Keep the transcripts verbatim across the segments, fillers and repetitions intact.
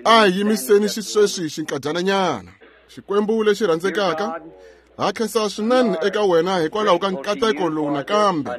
A hi yimiseni xisweswi xinkadyana. Xikwembu lexi rhandzekaka, ha khensa swinene eka wena hikwalaho ka nkateko lowu nakambe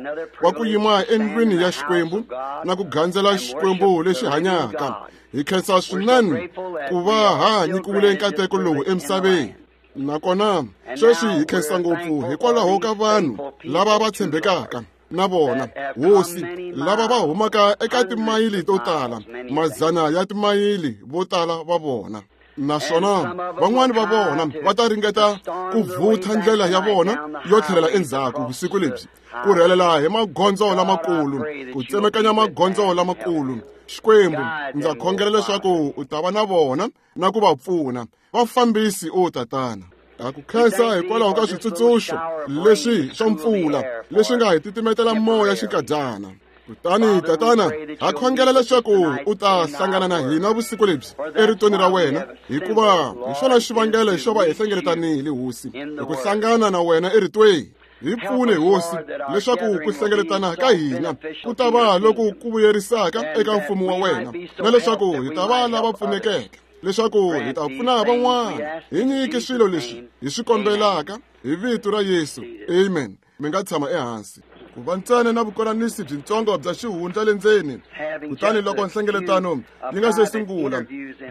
wa ku yima endlwini ya Xikwembu na ku gandzela Xikwembu lexi hanyaka. Hi khensa swinene ku va ha nyikiwile nkateko lowu emisaveni. Nakona sweswi hi khensa ngopfu hikwalaho ka vanhu lava va tshembekaka na vona, Hosi, lava va humaka eka timayili to tala, madzana ya timayili vo tala va vona. Naswona van'wani va vona va ta ringeta ku vutha ndlela ya vona yo tlhelela endzhaku vusiku lebyi, ku rhelela hi magondzo lamakulu, ku tsemekanya magondzo lamakulu. Xikwembu, ndza khongela leswaku u ta va na vona na ku va pfuna. Va fambisi, o Tatana. Ha ku khensa hikwalaho ka switsundzuxo leswi swa mpfula leswi nga hi titimetela moya xinkadyana. Kutani Tatana, ha khongela leswaku u ta hlangana na hina vusiku lebyi eritweni ra wena, hikuva hi xona xivangelo xo va hi hlengeletanile, Hosi, hi ku hlangana na wena eritweni. Hi pfune, Hosi, leswaku ku hlengeletana ka hina ku ta va loku ku vuyerisaka eka mfumo wa wena, na leswaku hi ta va lava pfunekeke, leswaku hi ta pfuna van'wana. Hi nyike swilo leswi hi swi kombelaka hi vito ra Yesu. Amen. Mi nga tshama ehansi. Ku va ntsena na vukonanisi byitsongo bya xihundla le ndzeni. Kutani loko nhlengeletano yi nga se sungula,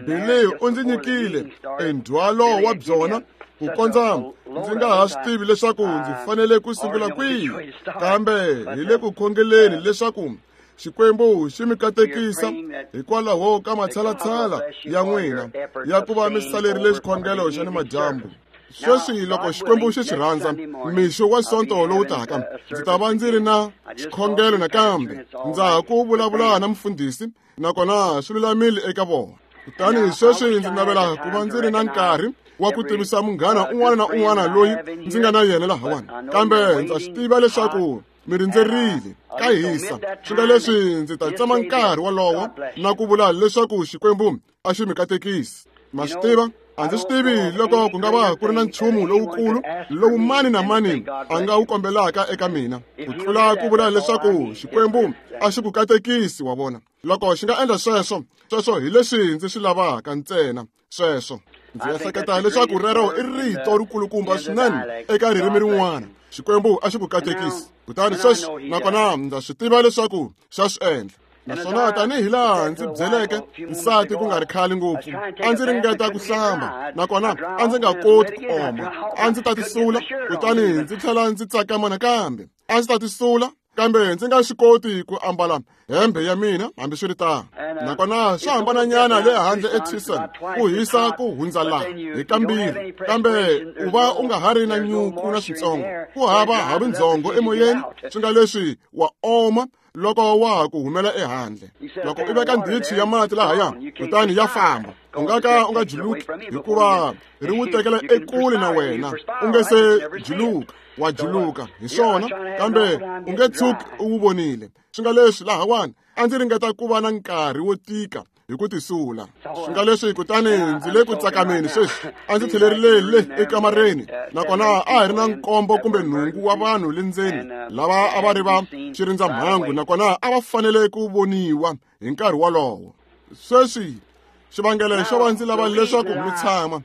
Billy u ndzi nyikile endzhwalo wa byona ku kondza ndzi nga ha swi tivi leswaku ndzi fanele ku sungula kwihi, kambe hi le ku khongeleni leswaku Xikwembu xi mi katekisa hikwalaho ka matshalatshala ya n'wina ya ku va mi salerile xikhongelo xa nimadyambu. Sweswi loko Xikwembu xi swi rhandza, mixo wa Sonto lowu taka ndzi ta va ndzi ri na xikhongelo nakambe. Ndza ha ku vulavula na mufundhisi, nakona swi lulamile eka vona. Kutani sweswi ndzi navela ku va ndzi ri na nkarhi wa ku tivisa munghana un'wana na un'wana loyi ndzi nga na yena lahawani, kambe ndza swi tiva leswaku mi rindzerile ka hisa. Swi nga leswi ndzi ta tsema nkarhi wolowo na ku vula leswaku Xikwembu a xi mi katekisi. Ma swi tiva, a ndzi swi tivi loko ku nga va ku ri na nchumu lowukulu lowu mani na mani a nga wu kombelaka eka mina ku tlula ku vula leswaku Xikwembu a xi ku katekisi. Wa vona, loko xi nga endla sweswo, sweswo hi leswi ndzi swi lavaka ntsena. Sweswo ndzi ehleketa leswaku rero i rito rikulukumba swinene eka ririmi rin'wana. Xikwembu a xi ku katekisi. Kutani sweswi nakona ndza swi tiva leswaku xa swi endla. Naswona tanihi laha ndzi byeleke nsati ku nga ri khale ngopfu, a ndzi ringeta ku hlamba, nakona a ndzi nga koti ku oma. A ndzi ta tisula, kutani ndzi tlhela ndzi tsakama nakambe. A ndzi ta tisula, kambe ndzi nga swi koti ku ambala hembe ya mina hambiswiritano. Nakona swa hambananyana le handle eTucson, ku hisa ku hundza laha hi kambirhi, kambe u va u nga ha ri na nyuku na switsongo, ku hava havindzongo emoyeni. Swi nga leswi wa oma loko wa ha ku humela ehandle. Loko u veka ndhichi ya mati lahaya, kutani ya famba, u nga ka u nga juluki, hikuva ri wu tekela ekule na wena. U nge se juluka, wa juluka hi swona, kambe u nge tshuki u wu vonile. Swi nga leswi lahawani a ndzi ringeta ku va na nkarhi wo tika hi ku tisula. Swi nga leswi kutani ndzi le ku tsakameni sweswi. A ndzi tlhelerile le ekamareni, nakona a hi ri na nkombo kumbe nhungu wa vanhu le ndzeni lava a va ri va xirindzamhangu, nakona a va fanele ku voniwa hi nkarhi wolowo. Sweswi xivangelo xo va ndzi lava leswaku mi tshama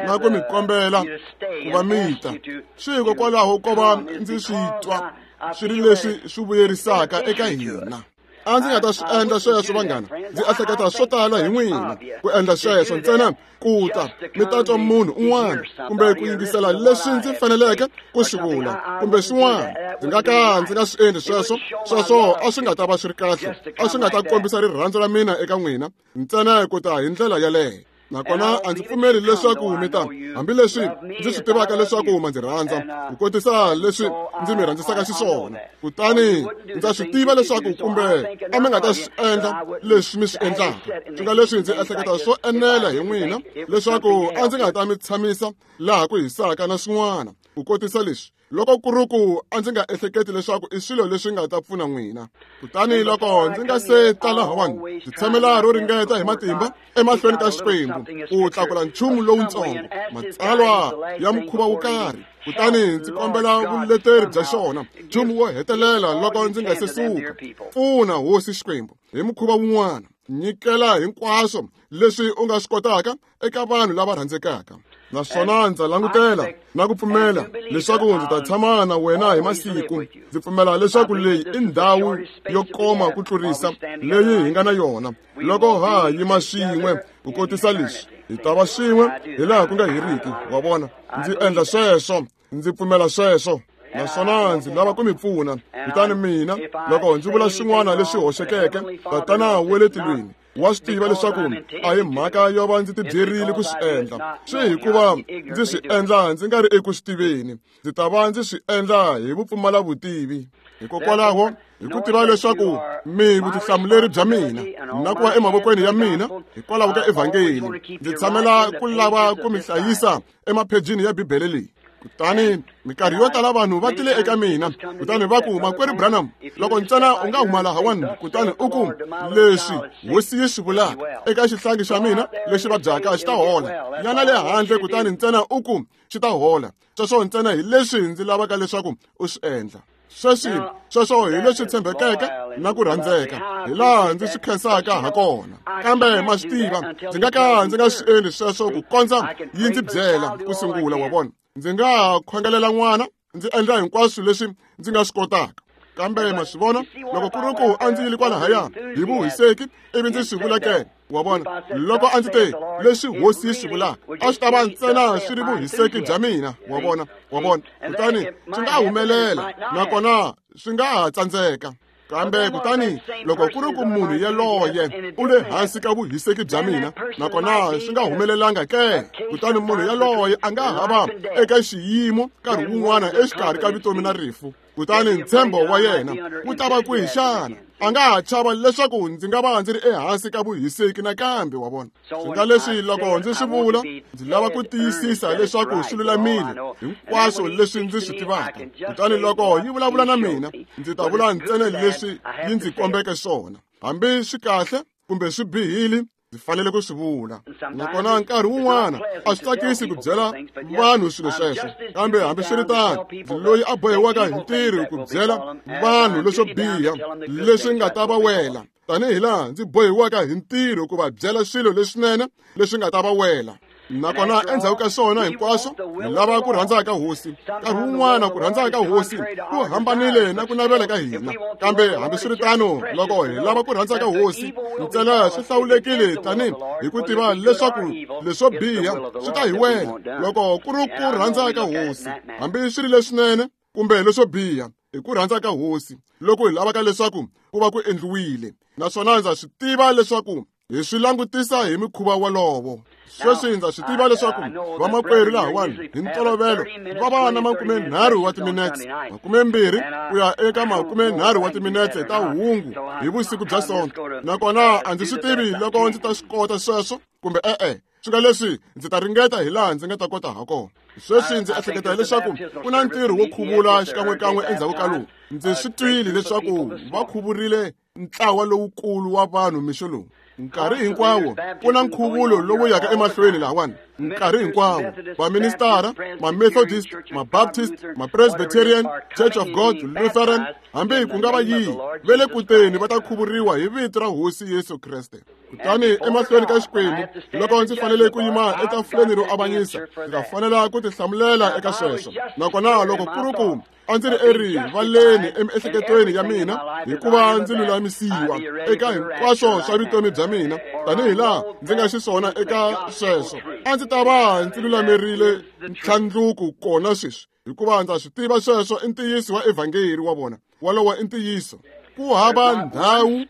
na ku mi kombela ku va mi ta, swi hikokwalaho ko va ndzi swi twa swi ri leswi swi vuyerisaka eka hina. A ndzi nga ta swi endla sweswo, vanghana. Ndzi ehleketa swo tala hi n'wina ku endla sweswo ntsena ku ta mi ta twa munhu un'wana kumbe ku yingisela leswi ndzi faneleke ku swi vula kumbe swin'wana. Ndzi nga ka ndzi nga swi endli sweswo. Sweswo a swi nga ta va swi ri kahle, a swi nga ta kombisa rirhandzu ra mina eka n'wina ntsena ku ta hi ndlela yaleyo. Nakona a ndzi pfumeli leswaku mi ta, hambileswi ndzi swi tivaka leswaku ma ndzi rhandza ku kotisa leswi ndzi mi rhandzisaka xiswona. Kutani ndza swi tiva leswaku kumbe a mi nga ta swi endla leswi mi swi endlaka. Swi nga leswi ndzi ehleketa swo enela hi n'wina leswaku a ndzi nga ta mi tshamisa laha ku hisaka na swin'wana ku kotisa leswi, loko ku ri ku a ndzi nga ehleketi leswaku i swilo leswi nga ta pfuna n'wina. Kutani loko ndzi nga se ta lahawani, ndzi tshamela ro ringeta hi matimba emahlweni ka Xikwembu ku tlakula nchumu lowutsongo, matsalwa ya mukhuva wo karhi, kutani ndzi kombela vuleteri bya xona, nchumu wo hetelela loko ndzi nga se suka. Pfuna, Hosi Xikwembu, hi mukhuva wun'wana. Nyikela hinkwaswo leswi u nga swi kotaka eka vanhu lava rhandzekaka. Naswona ndza langutela na ku pfumela leswaku ndzi ta tshama na wena hi masiku. Ndzi pfumela leswaku leyi i ndhawu yo koma ku tlurisa leyi hi nga na yona. Loko ha yima swin'we ku kotisa leswi, hi ta va swin'we hi laha ku nga heriki. Wa vona, ndzi endla sweswo, ndzi pfumela sweswo. Naswona ndzi lava ku mi pfuna. Kutani mina, loko ndzi vula swin'wana leswi hoxekeke, Tatana wa le tilweni wa swi tiva leswaku a hi mhaka yo va ndzi tibyerile ku swi endla. Swi hikuva ndzi swi endla ndzi nga ri eku swi tiveni. Ndzi ta va ndzi swi endla hi vupfumala vutivi. Hikokwalaho, hi ku tiva leswaku mi vutihlamuleri bya mina na ku va emavokweni ya mina hikwalaho ka evhangeli, ndzi tshamela ku lava ku mi hlayisa emaphejini ya Bibele leyi. Kutani minkarhi yo tala vanhu va tile eka mina, kutani va ku, Makwerhu Branham, loko ntsena u nga huma lahawani, kutani u ku leswi hosi yi swi vulaka eka xihlangi xa mina lexi vabyaka xi ta hola. Yana le handle kutani ntsena u ku xi ta hola. Sweswo ntsena hi leswi ndzi lavaka leswaku u swi endla. Sweswi sweswo hi leswi tshembekeke na ku rhandzeka, hi laha ndzi swi khensaka ha kona. Kambe ma swi tiva, ndzi nga ka ndzi nga swi endli sweswo ku kondza yi ndzi byela ku sungula. Wa vona, ndzi nga khongelela n'wana, ndzi endla hinkwaswo leswi ndzi nga swi kotaka. Kambe ma swi vona, loko ku ri ku a ndzi yile kwalahaya hi vuhiseki ivi ndzi swi vula ke, wa vona, loko a ndzi te leswi hosi yi swi vulaka, a swi ta va ntsena swi ri vuhiseki bya mina. Wa vona, wa vona, kutani swi nga humelela nakona swi nga ha tsandzeka. Kambe kutani loko ku ri ku munhu yaloye u le hansi ka vuhiseki bya mina nakona swi nga humelelanga ke, kutani munhu yaloye a nga ha va eka xiyimo nkarhi wun'wana exikarhi ka vutomi na rifu. Kutani ntshembo wa yena wu ta va kwihi xana? A nga ha chava leswaku ndzi nga va ndzi ri ehansi ka vuhiseki nakambe. Wa vona, swi nga leswi loko ndzi swi vula, ndzi lava ku tiyisisa leswaku swi lulamile hinkwaswo leswi ndzi swi tivaka. Kutani loko yi vulavula na mina, ndzi ta vula ntsena leswi yi ndzi kombeke swona, hambi swi kahle kumbe swi bihile, ndzi fanele ku swi vula. Nakona nkarhi wun'wana a swi tsakisi ku byela vanhu swilo sweswo, kambe hambiswiritano ndzi loyi a bohiwaka hi ntirho ku byela vanhu leswo biha leswi nga ta va wela, tanihi laha ndzi bohiwaka hi ntirho ku va byela swilo leswinene leswi nga ta va wela. Nakona endzhaku ka swona hinkwaswo, hi lava ku rhandza ka hosi. Nkarhi wun'wana ku rhandza ka hosi ku hambanile na ku navela ka hina, kambe hambiswiritano loko hi lava ku rhandza ka hosi ntsena swi hlawulekile tanihi hi ku tiva leswaku leswo biha swi ta hi wela loko ku ri ku rhandza ka hosi, hambi swi ri leswinene kumbe leswo biha, hi ku rhandza ka hosi loko hi lavaka leswaku ku va ku endliwile. Naswona ndza swi tiva leswaku hi swi langutisa hi mikhuva wolowo. Sweswi ndza swi tiva leswaku vamakwerhu lahawani hi ntolovelo va va na makumenharhu wa timinetse, makumembirhi ku ya eka makumenharhu wa timinetse ta hungu hi vusiku bya Sonto. Nakona a ndzi swi tivi loko ndzi ta swi kota sweswo kumbe e-e. Swi nga leswi ndzi ta ringeta hi laha ndzi nga ta kota ha kona. Sweswi ndzi ehleketa leswaku ku na ntirho wo khuvula xikan'wekan'we endzhaku ka lowu. Ndzi swi twile leswaku va khuvurile ntlawa lowukulu wa vanhu mixo lowu. Nkarhi hinkwawo ku na nkhuvulo lowu yaka emahlweni lahawani. Nkarhi hinkwawo vaministara, ma-Methodist, ma-Baptist, ma-Presbyterian, Church of God, Lutheran, hambi ku nga va yihi, va le kuteni va ta khuvuriwa hi vito ra Hosi Yesu Kreste. Kutani emahlweni ka Xikwembu, loko ndzi fanele ku yima etafuleni ro avanyisa, ndzi ta fanela ku tihlamulela eka sweswo. Nakona loko ku ri ku a ndzi ri erivaleni emiehleketweni ya mina hikuva ndzi lulamisiwa eka hinkwaswo swa vutomi bya mina tanihi laha ndzi nga xiswona eka sweswo, a ndzi ta va ndzi lulamerile ntlhandluko kona sweswi, hikuva ndza swi tiva sweswo i ntiyiso wa evhangeli. Wa vona, wolowo i ntiyiso. Ku hava ndhawu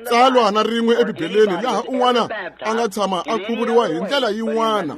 tsalwa na rin'we eBibeleni laha un'wana a nga tshama a khuvuriwa hi ndlela yin'wana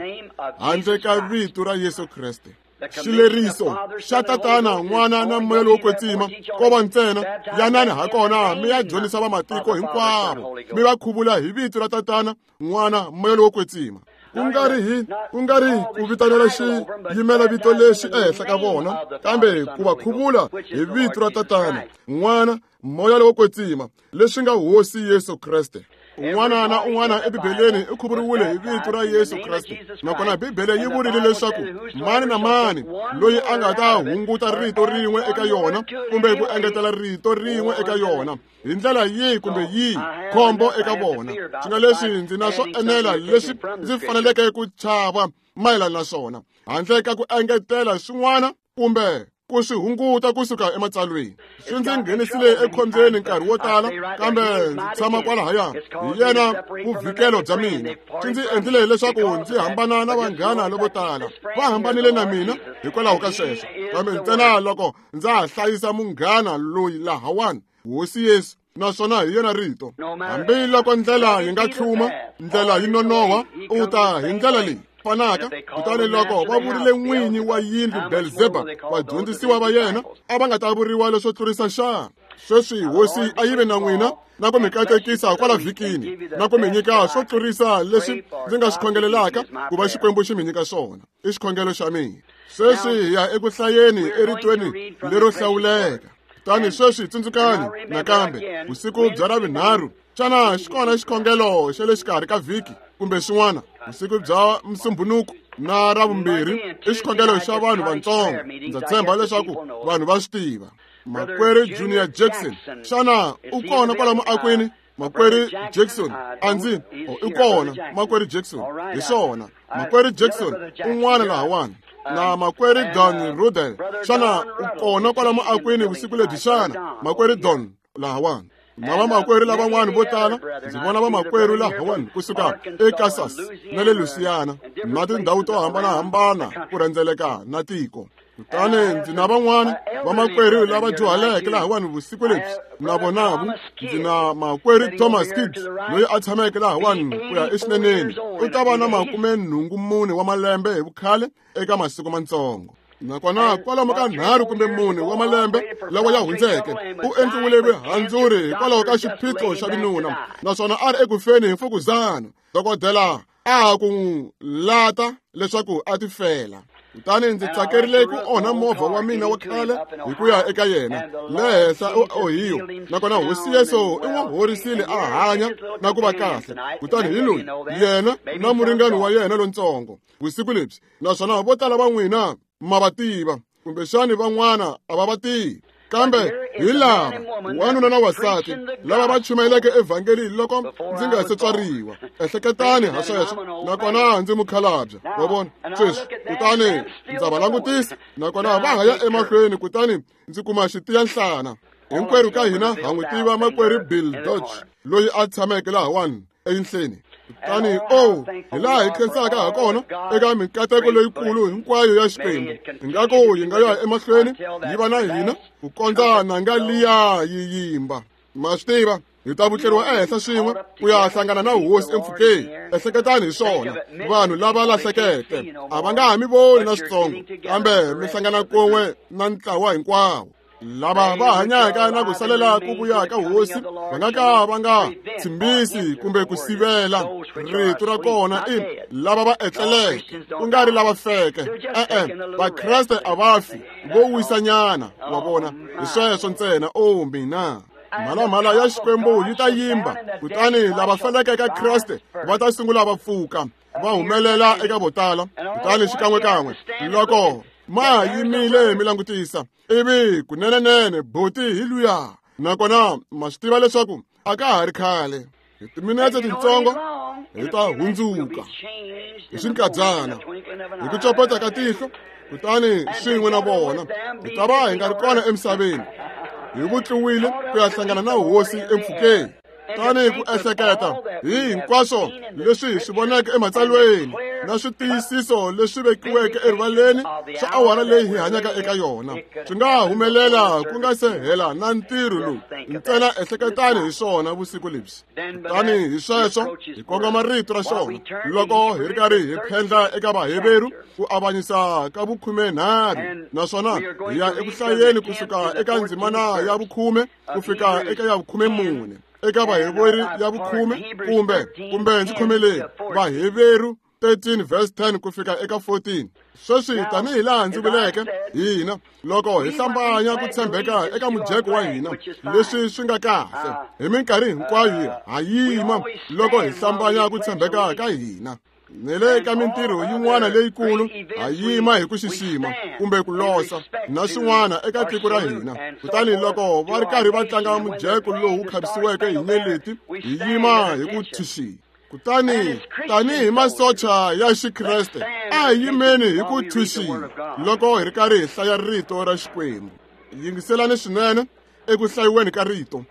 handle ka vito ra Yesu Kreste. Xileriso xa Tatana, N'wana na Moya lowo Kwetsima ko va ntsena yanani ha kona mi ya dyondzisa vamatiko hinkwavo, mi va khuvula hi vito ra Tatana, N'wana, Moya lowo Kwetsima. Ku nga ri hi ku nga ri ku vitanela xiyimela vito lexi ehenhla ka vona, kambe ku va khuvula hi vito ra Tatana, N'wana, Moya lowo Kwetsima, leswi nga Hosi Yesu Kreste. Un'wana na un'wana eBibeleni u khuvuriwile hi vito ra Yesu Kreste. Nakona Bibele yi vurile leswaku mani na mani loyi a nga ta hunguta rito rin'we eka yona kumbe ku engetela rito rin'we eka yona hi ndlela yihi kumbe yihi, khombo eka vona. Swi nga leswi ndzi na swo enela leswi ndzi faneleke ku chava mayelana na swona, handle ka ku engetela swin'wana kumbe ku swi hunguta kusuka ematsalweni. Swi ndzi nghenisile ekhombyeni nkarhi wo tala, kambe ndzi tshama kwalahaya. Hi yena vuvikelo bya mina. Swi ndzi endlile leswaku ndzi hambana na vanghana lavo tala. Va hambanile na mina hikwalaho ka sweswo, kambe ntsena loko ndza ha hlayisa munghana loyi lahawani, Hosi Yesu, naswona hi yena rito. Hambi loko ndlela yi nga tlhuma, ndlela yi nonoha, u ta hi ndlela leyi fanaka. Kutani loko va vurile n'winyi wa yindlu Belzebub, vadyondzisiwa va yena a va nga ta vuriwa leswo tlurisa xana? Sweswi Hosi a yi ve na n'wina na ku mi katekisa kwala vhikini, na ku mi nyika swo tlurisa leswi ndzi nga swi khongelelaka ku va Xikwembu xi mi nyika swona. I xikhongelo xa mina. Sweswi hi ya eku hlayeni eritweni lero hlawuleka. Kutani sweswi tsundzukani nakambe vusiku bya Ravunharhu. Xana xi kona xikhongelo xa le xikarhi ka vhiki kumbe xin'wana? Vusiku bya Musumbunuku na Ravumbirhi i xikhongelo xa vanhu vantsongo. Ndza tshemba leswaku vanhu va swi tiva. Makwerhu Junior Jackson, xana u kona kwala muakwini? Makwerhu Jackson, a ndzi i kona. Makwerhu Jackson, hi swona. Makwerhu Jackson un'wana lahawani. Na makwerhu Don Rudel, xana u kona kwala muakwini vusiku lebyi xana? Makwerhu Don lahawani. Na vamakwerhu lavan'wana vo tala, ndzi vona vamakwerhu lahawani kusuka eKansas na le Louisiana na tindhawu to hambanahambana ku rhendzeleka na tiko. Kutani ndzi na van'wana vamakwerhu lava dyuhaleke lahawani vusiku lebyi, na vonavu ndzi na makwerhu Thomas Kidd loyi a tshameke lahawani ku ya exineneni. U ta va na makume nhungu mune wa malembe hi vukhale eka masiku matsongo. Nakona kwalomu ka nharhu kumbe mune wa malembe lawa ya hundzeke, u endliwile vuhandzuri hikwalaho ka xiphiqo xa vinuna, naswona a ri ekufeni hi mfukuzana. Dokodela a ha ku n'wi lata leswaku a tifela. Kutani ndzi tsakerile ku onha movha wa mina wa khale hi ku ya eka yena le henhla eOhio. Nakona Hosi Yesu i n'wi horisile a hanya na ku va kahle. Kutani hi loyi yena na muringani wa yena lontsongo vusiku lebyi, naswona vo tala va n'wina ma va tiva, kumbexani van'wana a va va tivi. Kambe hi lava wanuna na wansati lava va chumayeleke evhangeli loko ndzi nga se tswariwa. Ehleketani ha sweswo. Nakona ndzi mukhalabye, wa vona sweswi. Kutani ndza va langutisa, nakona va ha ya emahlweni, kutani ndzi kuma xitiyanhlana. Hinkwerhu ka hina ha n'wi tiva makwerhu Bill Dodge loyi a tshameke lahawani eyinhleni. Kutani o hi laha hi khensaka ha kona eka mikateko leyikulu hinkwayo ya Xikwembu. Ingaku yi nga ya emahlweni yi va na hina ku kondza nanga liya yi yimba. Ma swi tiva, hi ta vutleriwa ehenhla swin'we ku ya hlangana na Hosi empfhukeni. Ehleketani hi swona, vanhu lava lahlekeke a va nga ha mi voni na switsongo, kambe mi hlangana kun'we na ntlawa hinkwawo. Lava va hanyaka na ku salela ku vuya ka Hosi va nga ka va nga tshimbisi kumbe ku sivela. Rito ra kona i lava va etleleke, ku nga ri lava feke. E-e, Vakreste a va fi, vo wisanyana, wa vona. Hi sweswo ntsena. O mina, mhalamhala ya Xikwembu yi ta yimba, kutani lava feleke eka Kreste va ta sungula va pfuka, va humelela eka vo tala. Kutani xikan'wekan'we loko ma yimile mi langutisa, ivi kunenenene boti hi luya. Nakona ma swi tiva leswaku a ka ha ri khale, hi timinetse tintsongo hi ta hundzuka hi xinkadyana, hi ku copeta ka tihlo. Kutani swin'we na vona hi ta va hi nga ri kona emisaveni, hi vutliwile ku ya hlangana na Hosi empfhukeni. Tani ku ehleketa hi hinkwaswo leswi hi swi voneke ematsalweni na switiyisiso leswi vekiweke erivaleni swa awara leyi hi hanyaka eka yona, swi nga humelela ku nga se hela na ntirho lowu. Ntsena ehleketani hi swona vusiku lebyi. Kutani hi sweswo hi kongoma rito ra xona loko hi ri karhi hi phendla eka Vaheveru ku avanyisa ka vukhumenharhu, naswona hi ya eku hlayeni kusuka eka ndzimana ya vukhume ku fika eka ya vukhumemune. Eka Vaheveru ya vukhume kumbe kumbe ndzi khomeleni Vaheveru thirteen verse ten ku fika eka fourteen. Sweswi tanihi laha ndzi vuleke hina loko hi hlambanya ku tshembeka eka mujeko wa hina leswi swi nga kahle hi minkarhi hinkwayo ha yima loko hi hlambanya ku tshembeka ka hina ni le ka mintirho yin'wana leyikulu ha yima hi ku xixima kumbe ku losa na swin'wana eka tiko ra hina. Kutani loko va ri karhi va tlanga mujeko lowu khavisiweke hi nyeleti hi yima hi ku tshixima. Kutani tanihi masocha ya Xikreste a hi yimeni hi ku tshixima loko hi ri karhi hi hlaya rito ra Xikwembu. Yingiselani swinene eku hlayiweni ka rito.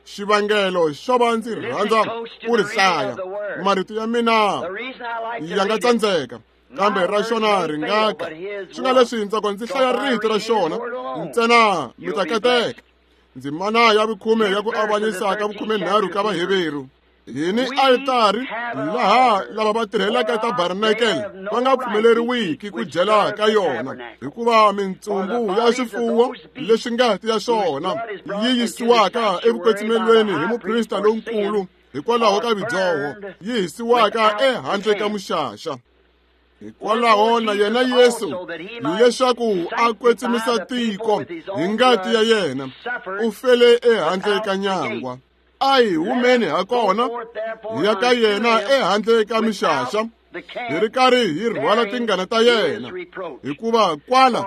Xivangelo xo va ndzi rhandza ku ri hlaya marito ya mina ya nga tsandzeka kambe ra xona ri nga ka swi nga leswi ntsako ndzi hlaya rito ra xona ntsena mi ta kateka. Ndzimana ya vukhume ya ku avanyisa ka vukhumenharhu ka Vaheveru. Hi ni altari laha lava va tirhelaka tabernacle va nga pfumeleriwiki ku dyela ka yona hikuva mintsumbu ya swifuwo leswi ngati ya swona yi yisiwaka evukwetsimelweni hi muprista lonkulu hikwalaho ka vidyoho yi hisiwaka ehandle ka muxaxa. Hikwalaho na yena Yesu leswaku a kwetsimisa tiko hi ngati ya yena u fele ehandle ka nyangwa. A hi humeni ha kona hi ya ka yena ehandle ka mixaxa hi ri karhi hi rhwala tingana ta yena hikuva kwala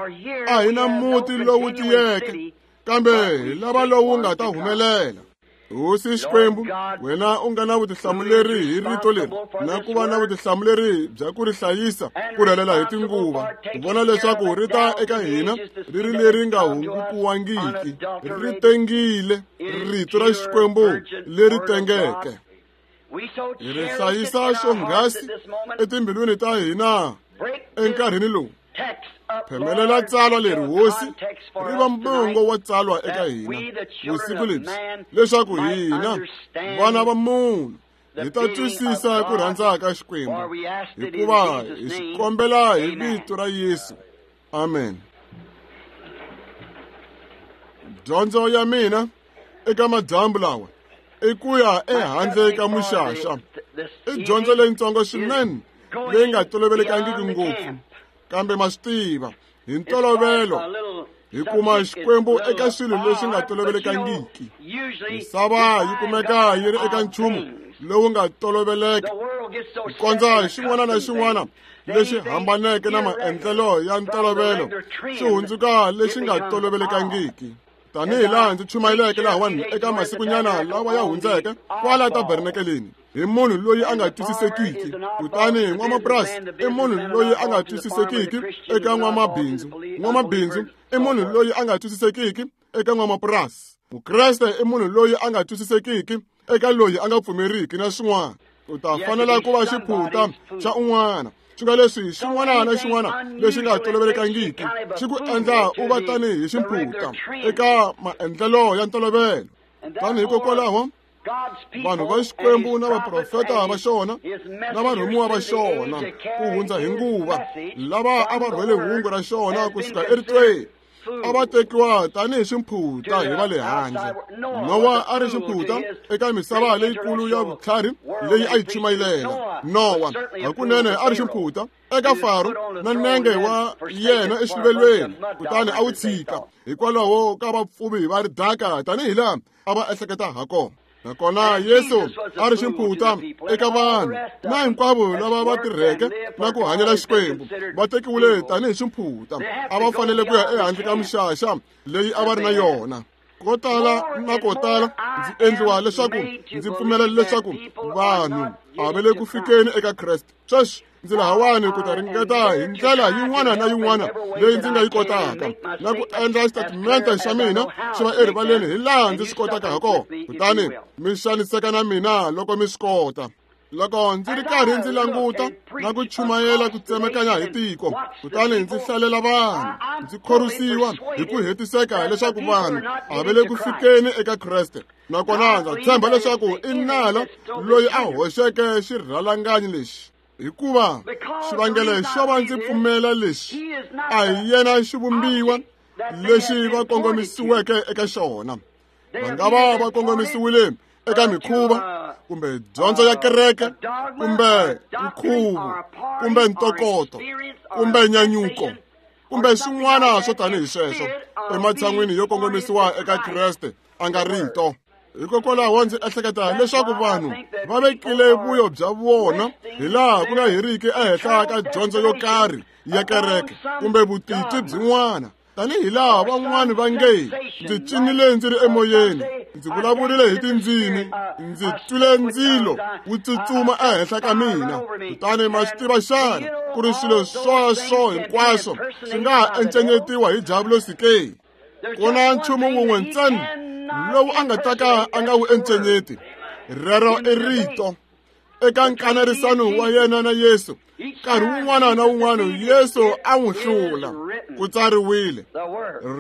a hi na muti lowu tiyeke kambe hi lava lowu nga ta humelela. Hosi Xikwembu wena u nga na vutihlamuleri hi rito leri na ku va na vutihlamuleri bya ku ri hlayisa ku rhelela hi tinguva ku vona leswaku ri ta eka hina ri ri leri nga hungukiwangiki ri tengile rito ra Xikwembu leri tengeke. Hi ri hlayisa xonghasi etimbilwini ta hina enkarhini lowu. Phemelela tsalwa leri Hosi ri va mbungo wa tsalwa eka hina vusiku lebyi leswaku hina vana va munhu hi ta twisisa ku rhandza ka Xikwembu hikuva hi xi kombela hi vito ra Yesu. Amen. Dyondzo ya mina eka madyambu lawa i ku ya ehandle ka muxaxa. I dyondzo leyitsongo swinene leyi nga tolovelekangiki ngopfu kambe ma swi tiva hi ntolovelo hi kuma Xikwembu eka swilo leswi nga tolovelekangiki. Misava yi kumeka yi ri eka nchumu lowu nga toloveleka ku kondza xin'wana na xin'wana lexi hambaneke na maendlelo ya ntolovelo xi hundzuka lexi nga tolovelekangiki. Tanihi laha ndzi chumayeleke lahawani eka masikunyana lawa ya hundzeke kwala tabernakeleni hi munhu loyi a nga twisisekiki. Kutani n'wamapurasi i munhu loyi a nga twisisekiki eka n'wamabindzu. N'wamabindzu i munhu loyi a nga twisisekiki eka n'wamapurasi. Mukreste i munhu loyi a nga twisisekiki eka loyi a nga pfumeriki na swin'wana. U ta fanela ku va xiphunta xa un'wana. Swi nga leswi xin'wana na xin'wana lexi nga tolovelekangiki xi ku endla u va tanihi xiphunta eka maendlelo ya ntolovelo. Tani hikokwalaho vanhu va Xikwembu na vaprofeta va xona na varhumiwa va xona ku hundza hi nguva lava a va rhwele hungu ra xona kusuka eritweni a va tekiwa tanihi ximphuta hi va le handle. Nowa a ri ximphuta eka misava leyikulu ya vutlhari leyi a yi chumayelela. Nowa hakunene a ri ximphuta eka Faro na nenge wa yena exiluvelweni kutani a wu tshika hikwalaho ka vapfuvi va ridaka tanihi laha a va ehleketa ha kona. Nakona Yesu a ri ximphuta eka vanhu na hinkwavo lava va tirheke na ku hanyela Xikwembu va tekiwile tanihi ximphuta. A va fanele ku ya ehandle ka mixaxa leyi a va ri na yona. Ko tala na ko tala ndzi endliwa leswaku ndzi pfumela leswaku vanhu a va le ku fikeni eka Kreste. Sweswi ndzi lahawani ku ta ringeta hi ndlela yin'wana na yin'wana leyi ndzi nga yi kotaka na ku endla xitatimende xa mina xi va erivaleni hi laha ndzi swi kotaka ha kona. Kutani mi xaniseka na mina loko mi swi kota. Loko ndzi ri karhi ndzi languta na ku chumayela ku tsemekanya hi tiko kutani ndzi hlalela vanhu ndzi khorwisiwa hi ku hetiseka leswaku vanhu a va le ku fikeni eka Kreste. Nakona ndza tshemba leswaku i nala loyi a hoxeke xirhalanganyi lexi hikuva xivangelo xo va ndzi pfumela lexi a hi yena xivumbiwa lexi va kongomisiweke eka xona. Va nga va va kongomisiwile eka mikhuva kumbe dyondzo ya kereke, kumbe nkhuvo, kumbe ntokoto, kumbe nyanyuko, kumbe swin'wana swo tanihi sweswo, ematshan'wini yo kongomisiwa eka Kreste a nga rito. Hikokwalaho ndzi ehleketa leswaku vanhu va vekile vuyo bya vona hi laha ku nga heriki ehenhla ka dyondzo yo karhi ya kereke kumbe vutitwi byin'wana, tanihi laha van'wani va nge ndzi cinile ndzi ri emoyeni, ndzi vulavurile hi tindzimi, ndzi twile ndzilo wu tsutsuma ehenhla ka mina. Kutani ma swi tiva xana ku ri swilo sweswo hinkwaswo swi nga ha encenyetiwa hi diavulosi ke? Ku na nchumu wun'we ntsena lowu a nga ta ka a nga wu encenyeti, rero i rito. Eka nkanerisano wa yena na Yesu, nkarhi wun'wana na wun'wana Yesu a n'wi hlula, ku tsariwile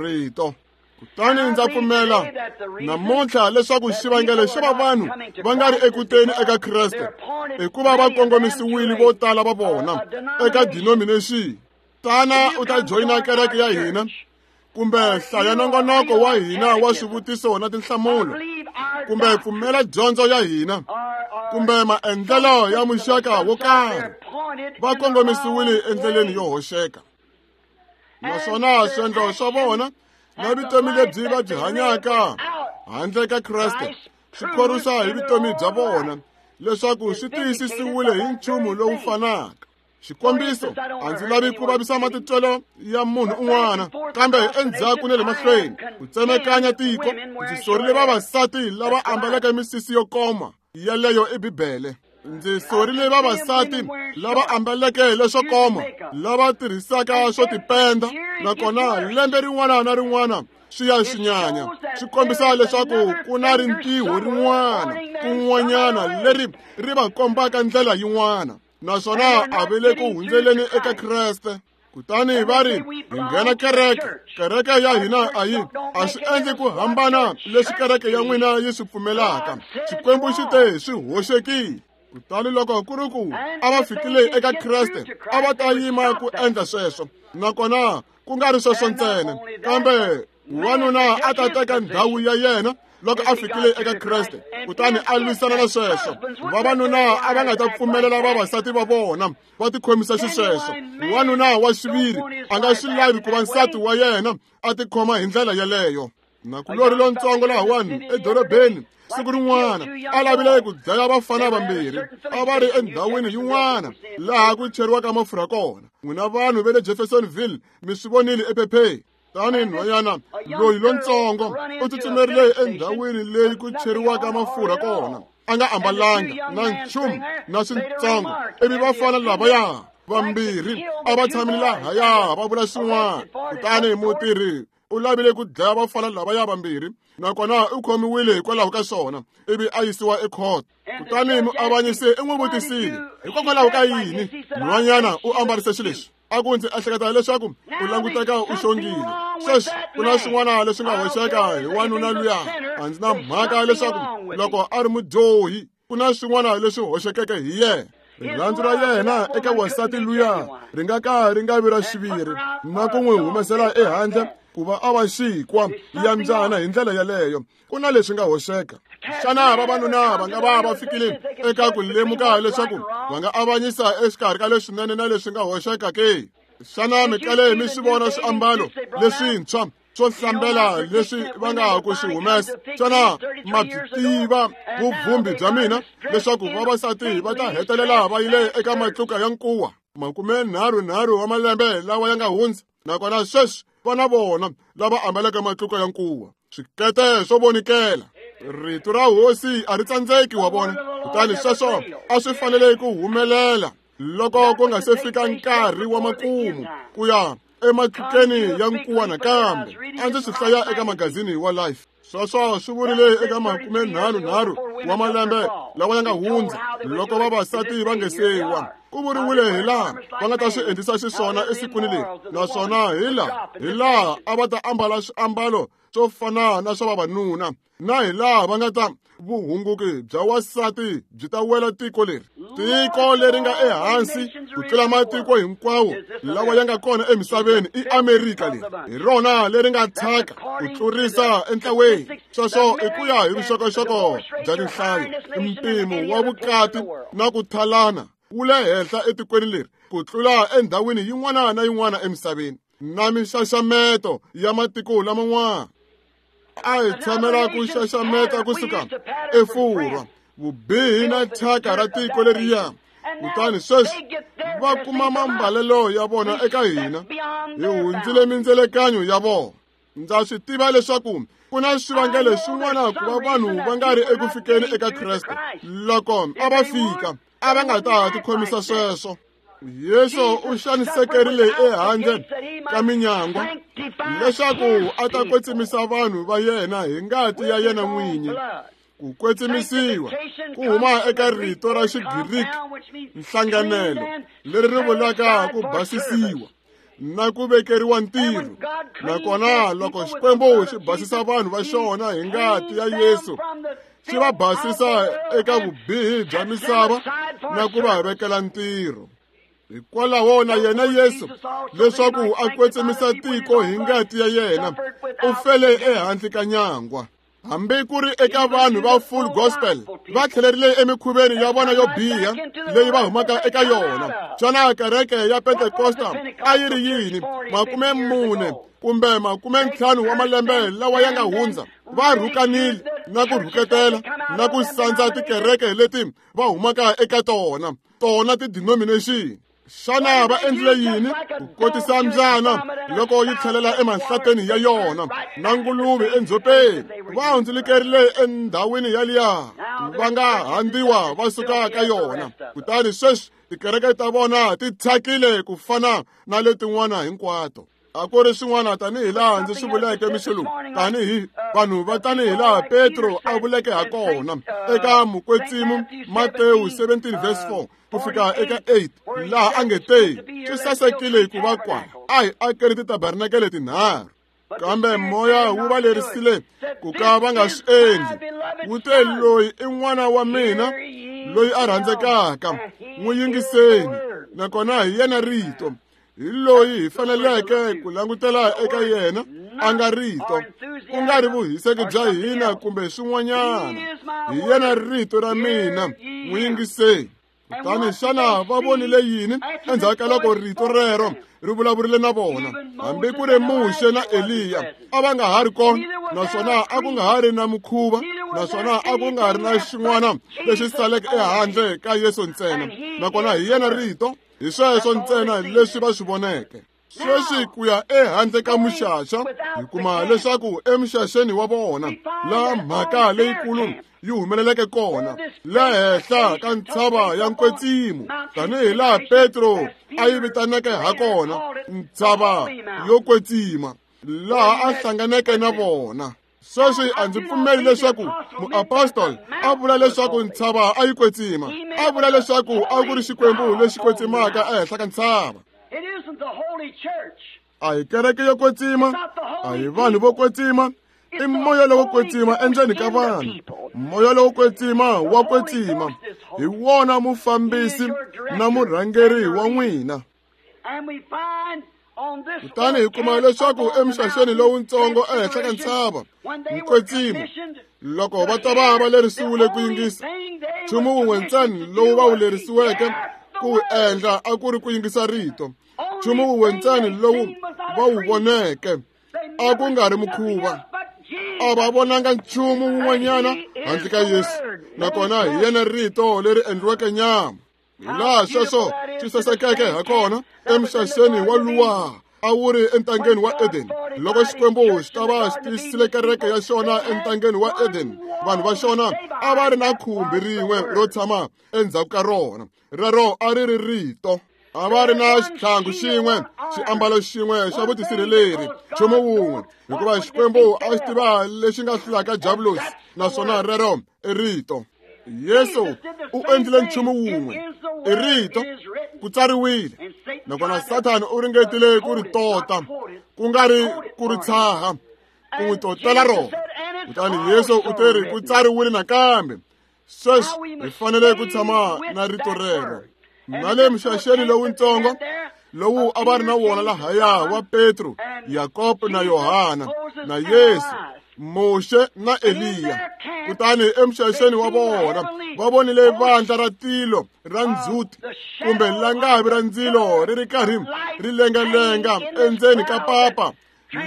rito. Kutani ndza pfumela namuntlha leswaku xivangelo xa va vanhu va nga ri ekuteni eka Kreste hikuva va kongomisiwile vo tala va vona eka denomination. Tana u ta joyina kereke ya hina, kumbe hlaya nongonoko wa hina wa swivutiso na tinhlamulo, kumbe pfumela dyondzo ya hina, kumbe maendlelo ya muxaka wo karhi. Va kongomisiwile endleleni yo hoxeka, naswona swiendlo swa vona na vutomi lebyi va byi hanyaka handle ka Kreste swi khorwisa hi vutomi bya vona leswaku swi tiyisisiwile hi nchumu lowu fanaka. Xikombiso, a ndzi lavi ku vavisa matitwelo ya munhu un'wana, kambe endzhaku na le mahlweni ku tsemekanya tiko, ndzi sorile vavasati lava ambaleke misisi yo koma, yeleyo i Bibele. Ndzi sorile vavasati lava ambaleke leswo koma, lava tirhisaka swo tipenda, nakona lembe rin'wana na rin'wana swi ya swi nyanya, swi kombisa leswaku ku na rintiho rin'wana kun'wanyana leri ri va kombaka ndlela yin'wana, naswona a va le ku hundzeleni eka Kreste. Kutani va ri hi nghena kereke, kereke ya hina a yi a swi endli ku hambana leswi kereke ya n'wina yi swi pfumelaka. Xikwembu xi te swi hoxekile. Kutani loko ku ri ku a va fikile eka Kreste, a va ta yima ku endla sweswo, nakona ku nga ri sweswo ntsena, kambe wanuna a ta teka ndhawu ya yena loko a fikile eka Kreste, kutani a lwisana na sweswo. Vavanuna a va nga ta pfumelela vavasati va vona va tikhomisa xisweswo. Wanuna wa xiviri a nga swi lavi ku va nsati wa yena a tikhoma hi ndlela yeleyo. Nakulorhi lontsongo lahawani edorobeni siku rin'wana a lavile ku dlaya vafana vambirhi, a va ri endhawini yin'wana laha ku cheriwaka mafurha kona. N'wina vanhu va le Jeffersonville mi swi vonile ephepheni. Tani nhwanyana loyi lontsongo u tsutsumerile endhawini leyi ku cheriwaka mafurha kona, a nga ambalanga na nchumu na swintsongo, ivi vafana lavaya vambirhi a va tshamile lahaya va vula swin'wana. Kutani mutirhi u lavile ku dlaya vafana lavaya vambirhi, nakona u khomiwile hikwalaho ka swona, ivi a yisiwa ekhoto. Kutani muavanyisi i n'wi vutisile, hikokwalaho ka yini nhwanyana u ambarise xileswi? A ku ndzi ehleketa leswaku u languteka u xongile. Sweswi ku na swin'wana leswi nga hoxeka hi wanuna luya. A ndzi na mhaka leswaku loko a ri mudyohi, ku na swin'wana leswi hoxekeke hi yena. Rirhandzu ra yena eka wansati luya ri nga ka ri nga vi ra xiviri, na ku n'wi humesela ehandle ku va a va xikwa ya mbyana hi ndlela yeleyo. Ku na leswi nga hoxeka. Xana vavanuna va nga va va fikile eka ku lemuka leswaku va nga avanyisa exikarhi ka leswinene na leswi nga hoxeka ke? Xana mi kale mi swi vona swiambalo leswintshwa swo hlambela leswi va nga ku swi humesa? Xana ma byi tiva vuvhumbi bya mina leswaku vavasati va ta hetelela va yile eka matluka ya nkuwa makume nharhu nharhu wa malembe lawa ya nga hundza, nakona sweswi vana vona lava ambaleke matluka ya nkuwa, swikete swo vonikela? Rito ra hosi a ri tsandzeki, wa vona. Kutani sweswo a swi fanele ku humelela loko ku nga se fika nkarhi wa makumu ku ya ematlukeni ya nkuwa nakambe. A ndzi swi hlaya eka magazini wa Life. Sweswo swi vurile eka makume nharhu nharhu wa malembe lawa ya nga hundza, loko vavasati va nge se wa. Ku vuriwile hi laha va nga ta swi endlisa xiswona esikwini leri, naswona hi laha hi laha a va ta ambala swiambalo swo fana na swa vavanuna, na hi laha va nga ta vuhunguki bya wasati byi ta wela tiko leri, tiko leri nga ehansi ku tlula matiko hinkwawo lawa ya nga kona emisaveni i Amerika leri hi rona leri nga thyaka ku tlurisa entlaweni. Sweswo i ku ya hi vuxokoxoko bya tinhlayo. Mpimo wa vukati na ku thalana wu le henhla etikweni leri ku tlula endhawini yin'wana na yin'wana emisaveni na minxaxameto ya matiko laman'wana. A hi tshamela ku xaxameta kusuka eFurwa, vubihi na thyaka ra tiko leriya. Kutani sweswi va kuma mambalelo ya vona eka hina, hi hundzile mindzelekanyo ya vona. Ndza swi tiva leswaku ku na swivangelo swin'wana ku va vanhu va nga ri eku fikeni eka Kreste. Loko a va fika, a va nga ta tikhomisa sweswo. Yesu u xanisekerile ehandle ka minyangwa leswaku a ta kwetsimisa vanhu va yena hi ngati ya yena n'winyi. Ku kwetsimisiwa ku huma eka rito ra Xigiriki nhlanganelo leri ri vulaka ku basisiwa na ku vekeriwa ntirho. Nakona loko Xikwembu xi basisa vanhu va xona hi ngati ya Yesu, xi va basisa eka vubihi bya misava na ku va vekela ntirho. Hikwalaho na yena Yesu, leswaku a kwetsimisa tiko hi ngati ya yena, u fele ehandle ka nyangwa. Hambi ku ri eka vanhu va full gospel va tlhelerile emikhuveni ya vona yo biha leyi va humaka eka yona. Xana kereke ya Pentekosta a yi ri yini makume mune kumbe makume ntlhanu wa malembe lawa ya nga hundza? Va rhukanile na ku rhuketela na ku sandza tikereke leti va humaka eka tona, tona ti-denomination. Xana va endlile yini ku kotisa mbyana loko yi tlhelela emahlateni ya yona na nguluve endzhopeni? Va hundzulukerile endhawini yaliya va nga handziwa va suka ka yona. Kutani sweswi tikereke ta vona ti thyakile ku fana na letin'wana hinkwato. A ku ri swin'wana tanihi laha ndzi swi vuleke mixo lowu, tanihi vanhu va tanihi laha Petro a vuleke ha kona eka Mukwetsimo Matewu seventeen verse four ku fika eka eight, laha a nge te swi sasekile ku va kwala a hi akeri titabernakele tinharhu. Kambe moya wu va lerisile ku ka va nga swi endli. Wu te, loyi i n'wana wa mina loyi a rhandzekaka, n'wi yingiseni, nakona hi yena rito. Hi loyi hi faneleke ku langutela eka yena a nga rito, ku nga ri vuhiseki bya hina kumbe swin'wanyana. Hi yena rito ra mina, n'wi yingiseni. Kutani xana va vonile yini endzhaku ka loko rito rero ri vulavurile na vona? Hambi ku ri Muxe na Eliya a va nga ha ri kona, naswona a ku nga ha ri na mukhuva, naswona a ku nga ri na xin'wana lexi saleke ehandle ka Yesu ntsena. Nakona hi yena rito, hi sweswo ntsena leswi va swi voneke. Sweswi ku ya ehandle ka muxaxa, hi kuma leswaku emixaxeni wa vona laha mhaka leyikulu yi humeleleke kona, le henhla ka ntshava ya Nkwetsimo, tanihi laha Petro a yi vitaneke ha kona, ntshava yo kwetsima, laha a hlanganeke na vona. Sweswi a ndzi pfumeli leswaku muapostoli a vula leswaku ntshava a yi kwetsima, a vula leswaku a ku ri Xikwembu lexi kwetsimaka ehenhla ka ntshava. A hi kereke yo kwetsima, a hi vanhu vo kwetsima, i moya lowo kwetsima endzeni ka vanhu. Moya lowo kwetsima wa kwetsima, hi wona mufambisi na murhangeri wa n'wina. Kutani hi kuma leswaku emixaxeni lowuntsongo ehenhla ka ntshava Nkwetsimo, loko va ta va va lerisiwile ku yingisa, nchumu wun'we ntsena lowu va wu lerisiweke ku wu endla a ku ri ku yingisa rito. Nchumu wun'we ntsena lowu va wu voneke a ku nga ri mukhuva. A va vonanga nchumu wun'wanyana handle ka Yesu, nakona hi yena rito leri endliweke nyama. Hi laha sweswo swi sasekeke ha kona emixaxeni wa luwa a wu ri entangeni wa Eden. Loko Xikwembu xi ta va xi tiyisile kereke ya xona entangeni wa Eden, vanhu va xona a va ri na khumbi rin'we ro tshama endzhaku ka rona. Rero a ri ri rito. A va ri na xitlhangu xin'we, xiambalo xin'we xa vutisirheleri, nchumu wun'we, hikuva Xikwembu a xi tiva lexi nga hlulaka Diabulosi, naswona rero i rito. Yesu u endlile nchumu wun'we, i rito, ku tsariwile. Nakona Sathana u ringetile ku ri tota, ku nga ri ku ri tshaha, ku n'wi totela rona. Kutani Yesu u te ri ku tsariwile nakambe. Sweswi hi fanele ku tshama na rito rero. Na le mixaxeni lowutsongo lowu a va ri na wona lahaya wa Petro, Yakobo na Yohana na Yesu, Muxe na Eliya. Kutani emixaxeni wa vona va vonile vandla ra tilo ra ndzhuti kumbe langavi ra ndzilo ri ri karhi ri lengalenga endzeni ka papa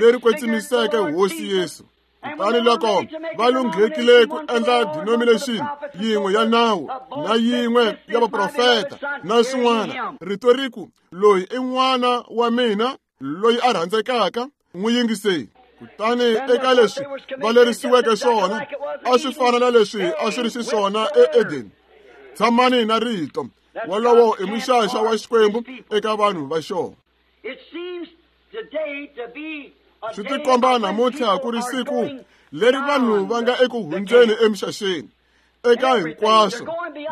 leri kwetsimiseke Hosi Yesu. Kutani loko va lunghekile ku endla denomination yin'we ya nawu na yin'we ya vaprofeta na swin'wana, rito ri ku, loyi i n'wana wa mina loyi a rhandzekaka, n'wi yingiseni. Kutani eka leswi va lerisiweke swona a swi fana na leswi a swi ri xiswona eEdeni. Tshamani na rito. Wolowo i muxaxa wa Xikwembu eka vanhu va xona. Swi tikomba namuntlha ku ri siku leri vanhu va nga eku hundzeni emixaxeni eka hinkwaswo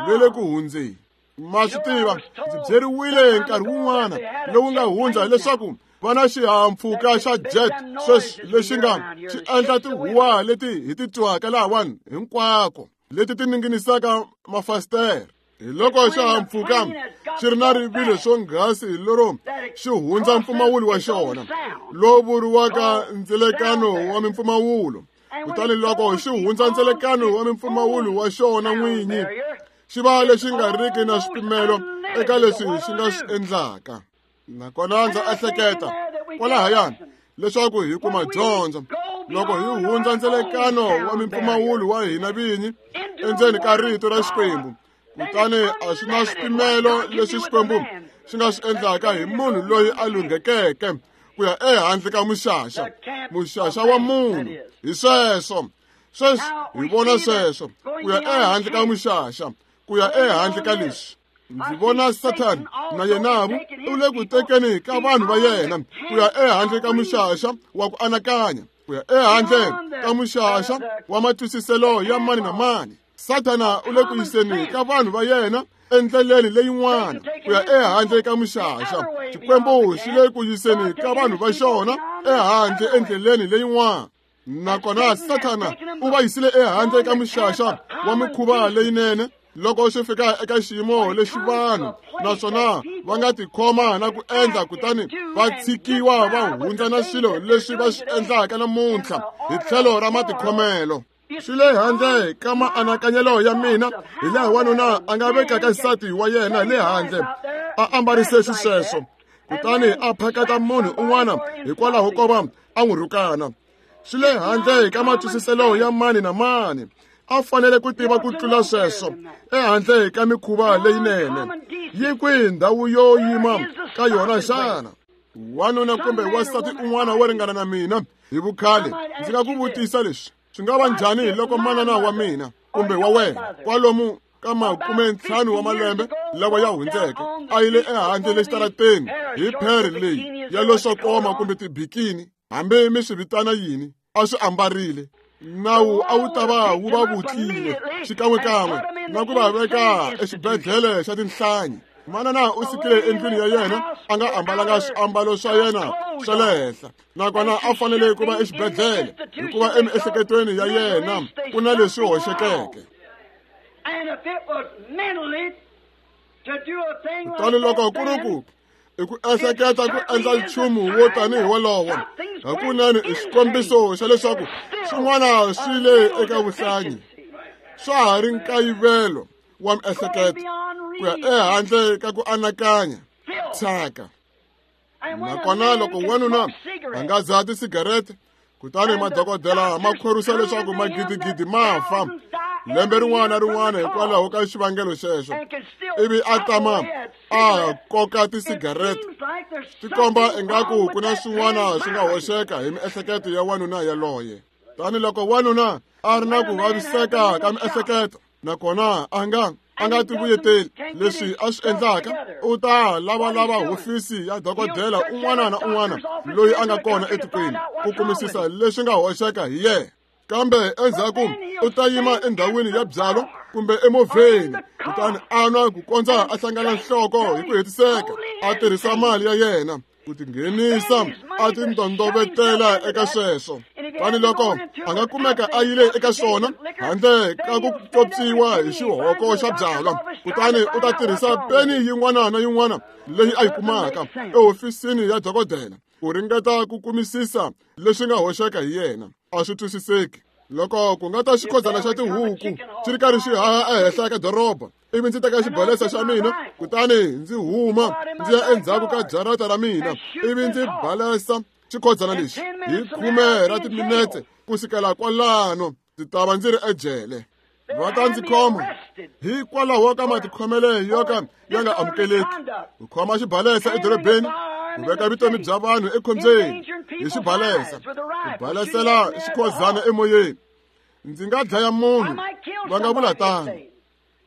ve le ku hundzeni. Ma swi tiva, ndzi byeriwile nkarhi wun'wana lowu nga hundza leswaku va na xihahampfhuka xa jet sweswi lexi nga xi endla tihuwa leti hi ti twaka lahawani hinkwako leti ti ninginisaka mafasitere. Hi loko xihahampfhuka xi ri na rivilo swonghasi lero xi hundza mpfumawulo wa xona lowu vuriwaka ndzelekano wa mimpfumawulo. Kutani loko xi hundza ndzelekano wa mimpfumawulo wa xona n'winyi, xi va lexi nga riki na swipimelo eka leswi xi nga swi endlaka. Nakona ndza ehleketa kwalahayani leswaku hi kuma dyondzo loko hi hundza ndzelekano wa mimpfumawulo wa hina vinyi endzeni ka rito ra Xikwembu. Kutani a swi na swipimelo leswi Xikwembu xi nga swi endlaka hi munhu loyi a lunghekeke ku ya ehandle ka muxaxa, muxaxa wa munhu. Hi sweswo sweswi hi vona sweswo, ku ya ehandle ka muxaxa, ku ya ehandle ka leswi. Ndzi vona Sathana na yenavu u le ku tekeni ka vanhu va yena ku ya ehandle ka muxaxa wa ku anakanya, ku ya ehandle ka muxaxa wa matwisiselo ya mani na mani. Sathana u le ku yiseni ka vanhu va yena endleleni leyin'wana ku ya ehandle ka muxaxa. Xikwembu xi le ku yiseni ka vanhu va xona ehandle endleleni leyin'wana. Nakona Sathana u va yisile ehandle ka muxaxa wa mikhuva leyinene loko swi fika eka xiyimo lexi vanhu naswona va nga tikhoma na ku endla, kutani va tshikiwa va hundza na swilo leswi va swi endlaka namuntlha hi tlhelo ra matikhomelo. Swi le handle ka maanakanyelo ya mina hi laha wanuna a nga vekaka nsati wa yena le handle a ambarise xisweswo, kutani a phakata munhu un'wana hikwalaho ko va a n'wi rhukana. Swi le handle ka matwisiselo ya mani na mani. A fanele ku tiva ku tlula sweswo ehandle ka mikhuva leyinene. Yi kwihi ndhawu yo yima ka yona xana? Wanuna kumbe wansati un'wana wo ringana na mina hi vukhale, ndzi nga ku vutisa leswi: swi nga va njhani loko manana wa mina kumbe wa wena kwalomu ka makume ntlhanu wa malembe lawa ya hundzeke a yile ehandle le xitarateni hi phere leyi ya leswo koma kumbe tibikini, hambi mi swi vitana yini, a swi ambarile? Nawu a wu ta va wu va vutlile xikan'wekan'we na ku va veka exibedhlele xa tinhlanyi. Manana u sukile endlwini ya yena a nga ambalanga swiambalo swa yena swa le henhla, nakona a fanele ku va exibedhlele hikuva emiehleketweni ya yena ku na leswi hoxekeke. Kutani loko ku ri ku i ku ehleketa ku endla nchumu wo tanihi wolowo, hakunene i xikombiso xa leswaku swin'wana swi le eka vuhlanyi, swa ha ri nkayivelo wa miehleketo ku ya ehandle ka ku anakanya thyaka. Nakona loko wanuna a nga dzaha tisigarete, kutani madokodela ma khorwisa leswaku magidigidi ma fa lembe rin'wana na rin'wana hikwalaho ka xivangelo xexo, ivi a tama a koka tisigarete, swi komba ingaku ku na swin'wana swi nga hoxeka hi miehleketo ya wanuna yaloye. Tani loko wanuna a ri na ku vaviseka ka miehleketo nakona a nga a nga tivuyeteli leswi a swi endlaka, u ta lavalava hofisi ya dokodela un'wana na un'wana loyi a nga kona etikweni ku kumisisa leswi nga hoxeka hi yena. Kambe endzhaku u ta yima endhawini ya byalwa kumbe emovheni, kutani a nwa ku kondza a hlangana nhloko hi ku hetiseka, a tirhisa mali ya yena ku tinghenisa a tindondovetela eka sweswo. Kutani loko a nga kumeka a yile eka swona handle ka ku pyopyiwa hi xihoko xa byalwa, kutani u ta tirhisa peni yin'wana na yin'wana leyi a yi kumaka ehofisini ya dokodela ku ringeta ku kumisisa leswi nga hoxeka hi yena. A swi twisiseki. Loko ku nga ta xikhodzana xa tihuku xi ri karhi xi haha ehenhla ka doroba, ivi ndzi teka xibalesa xa mina kutani ndzi huma ndzi ya endzhaku ka jarata ra mina, ivi ndzi balesa xikhodzana lexi hi khume ra timinetse kusukela kwalano, ndzi ta va ndzi ri ejele. Va ta ndzi khoma hikwalaho ka matikhomelo yo ka ya nga amukeleki. Ku khoma xibalesa edorobeni, ku veka vutomi bya vanhu ekhombyeni hi xibalesa, ku balesela xikhozana emoyeni. Ndzi nga dlaya munhu, va nga vula tano.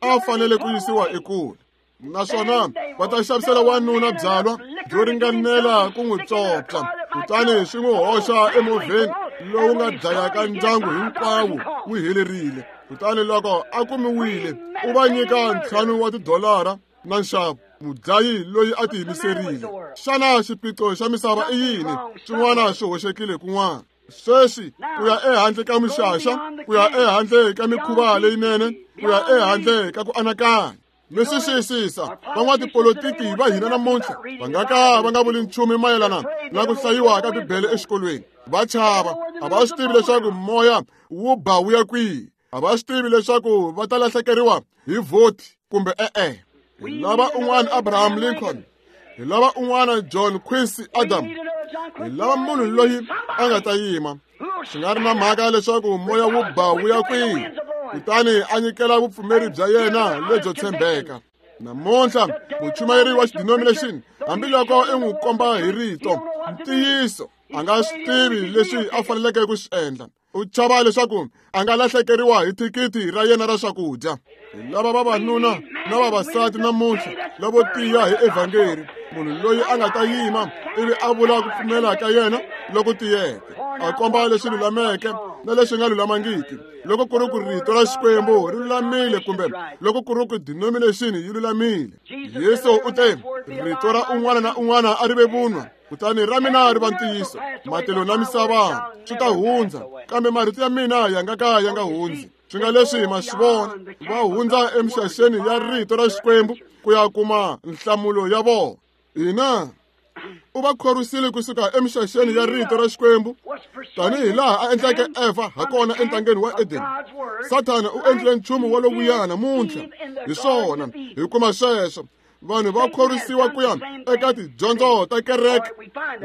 A fanele ku yisiwa ekule. Naswona va ta xavisela wanuna byalwa byo ringanela ku n'wi pyopya, kutani swi n'wi hoxa emovheni lowu nga dlayaka ndyangu hinkwawo wu helerile. Kutani loko a kumiwile, u va nyika ntlhanu wa tidolara na nxavo. Mudlayi loyi a tiyimiserile. Xana xiphiqo xa misava i yini? Xin'wana xi hoxekile kun'wana. Sweswi ku ya ehandle ka mixaxa, ku ya ehandle ka mikhuva leyinene, ku ya ehandle ka ku anakanya. Mi swi xiyisisa, van'watipolitiki va hina namuntlha va nga ka va nga vuli nchumu mayelana na ku hlayiwa ka Bibele exikolweni. Va chava, a va swi tivi leswaku moya wu ba wu ya kwihi. A va swi tivi leswaku va ta lahlekeriwa hi vhoti kumbe e-e. Hi lava un'wana Abraham Lincoln, hi lava un'wana John Quincy Adams, hi lava munhu loyi a nga ta yima swi nga ri na mhaka leswaku moya wu ba wu ya kwihi, kutani a nyikela vupfumeri bya yena lebyo tshembeka. Namuntlha muchumayeri wa xidenomination, hambiloko i n'wi komba hi rito ntiyiso, a nga swi tivi leswi a faneleke ku swi endla. U chava leswaku a nga lahlekeriwa hi thikithi ra yena ra swakudya. Hi lava vavanuna na vavasati namuntlha lavo tiya hi evhangeri, munhu loyi a nga ta yima ivi a vula ku pfumela ka yena loko tiyeke, a komba leswi lulameke na leswi nga lulamangiki, loko ku ri ku rito ra Xikwembu ri lulamile kumbe loko ku ri ku denomination yi lulamile. Yesu u te, rito ra un'wana na un'wana a ri ve vunwa, kutani ra mina ri va ntiyiso. Matilo na misava swi ta hundza, kambe marito ya mina ya nga ka ya nga hundzi. Swi nga leswi ma swi vona, va hundza emixaxeni ya rito ra Xikwembu ku ya kuma nhlamulo ya vona. Ina, u va khorwisile kusuka emixaxeni ya rito ra Xikwembu, tanihi laha a endleke Eva hakona entangeni wa Eden. Sathana u endlile nchumu walowuya namuntlha. Hi swona, hi kuma sweswo. Vanhu va khorwisiwa ku ya eka tidyondzo ta kereke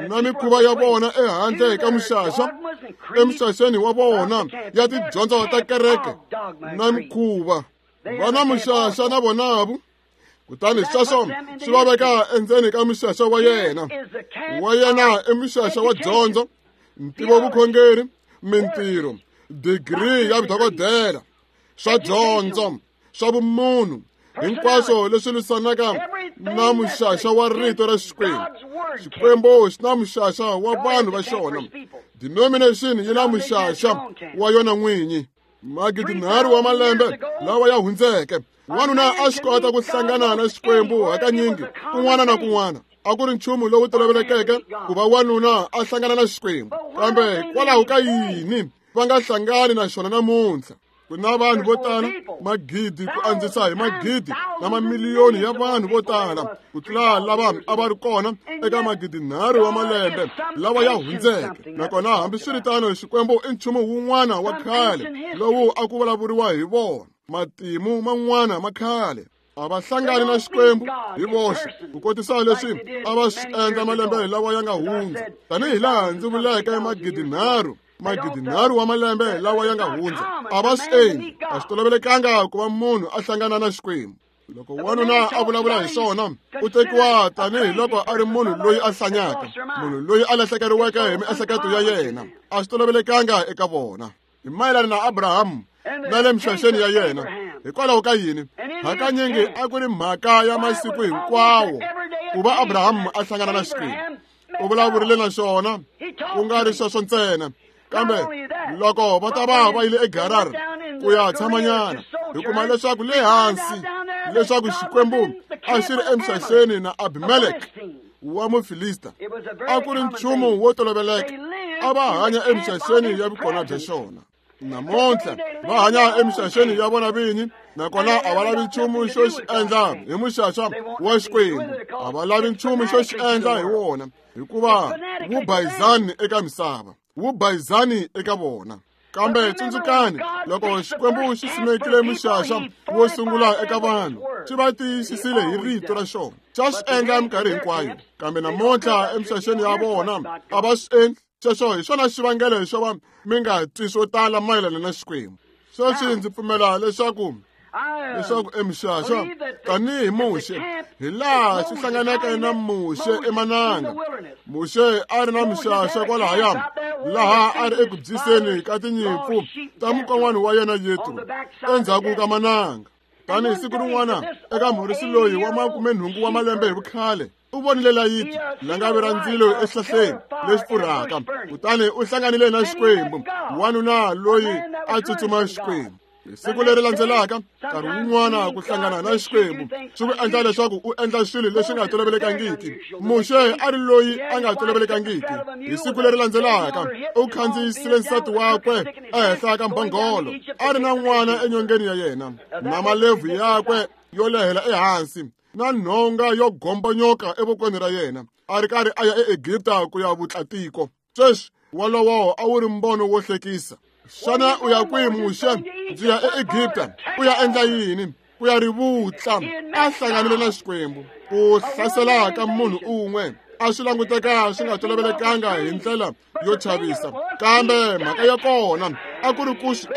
na mikhuva ya vona ehandle ka muxaxa, emixaxeni wa vona ya tidyondzo ta kereke na mikhuva. Va na muxaxa na vonavu, kutani sweswo swi va veka endzeni ka muxaxa wa yena. Wa yena i muxaxa wa dyondzo, ntivovukhongeri, mintirho, digiri ya vudokodela, swa dyondzo, swa vumunhu, hinkwaswo leswi lwisanaka na muxaxa wa rito ra Xikwembu. Xikwembu xi na muxaxa wa vanhu va xona. Denomination yi na muxaxa wa yona n'winyi. Magidi nharhu wa malembe lawa ya hundzeke, wanuna a swi kota ku hlangana na Xikwembu hakanyingi kun'wana na kun'wana. A ku ri nchumu lowu tolovelekeke ku va wanuna a hlangana na Xikwembu, kambe hikwalaho ka yini va nga hlangani na xona namuntlha? Ku na vanhu vo tala, magidi ku andzisa hi magidi na mamiliyoni ya vanhu vo tala ku tlula lava a va ri kona eka magidi nharhu wa malembe lawa ya hundzeke. Nakona hambiswiritano, Xikwembu i nchumu wun'wana wa khale lowu a ku vulavuriwa hi vona, matimu man'wana ma khale. A va hlangani na Xikwembu hi voxe ku kotisa leswi a va swi endla malembe lawa ya nga hundza, tanihi laha ndzi vuleke magidi nharhu magidi nharhu wa malembe lawa ya nga hundza. A va swi endli, a swi tolovelekanga ku va munhu a hlangana na Xikwembu. Loko wanuna a vulavula hi swona, u tekiwa tanihi loko a ri munhu loyi a hlanyaka, munhu loyi a lahlekeriweke hi miehleketo ya yena. A swi tolovelekanga eka vona. Hi mayelana na Abrahamu na le mixaxeni ya yena, hikwalaho ka yini hakanyingi a ku ri mhaka ya masiku hinkwawo ku va Abrahamu a hlangana na Xikwembu. U vulavurile na xona, ku nga ri sweswo ntsena, kambe loko va ta va va yile eGarar ku ya tshamanyana, hi kuma leswaku le hansi leswaku Xikwembu a xi ri emixaxeni na Abimelek wa Mufilista. A ku ri nchumu wo toloveleka, a va hanya emixaxeni ya vukona bya xona. Namuntlha va hanya emixaxeni ya vona vinyi, nakona a va lavi nchumu xo xi endla hi muxaxa wa Xikwembu. A va lavi nchumu xo xi endla hi wona, hikuva wu bayizani eka misava, wu bayizani eka vona. Kambe tsundzukani, loko Xikwembu xi simekile muxaxa wo sungula eka vanhu, xi va tiyisisile hi rito ra xona. Xa swi endla minkarhi hinkwayo, kambe namuntlha emixaxeni ya vona a va swi endli. Xexo hi xona xivangelo xo va mi nga twi swo tala mayelana na Xikwembu. Sweswi ndzi pfumela leswaku leswaku emixaxa tanihi Muxe, hi laha xi hlanganeke na Muxe emananga. Muxe a ri na mixaxa kwalahaya, laha a ri eku byiseni ka tinyimpfu ta mukon'wana wa yena Yetro endzhaku ka mananga. Tanihi siku rin'wana eka murisi loyi wa makumenhungu wa malembe hi vukhale, u vonile layiti langavi ra ndzilo exihlahleni lexi pfurhaka, kutani u hlanganile na Xikwembu, wanuna loyi a tsutsuma Xikwembu. Hi siku leri landzelaka, nkarhi wun'wana ku hlangana na Xikwembu swi ku endla leswaku u endla swilo leswi nga tolovelekangiki. Muxe a ri loyi a nga tolovelekangiki. Hi siku leri landzelaka, u khandziyisile nsati wakwe ehenhla ka mbhongolo, a ri na n'wana enyongeni ya yena, na malebvu yakwe yo lehela ehansi, na nhonga yo gombonyoka evokweni ra yena, a ri karhi a ya eEgipta ku ya vutla tiko. Sweswi wolowo a wu ri mbono wo hlekisa. Xana u ya kwihi Muxe? Ndzi ya eEgipta. U ya endla yini? Ku ya ri vutla. A hlanganile na Xikwembu. Ku hlasela ka munhu un'we a swi languteka swi nga tolovelekanga hi ndlela yo chavisa, kambe mhaka ya kona a ku ri ku swi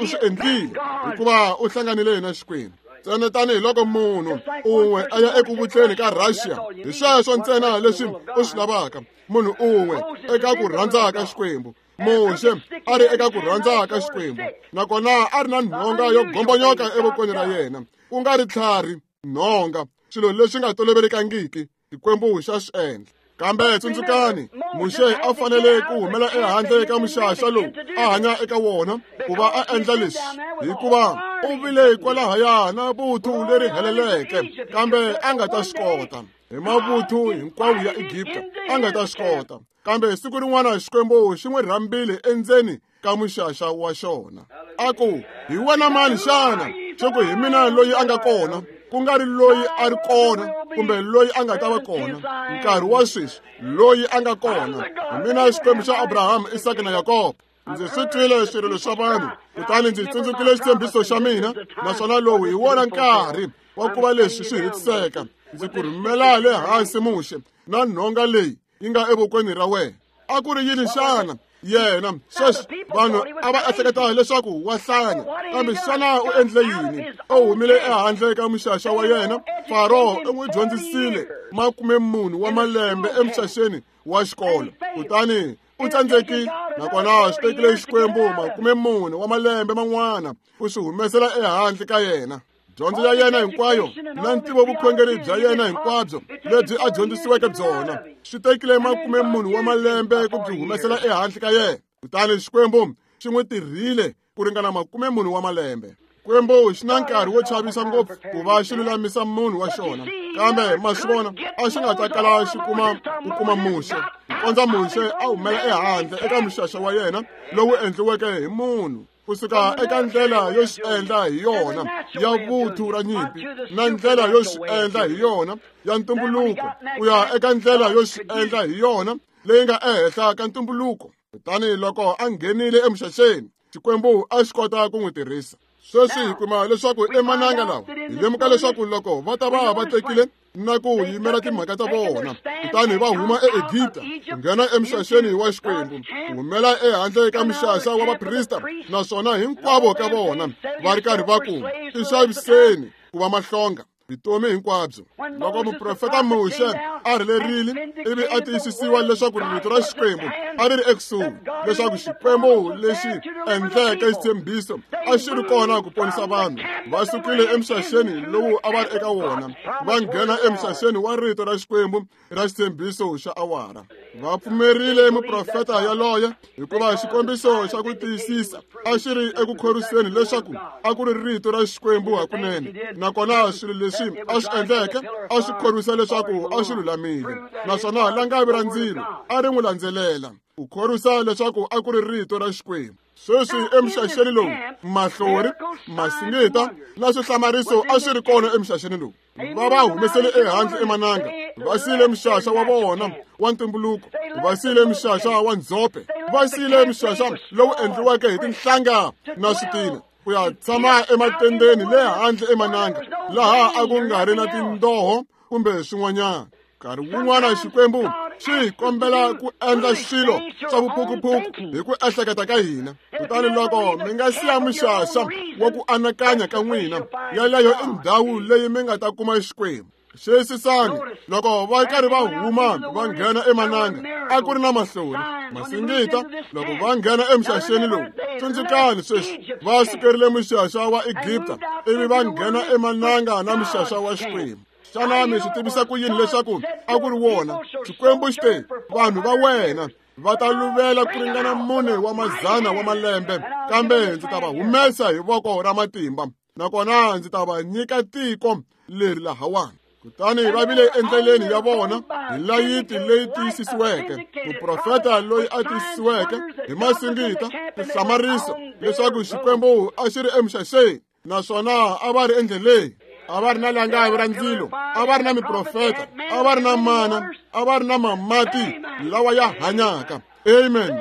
u swi endlile hikuva u hlanganile na Xikwembu. Ntsena tanihiloko munhu un'we a ya eku vutleni ka Russia, hi sweswo ntsena leswi u swi lavaka, munhu un'we eka ku rhandza ka Xikwembu. Muxe a ri eka ku rhandza ka Xikwembu, nakona a ri na nhonga yo gombonyoka evokweni ra yena, ku nga ri tlhari, nhonga, swilo leswi nga tolovelekangiki. Xikwembu xa swi endla. Kambe tsundzukani, Muxe a fanele ku humela ehandle ka muxaxa lowu a hanya eka wona ku va a endla leswi, hikuva u vile kwalahaya na vuthu leri heleleke, kambe a nga ta swi kota hi mavuthu hinkwawo ya Egipta, a nga ta swi kota. Kambe siku rin'wana Xikwembu xi n'wi rhambile endzeni ka muxaxa wa xona, a ku, hi wena mani xana? Xi ku, hi mina loyi a nga kona, ku nga ri loyi a ri kona kumbe loyi a nga ta va kona nkarhi wa sweswi, loyi a nga kona. Hi mina Xikwembu xa Abrahamu, Isaka na Yakobo. Ndzi swi twile swirilo swa vanhu, kutani ndzi tsundzukile xitshembiso xa mina, naswona lowu hi wona nkarhi wa ku va leswi swi hetiseka. Ndzi ku rhumela le hansi Muxe na nhonga leyi yi nga evokweni ra wena. A ku ri yini xana? Yena sweswi vanhu a va ehleketa leswaku wa hlanya, kambe xana u endle yini? U humile ehandle ka muxaxa wa yena. Faro u n'wi dyondzisile makume mune wa malembe emixaxeni wa xikolo, kutani u tsandzekile. Nakona swi tekile Xikwembu makume mune wa malembe man'wana ku swi humesela ehandle ka yena. Dyondzo ya yena hinkwayo na ntivovukhongeri bya yena hinkwabyo lebyi a dyondzisiweke byona swi tekile makume mune wa malembe ku byi humesela ehandle ka yena. Kutani Xikwembu xi n'wi tirhile ku ringana makume mune wa malembe. Xikwembu xi na nkarhi wo chavisa ngopfu ku va xi lulamisa munhu wa xona, kambe ma swi vona a xi nga ta kala xi kuma ku kuma Muxe, ku kondza Muxe a humela ehandle eka muxaxa wa yena lowu endliweke hi munhu, kusuka eka ndlela yo xi endla hi yona ya vuthu ra nyimpi na ndlela yo xi endla hi yona ya ntumbuluko, ku ya eka ndlela yo xi endla hi yona leyi nga ehenhla ka ntumbuluko. Kutani loko a nghenile emixaxeni, Xikwembu a xi kota ku n'wi tirhisa. Sweswi hi kuma leswaku emananga lawa hi lemuka leswaku loko va ta va va tekile na ku yimela timhaka ta vona, kutani va huma eEgipta ku nghena emixaxeni wa Xikwembu, ku humela ehandle ka muxaxa wa vaprista, naswona hinkwavo ka vona va ri karhi va ku tixaviseni ku va mahlonga vutomi hinkwabyo. Loko muprofeta Muxe a rhelerile ivi a tiyisisiwa leswaku rito ra Xikwembu a ri ri ekusuhi, leswaku Xikwembu lexi endleke xitshembiso a xi ri kona ku ponisa vanhu, va sukile emixaxeni lowu a va ri eka wona, va nghena emixaxeni wa rito ra Xikwembu ra xitshembiso xa awara. Va pfumerile muprofeta yaloye hikuva xikombiso xa ku tiyisisa a xi ri eku khorwiseni leswaku a ku ri rito ra Xikwembu hakunene, nakona swilo leswi a swi endleke a swi khorwisa leswaku a swi lulamile, naswona langavi ra ndzilo a ri n'wi landzelela ku khorwisa leswaku a ku ri rito ra Xikwembu. Sweswi emixaxeni lowu mahlori, masingita na swihlamariso a swi ri kona emixaxeni lowu. Va va humesele ehandle emananga, va siyile mixaxa wa vona wa ntumbuluko, va siyile mixaxa wa ndzhope, va siyile mixaxa lowu endliweke hi tinhlanga na switina ku ya tshama ematendeni le handle emananga, laha a ku nga ri na tindoho kumbe swin'wanyana. Nkarhi wun'wana Xikwembu xi hi kombela ku endla swilo swa vuphukuphuku hi ku ehleketa ka hina. Kutani loko mi nga siya muxaxa wa ku anakanya ka n'wina, yaleyo i ndhawu leyi mi nga ta kuma Xikwembu. Xiyisisani, loko va karhi va huma va nghena emananga, a ku ri na mahlori, masingita. Loko va nghena emixaxeni lowu, tsundzukani sweswi, va sukerile muxaxa wa Egipta ivi va nghena emananga na muxaxa wa Xikwembu. Xana mi swi tivisa ku yini leswaku a ku ri wona? Xikwembu xi te, vanhu va wena va ta luvela ku ringana mune wa mazana wa malembe, kambe ndzi ta va humesa hi voko ra matimba, nakona ndzi ta va nyika tiko leri lahawani. Kutani va vile endleleni ya vona hi layiti leyi tiyisisiweke, muprofeta loyi a tiyisisiweke hi masingita, tihlamariso leswaku Xikwembu a xi ri emixaxeni, naswona a va ri endleleni. A va ri na langavi ra ndzilo, a va ri na miprofeta, a va ri na mana, a va ri na mamati lawa ya hanyaka. Amen.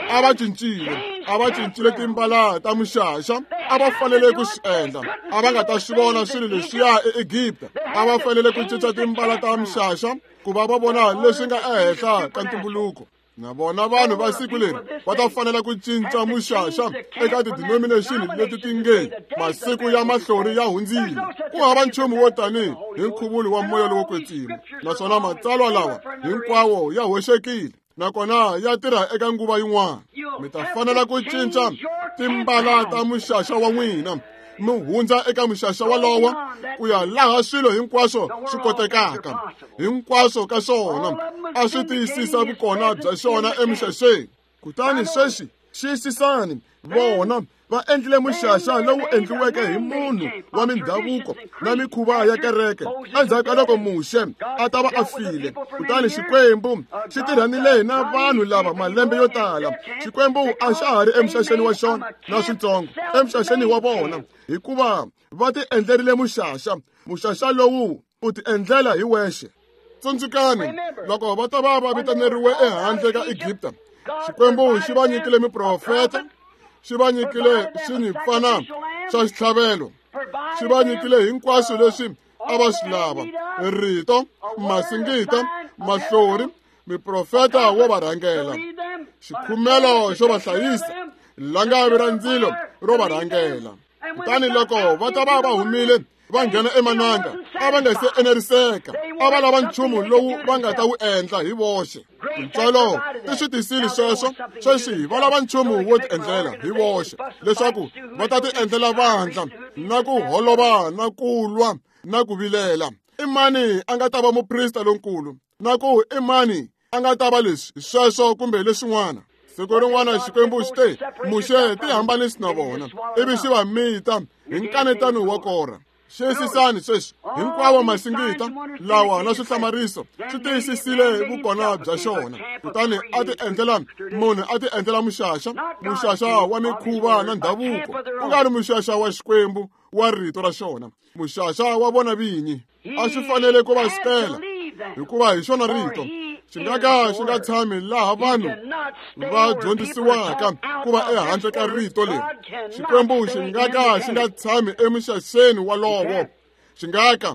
A va cincile, a va cincile timbala ta muxaxa, a va fanele ku swi endla. A va nga ta swi vona swilo leswiya eEgipta. A va fanele ku cinca timbala ta muxaxa ku va va vona leswi nga ehenhla ka ntumbuluko. Na vona vanhu va siku leri va ta fanela ku cinca muxaxa eka ti-denomination leti ti nge masiku ya mahlori ya hundzile. Ku hava nchumu wo tani hi nkhuvulo wa moya lowo kwetsima, naswona matsalwa lawa hinkwawo ya hoxekile nakona ya tirha eka nguva yin'wana. Mi ta fanela ku cinca timbala ta muxaxa wa n'wina, mi hundza eka muxaxa walowo ku ya laha swilo hinkwaswo swi kotekaka. Hinkwaswo ka swona a swi tiyisisa vukona bya xona emixaxeni. Kutani sweswi xiyisisani, vona va endlile muxaxa lowu endliweke hi munhu wa mindhavuko na mikhuva ya kereke endzhaku ka loko Muxe a ta va a file. Kutani Xikwembu xi tirhanile na vanhu lava malembe yo tala. Xikwembu a xa ha ri emixaxeni wa xona na switsongo emixaxeni wa vona, hikuva va ti endlerile muxaxa. Muxaxa lowu u ti endlela hi wexe. Tsundzukani, loko va ta va va vitaneriwe ehandle ka Egipta, Xikwembu xi va nyikile miprofeta, xi va nyikile xinyimpfana xa xitlhavelo, xi va nyikile hinkwaswo leswi a va swi lava: rito, masingita, mahlori, miprofeta wo va rhangela, xikhumelo xo va hlayisa, langavi ra ndzilo ro va rhangela. Kutani loko va ta va va humile va nghena emananga, a va nga se eneriseka, a va lava nchumu lowu va nga ta wu endla hi voxe. Tintswalo ti swi tisile sweswo. Sweswi va lava nchumu wo ti endlela hi voxe, leswaku va ta ti endlela vandla na ku holova na ku lwa na ku vilela. I mani a nga ta va muprista lonkulu, na ku i mani a nga ta va leswi sweswo kumbe leswin'wana? Siku rin'wana Xikwembu xi te, Muxe, ti hambanisi na vona, ivi xi va mita hi nkanetano wa Kora. Xiyisisani sweswi, hinkwawo masingita lawa na swihlamariso swi tiyisisile vukona bya xona. Kutani a ti endlela munhu a ti endlela muxaxa, muxaxa wa mikhuva na ndhavuko, ku nga ri muxaxa wa Xikwembu wa rito ra xona, muxaxa wa vona vinyi. A swi fanele ku va sukela, hikuva hi xona rito. Xi nga ka xi nga tshami laha vanhu va dyondzisiwaka ku va ehandle ka rito leri. Xikwembu xi nga ka xi nga tshami emixaxeni walowo. Xi nga ka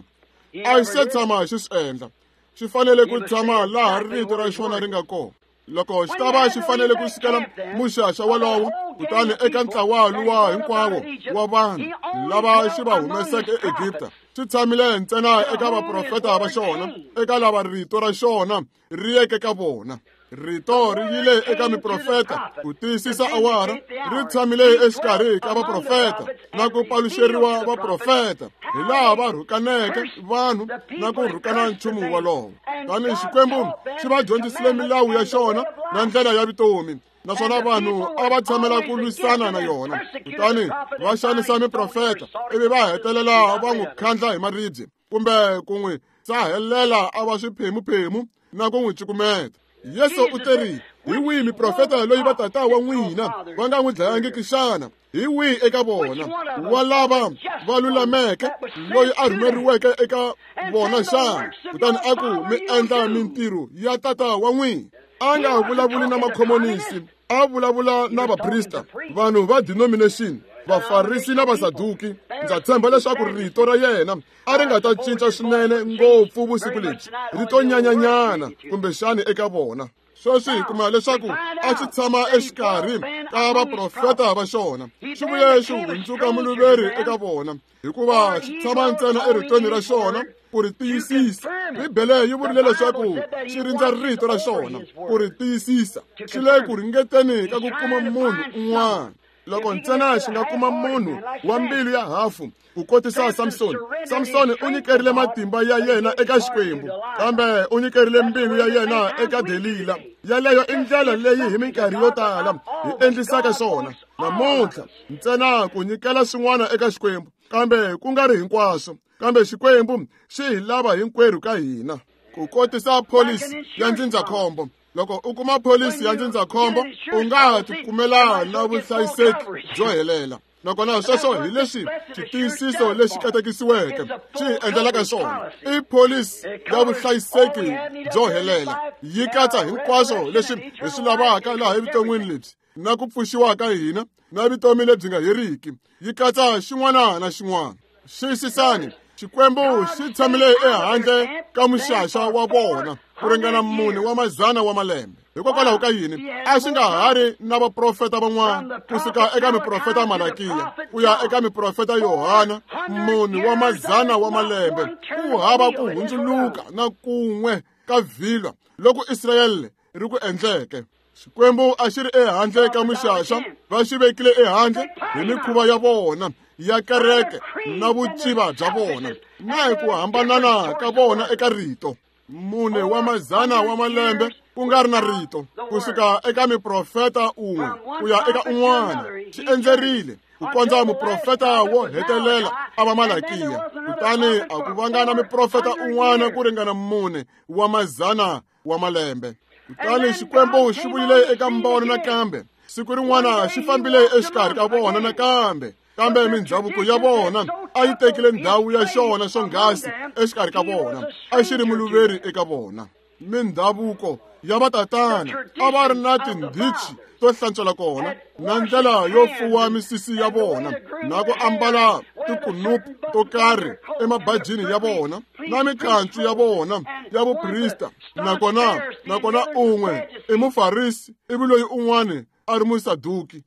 a xi se tshama xi swi endla. Xi fanele ku tshama laha rito ra xona ri nga kona. Loko xi ta va xi fanele ku sukela muxaxa walowo, kutani eka ntlawa luwa hinkwawo wa vanhu lava xi va humeseke eEgipta, xi tshamile ntsena eka vaprofeta va xona, eka lava rito ra xona ri yeke ka vona. Rito ri yile eka miprofeta ku tiyisisa awara, ri tshamile exikarhi ka vaprofeta na ku paluxeriwa vaprofeta hi laha va rhukaneke vanhu na ku rhukana nchumu wolowo. Tanihi Xikwembu xi va dyondzisile milawu ya xona na ndlela ya vutomi, naswona vanhu a va tshamela ku lwisana na yona, kutani va xanisa miprofeta ivi va hetelela va n'wi khandla hi maribye kumbe ku n'wi sahelela a va swiphemuphemu na ku n'wi cukumeta. Yesu u teri, hi wihi miprofeta loyi vatata wa n'wina va nga n'wi dlayangiki xana? Hi wihi eka vona wa lava va lulameke loyi a rhumeriweke eka vona xana? Kutani a ku mi endla mintirho ya tata wa n'wina. A nga vulavuli na makhomonisi, a vulavula na vaprista, vanhu va denomination, vafarisi na vasaduki. Ndza tshemba leswaku rito ra yena a ri nga ta cinca swinene ngopfu vusiku lebyi, rito nyanyanyana kumbexani eka vona. Sweswi hi kuma leswaku a xi tshama exikarhi ka vaprofeta va xona, xi vuye xi hundzuka muluveri eka vona, hikuva xi tshama ntsena eritweni ra xona ku ri tiyisisa. Bibele yi vurile leswaku xi rindza rito ra xona ku ri tiyisisa. Xi le ku ringeteni ka ku kuma munhu un'wana. Loko ntsena xi nga kuma munhu wa mbilu ya hafu ku kotisa Samsoni. Samsoni u nyikerile matimba ya yena eka Xikwembu, kambe u nyikerile mbilu ya yena eka Delila. Yaleyo i ndlela leyi hi minkarhi yo tala hi endlisaka swona namuntlha, ntsena ku nyikela swin'wana eka Xikwembu, kambe ku nga ri hinkwaswo. Kambe Xikwembu xi hi lava hinkwerhu ka hina. Ku kotisa pholisi ya ndzindzakhombo. Loko u kuma pholisi ya ndzindzakhombo, u nga tikumela na vuhlayiseki byo helela. Nakona sweswo hi leswi xitiyisiso lexi katekisiweke xi hi endlelaka swona. I pholisi ya vuhlayiseki byo helela, yi katsa hinkwaswo leswi hi swi lavaka laha evuton'wini lebyi na ku pfuxiwa ka hina na vutomi lebyi nga heriki. Yi katsa xin'wana na xin'wana. Xiyisisani, Xikwembu xi tshamile ehandle ka muxaxa wa vona ku ringana mune wa mazana wa malembe. Hikokwalaho ka yini a xi nga ha ri na vaprofeta van'wana kusuka eka miprofeta Malakiya ku ya eka miprofeta Yohana, mune wa mazana wa malembe, ku hava ku hundzuluka na kun'we ka vhilwa loko Israyele ri ku endleke. Xikwembu a xi ri ehandle ka muxaxa, va xi vekile ehandle hi mikhuva ya vona ya kereke na vuciva bya vona na hi ku hambanana ka vona eka rito. Mune wa mazana wa malembe ku nga ri na rito, kusuka eka miprofeta un'we ku ya eka un'wana, xi endzerile ku kondza muprofeta wo hetelela a va Malakiya. Kutani a ku vanga na miprofeta un'wana ku ringana mune wa mazana wa malembe. Kutani Xikwembu xi vuyile eka mbono nakambe. Siku rin'wana xi fambile exikarhi ka vona nakambe, kambe mindhavuko ya vona a yi tekile ndhawu ya xona swonghasi exikarhi ka vona, a xi ri muluveri eka vona. Mindhavuko ya vatatana a va ri na tindhichi to hlantswela kona, na ndlela yo fuwa misisi ya vona, na ku ambala tikunupu to karhi emabajini ya vona, na mikancu ya vona ya vuprista. Nakona nakona un'we i mufarisi ivi loyi un'wana a ri musaduki.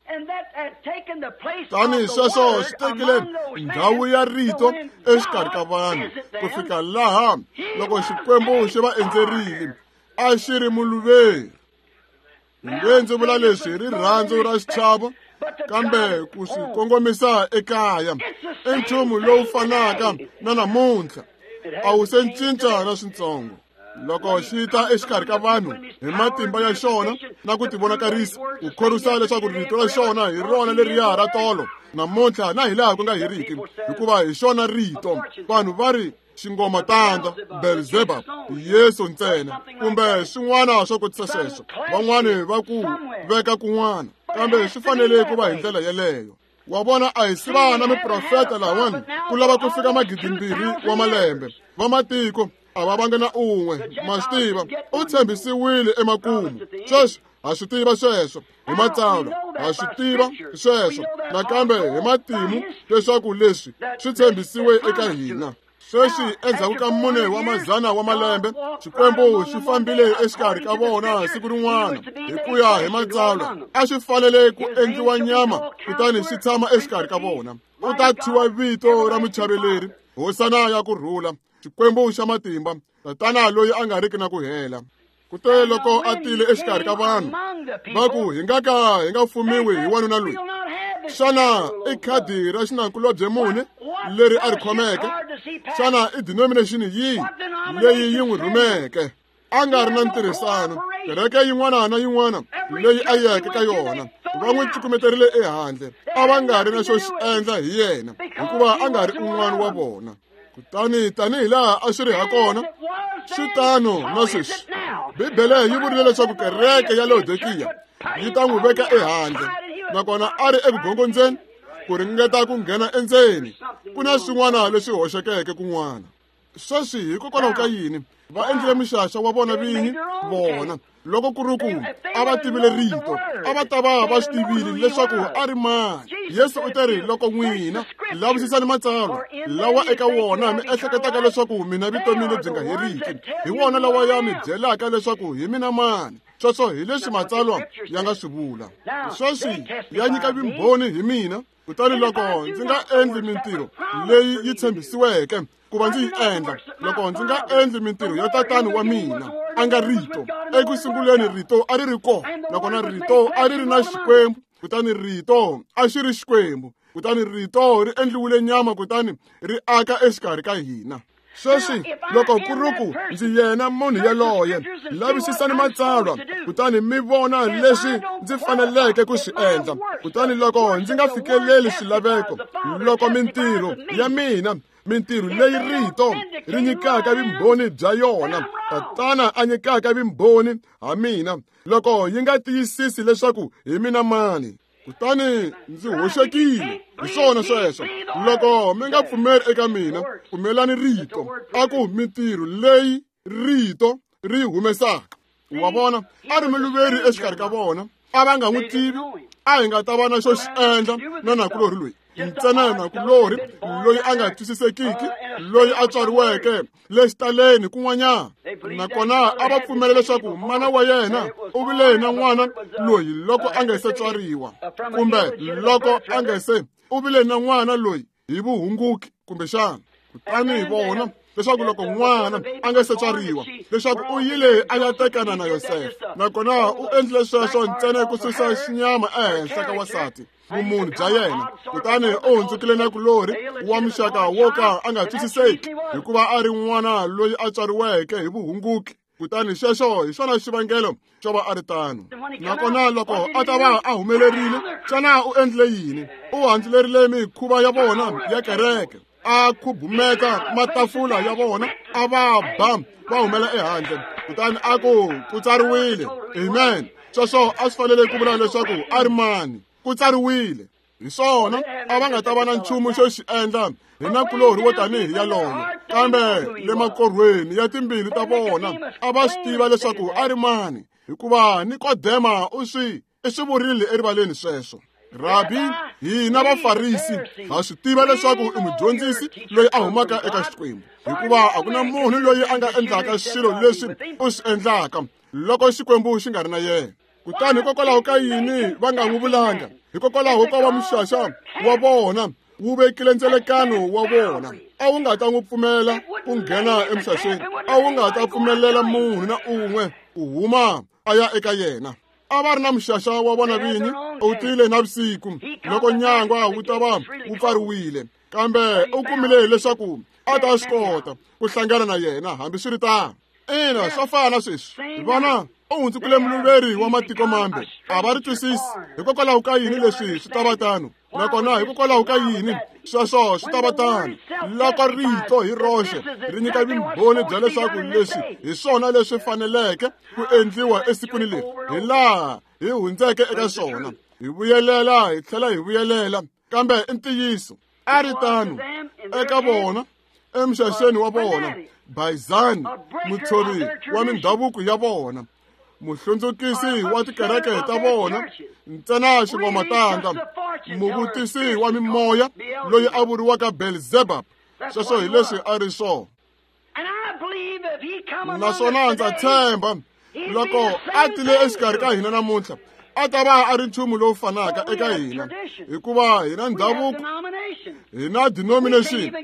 Tanihi sweswo swi tekile ndhawu ya rito exikarhi ka vanhu ku fika laha loko Xikwembu xi va endzerile a xi ri muluveri. Nge ndzi vula leswi hi rirhandzu ra xichavo, kambe ku swi kongomisa ekaya i nchumu lowu fanaka na namuntlha, a wu se cinca na swintsongo. Loko xi ta exikarhi ka vanhu hi matimba ya xona na ku tivonakarisa, ku khorwisa leswaku rito ra xona hi rona leriya ra tolo namuntlha na hilaha ku nga heriki, hikuva hi xona rito. Vanhu va ri xingoma tandza Beelzebub, Yesu ntsena, kumbe swin'wana swo kotisa sweswo. Van'wani va ku veka kun'wana, kambe swi fanele ku va hi ndlela yeleyo. Wa vona, a hi siva na miprofeta lawani ku lava ku fika magidimbirhi wa malembe. Vamatiko a va vanga na un'we, ma swi tiva, u tshembisiwile emakumu. Sweswo ha swi tiva sweswo hi matsalwa, ha swi tiva sweswo nakambe hi matimu leswaku leswi swi tshembisiwe eka hina. Sweswi endzhaku ka mune wa mazana wa malembe, Xikwembu xi fambile exikarhi ka vona siku rin'wana hi ku ya hi matsalwa. A xi fanele ku endliwa nyama kutani xi tshama exikarhi ka vona. U ta thyiwa vito ra muchaveleri, hosana ya ku rhula, Xikwembu xa matimba, tatana loyi a nga riki na ku hela. Kute loko a tile exikarhi ka vanhu va ku hi nga ka hi nga fumiwi hi wanuna loyi. Xana i khadi ra xinakulobye muni leri a ri khomeke? Xana i denomination yihi leyi yi n'wi rhumeke? A nga ri na ntirhisano. Kereke yin'wana na yin'wana leyi a yeke ka yona va n'wi cukumeterile ehandle. A va nga ri na xo xi endla hi yena hikuva a nga ri un'wana wa vona. Kutani tanihi laha a swi ri hakona, swi tano na sweswi. Bibele yi vurile leswaku kereke ya Laodikiya yi ta n'wi veka ehandle, nakona a ri evugongondzeni ku ringeta ku nghena endzeni. Ku na swin'wana leswi hoxekeke kun'wana. Sweswi hikokwalaho ka yini va endlile mixaxa wa vona vinyi vona? Loko ku ri ku a va tivile rito, a va ta va va swi tivile leswaku a ri mani. Yesu u te ri, loko n'wina lavisisani matsalwa lawa eka wona mi ehleketaka leswaku mina vutomi lebyi nga heriki, hi wona lawa ya mi byelaka leswaku hi mina mani. Sweswo hi leswi matsalwa ya nga swi vula. Sweswi ya nyika vumbhoni hi mina. Kutani loko ndzi nga endli mintirho leyi yi tshembisiweke ku va ndzi yi endla, loko ndzi nga endli mintirho ya tatani wa mina a nga rito. Eku sunguleni rito a ri ri kona, nakona rito a ri ri na Xikwembu, kutani rito a xi ri Xikwembu, kutani rito ri endliwile nyama kutani ri aka exikarhi ka hina. Sweswi loko ku ri ku ndzi yena munhu yaloye, lavisisani matsalwa kutani mi vona leswi ndzi faneleke ku swi endla. Kutani loko ndzi nga fikeleli swilaveko, loko mintirho ya mina, mintirho leyi rito ri nyikaka vumbhoni bya yona, tatana a nyikaka vumbhoni ha mina, loko yi nga tiyisisi leswaku hi mina mani, kutani ndzi hoxekile. Hi swona sweswo. Loko mi nga pfumeli eka mina, pfumelani rito. A ku mintirho leyi rito ri humesaka. Wa vona, a ri muluveri exikarhi ka vona. A va nga n'wi tivi. A hi nga ta va na xo xi endla na nakulorhi loyi. Ntsena nakulorhi loyi a nga twisisekiki, loyi a tswariweke le xitaleni kun'wanyana. Nakona a va pfumela leswaku mana wa yena u vile na n'wana loyi loko a nga se tswariwa, kumbe loko a nga se u vile na n'wana loyi hi vuhunguki kumbexana. Kutani hi vona leswaku loko n'wana a nga se tswariwa, leswaku u yile a ya tekana na Yosefa, nakona u endlile sweswo ntsena ku susa xinyama ehenhla ka wansati, vumunhu bya yena. Kutani u hundzukile nakulorhi wa muxaka wo ka a nga twisiseki, hikuva a ri n'wana loyi a tswariweke hi vuhunguki. Kutani xexo hi xona xivangelo xo va a ri tano. Nakona loko a ta va a humelerile, xana u endlile yini? U handzulerile mikhuva ya vona ya kereke, a khubumeta matafula ya vona, a va ba va humela ehandle. Kutani a ku ku tsariwile. Amen. Sweswo a swi fanele ku vula leswaku a ri mani. Ku tsariwile. Hi swona a va nga ta va na nchumu xo xi endla hi nakulorhi wo tanihi yaloyo, kambe le makorhweni ya timbilu ta vona a va swi tiva leswaku a ri mani, hikuva Nikodema u swi i swi vurile erivaleni sweswo. Rabi, hina Vafarisi ha swi tiva leswaku i mudyondzisi loyi a humaka eka Xikwembu, hikuva a ku na munhu loyi a nga endlaka swilo leswi u swi endlaka loko Xikwembu xi nga ri na yena. Kutani hikokwalaho ka yini va nga n'wi vulanga? Hikokwalaho ka va muxaxa wa vona wu vekile ndzelekano wa vona. A wu nga ta n'wi pfumela ku nghena emixaxeni, a wu nga ta pfumelela munhu na un'we ku huma a ya eka yena. A va ri na muxaxa wa vona vinyi, u tile navusiku loko nyangwa wu ta va wu pfariwile, kambe u kumile leswaku a ta swi kota ku hlangana na yena hambiswiritano. Ina, swa fana sweswi. Vana u hundzukile muluveri wa matiko mambe. A va ri twisisi. Hikokwalaho ka yini leswi swi ta va tano? Nakona hikokwalaho ka yini sweswo swi ta va tano? Loko rito hi roxe ri nyika vumbhoni bya leswaku leswi hi swona leswi faneleke ku endliwa esikwini leri, hi laha hi hundzeke eka swona, hi vuyelela hi tlhela hi vuyelela, kambe i ntiyiso. A ri tano eka vona emixaxeni wa vona, Bayizani mutshovi wa mindhavuko ya vona, muhlundzukisi wa tikereke ta vona, ntsena xingomatanda, muvutisi wa mimoya loyi a vuriwaka Belzebub. Sweswo hi leswi a ri swona. Naswona ndza tshemba loko a tile exikarhi ka hina namuntlha, a ta va a ri nchumu lowu fanaka eka hina, hikuva hi na ndhavuko, hi na denomination,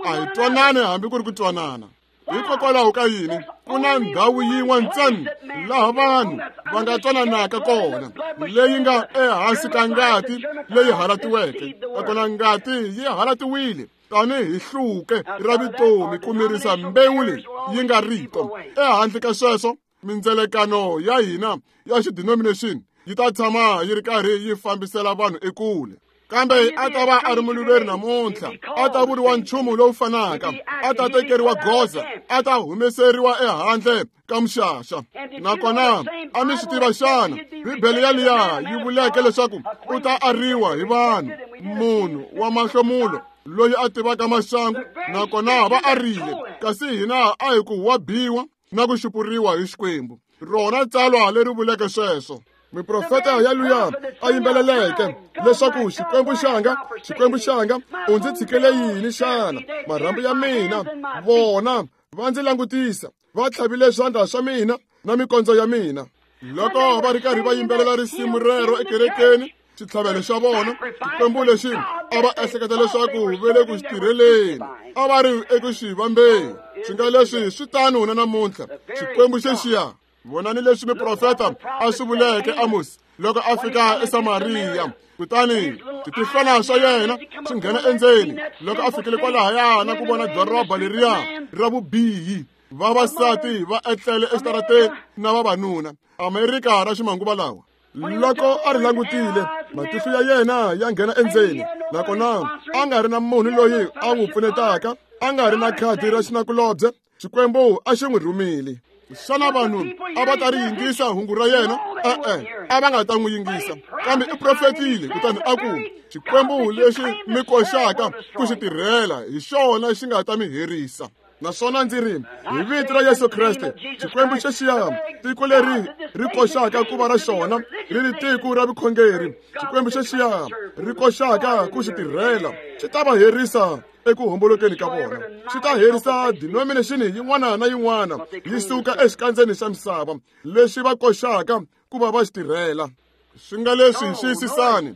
a hi twanani hambi ku ri ku twanana. Hikokwalaho ka yini? Ku na ndhawu yin'we ntsena laha vanhu va nga twananaka kona, leyi nga ehansi ka ngati leyi halatiweke. Nakona ngati yi halatiwile tanihi hluke ra vutomi ku mirisa mbewu leyi yi nga rito. Ehandle ka sweswo, mindzelekano ya hina ya xidenomination yi ta tshama yi ri karhi yi fambisela vanhu ekule. Kambe a ta va a ri muluveri namuntlha, a ta vuriwa nchumu lowu fanaka, a ta tekeriwa goza, a ta humeseriwa ehandle ka muxaxa. Nakona a mi swi tiva xana Bibele yaliya yi vuleke leswaku u ta ariwa hi vanhu, munhu wa mahlomulo loyi a tivaka maxangu, nakona va arile, kasi hina a hi ku wa biwa na ku xupuriwa hi Xikwembu. Rona tsalwa leri vuleke sweswo. Miprofeta ya luya a yimbeleleke leswaku Xikwembu xanga, Xikwembu xanga, u ndzi tshikele yini xana? Marhambu ya mina vona va ndzi langutisa, va tlhavile swandla swa mina na mikondzo ya mina. Loko va ri karhi va yimbelela risimu rero ekerekeni, xitlhavelo xa vona, Xikwembu lexi a va ehleketa leswaku va le ku xi tirheleni, a va ri eku xi vambeni. Swi nga leswi swi tano na namuntlha. Xikwembu xexiya. Vonani leswi miprofeta a swi vuleke Amos loko a fika eSamariya. Kutani switihlwana swa yena swi nghena endzeni loko a fikile kwalahaya na ku vona doroba leriya ra vubihi, vavasati va etlele exitarateni na vavanuna. Amerika ra ximanguva lawa. Loko a ri langutile, matihlo ya yena ya nghena endzeni, nakona a nga ri na munhu loyi a n'wi pfunetaka, a nga ri na khadi ra xinakulobye. Xikwembu a xi n'wi rhumile. Xana vanhu a va ta ri yingisa hungu ra yena? E-e, a va nga ta n'wi yingisa. Kambe i profetile, kutani a ku, Xikwembu lexi mi koxaka ku xi tirhela hi xona xi nga ta mi herisa. Naswona ndzi ri, hi vito ra Yesu Kreste, Xikwembu xexiya, tiko leri ri koxaka ku va ra xona, ri ri tiko ra vukhongeri, Xikwembu xexiya ri koxaka ku xi tirhela, xi ta va herisa eku hombolokeni ka vona. Xi ta herisa denomination yin'wana na yin'wana yi suka exikandzeni xa misava lexi va koxaka ku va va xi tirhela. Swi nga leswi xiyisisani,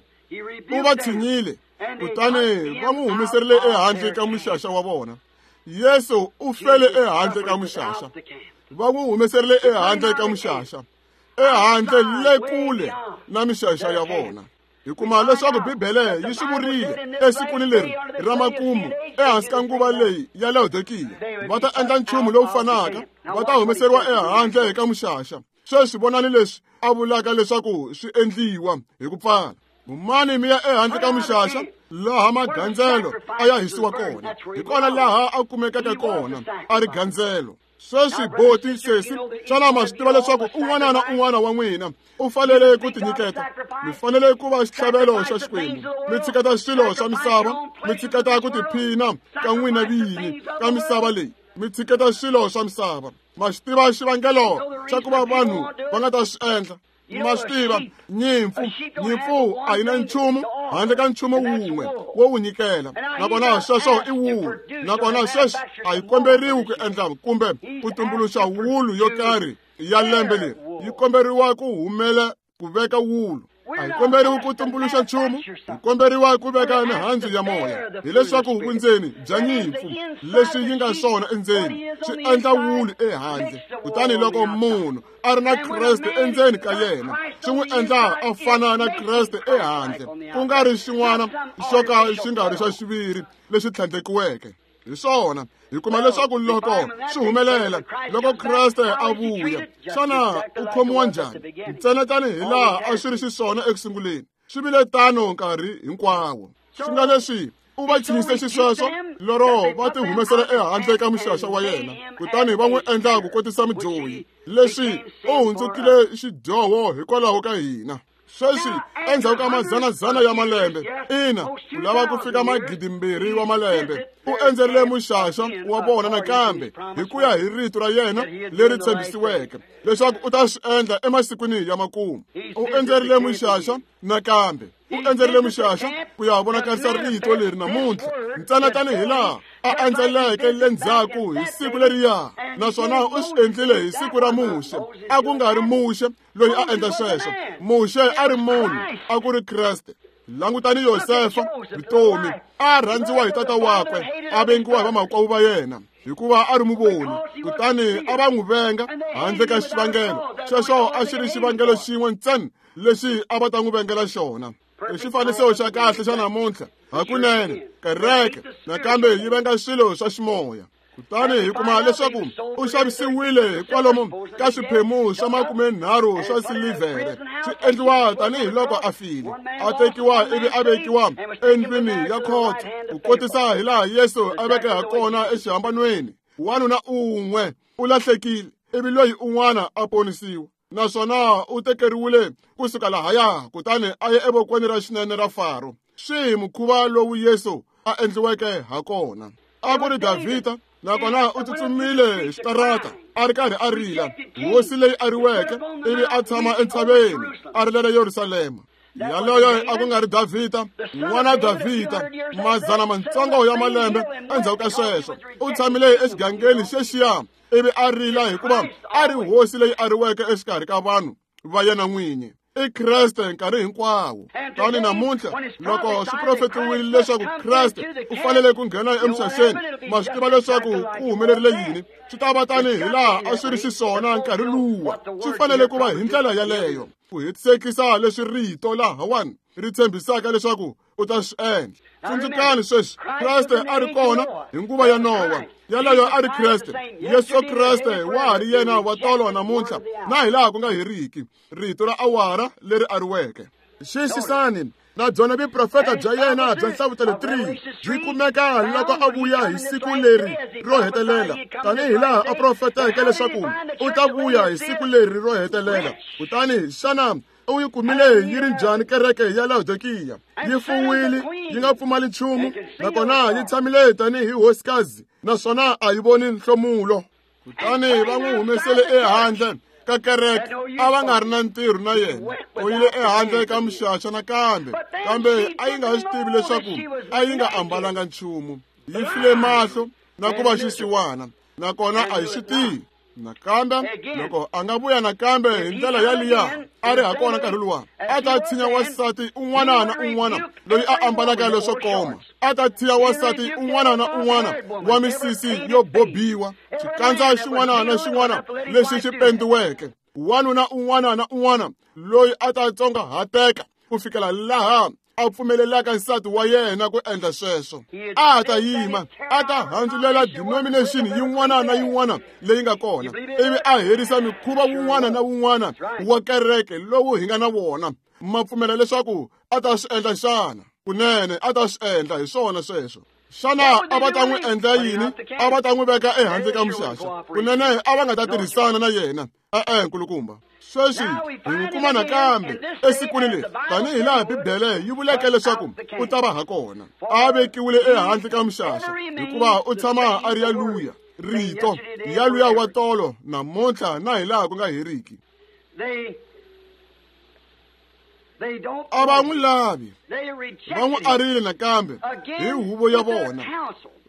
u va tshinyile, kutani va n'wi humeserile ehandle ka muxaxa wa vona. Yesu u fele ehandle ka muxaxa. Va n'wi humeserile ehandle ka muxaxa, ehandle le kule na mixaxa ya vona. Hi kuma leswaku Bibele yi swi vurile esikwini leri ra makumu, ehansi ka nguva leyi ya Laodikiya, va ta endla nchumu lowu fanaka, va ta humeseriwa ehandle ka muxaxa. Sweswi vonani leswi a vulaka leswaku swi endliwa hi ku pfala. Humani mi ya ehandle ka muxaxa, laha magandzelo a ya hisiwa kona, hi kona laha a kumekaka kona a ri gandzelo. Sweswi boti sesi, xana ma swi tiva leswaku un'wana na un'wana wa n'wina u fanele ku tinyiketa? Mi fanele ku va xitlhavelo xa Xikwembu. Mi tshiketa swilo swa misava, mi tshiketa ku tiphina ka n'wina vinyi ka misava leyi, mi tshiketa swilo swa misava. Ma swi tiva xivangelo xa ku va vanhu va nga ta swi endla? Ma swi tiva, nyimpfu nyimpfu a yi na nchumu handle ka nchumu wun'we wo wu nyikela, nakona sweswo i wulu. Nakona sweswi a yi komberiwi ku endla kumbe ku tumbuluxa wulu yo karhi ya lembe leri, yi komberiwa ku humela ku veka wulu. A yi komberiwi ku tumbuluxa nchumu, yi komberiwa ku veka mihandzu ya moya, hileswaku vundzeni bya nyimpfu leswi yi nga swona endzeni swi endla wulu ehandle. Kutani loko munhu a ri na Kreste endzeni ka yena, swi n'wi endla a fana na Kreste ehandle, ku nga ri xin'wana xo ka xi nga ri xa xiviri lexi tlhandlekiweke. Hi swona hi kuma leswaku loko swi humelela, loko Kreste a vuya, xana u khomiwa njhani? Ntsena tanihi laha a swi ri xiswona eku sunguleni, swi vile tano nkarhi hinkwawo. Swi nga leswi u va tshinyise xisweswo lero va ti humesela ehandle ka muxaxa wa yena, kutani va n'wi endla ku kotisa mudyohi. Leswi u hundzukile xidyoho hikwalaho ka hina. Sweswi endzhaku ka madzanadzana ya malembe, ina, ku lava ku fika magidimbirhi wa malembe, u endzerile muxaxa wa vona nakambe hi ku ya hi rito ra yena leri tshembisiweke leswaku u ta swi endla emasikwini ya makumu. U endzerile muxaxa nakambe, u endzerile muxaxa ku ya vonakarisa rito leri namuntlha, ntsena tanihi laha a endzeleke le ndzhaku hi siku leriya, naswona u swi endlile hi siku ra Muxe. A ku nga ri Muxe loyi a endla sweswo, Muxe a ri munhu, a ku ri Kreste. Langutani Yosefa, vutomi, a rhandziwa hi tata wakwe, a vengiwa hi vamakwavo va yena. hikuva a ri muvoni, kutani a va n'wi venga handle ka xivangelo. Xexo a xi ri xivangelo xin'we ntsena lexi a va ta n'wi vengela xona. I xifaniso xa kahle xa namuntlha hakunene. Kereke nakambe yi venga swilo swa ximoya. Kutani hi kuma leswaku u xavisiwile hikwalomu ka swiphemu swa makumenharhu swa silivhere, swi endliwa tanihiloko a file, a tekiwa ivi a vekiwa endlwini ya khotso, ku kotisa hilaha Yesu a veke ha kona exihambanweni. Wanuna un'we u lahlekile ivi loyi un'wana a ponisiwa, naswona u tekeriwile kusuka lahaya kutani a ya evokweni ra xinene ra Faro. Swi mukhuva lowu Yesu a endliweke ha kona. A ku ri Davhida, nakona u tsutsumile hi xitarata a ri karhi a rila, hosi leyi ariweke, ivi a tshama entshaveni a rilela Yerusalema. Yaloyo a ku nga ri Davhida, n'wana Davhida, mazana matsongo ya malembe endzhaku ka sweswo, u tshamile exigangeni xexiya ivi a rila hikuva a ri hosi leyi ariweke exikarhi ka vanhu va yena n'winyi. I Kreste nkarhi hinkwawo. Tani namuntlha loko swi profetiwile leswaku Kreste u fanele ku nghena emixaxeni, ma swi tiva leswaku ku humelerile yini? Swi ta va tani hilaha a swi ri xiswona nkarhi luwa. Swi fanele ku va hi ndlela yaleyo, ku hetisekisa leswi rito lahawani ri tshembisaka leswaku u ta swi endla. Tsundzukani sweswi, Kreste a ri kona hi nguva ya Nowa. Yaloyo a ri Kreste. Yesu Kreste wa ha ri yena wa tolo namuntlha na hilaha ku nga heriki, rito ra awara leri ariweke. Xiyisisani, na byona vuprofeta bya yena bya Nhlavutelo three byi kumeka loko a vuya hi siku leri ro hetelela, tanihi laha a profeteke leswaku u ta vuya hi siku leri ro hetelela. Kutani xana u yi kumile yi ri njhani kereke ya Laodikiya? Yi fuwile, yi nga pfumali nchumu, nakona yi tshamile tanihi hosikazi, naswona a yi voni nhlomulo. Kutani va n'wi humesele ehandle ka kereke, a va nga ri na ntirho na yena. U yile ehandle ka mixaxa nakambe, kambe a yi nga swi tivi leswaku a yi nga ambalanga nchumu. Yi file mahlo na ku va xisiwana, nakona a yi swi tivi. Nakambe loko a nga vuya nakambe hi ndlela yaliya a ri ha kona nkarhi luwa, a ta tshinya wansati un'wana na un'wana loyi a ambalaka leswo koma, a ta tshinya wansati un'wana na un'wana wa misisi yo bobiwa, xikandza xin'wana na xin'wana lexi xi pendiweke, wanuna un'wana na un'wana loyi a ta tsongahateka ku fikela laha a pfumelelaka nsati wa yena ku endla sweswo. A ta yima, a ta handzulela denomination yin'wana na yin'wana leyi nga kona, ivi a herisa mikhuva wun'wana na wun'wana wa kereke lowu hi nga na wona. Ma pfumela leswaku a ta swi endla xana? Kunene a ta swi endla, hi swona sweswo. Xana a va ta n'wi endla yini? A va ta n'wi veka ehandle ka mixaxa. Kunene a va nga ta tirhisana na yena. E-e, nkulukumba. Sweswi hi n'wi kuma nakambe esikwini leri, tanihi laha Bibele yi vuleke leswaku u ta va ha kona. A vekiwile ehandle ka mixaxa hikuva u tshama a ri yaluya, rito yaluya wa tolo namuntlha na hilaha ku nga heriki. A va n'wi lavi, va n'wi arile nakambe hi huvo ya vona.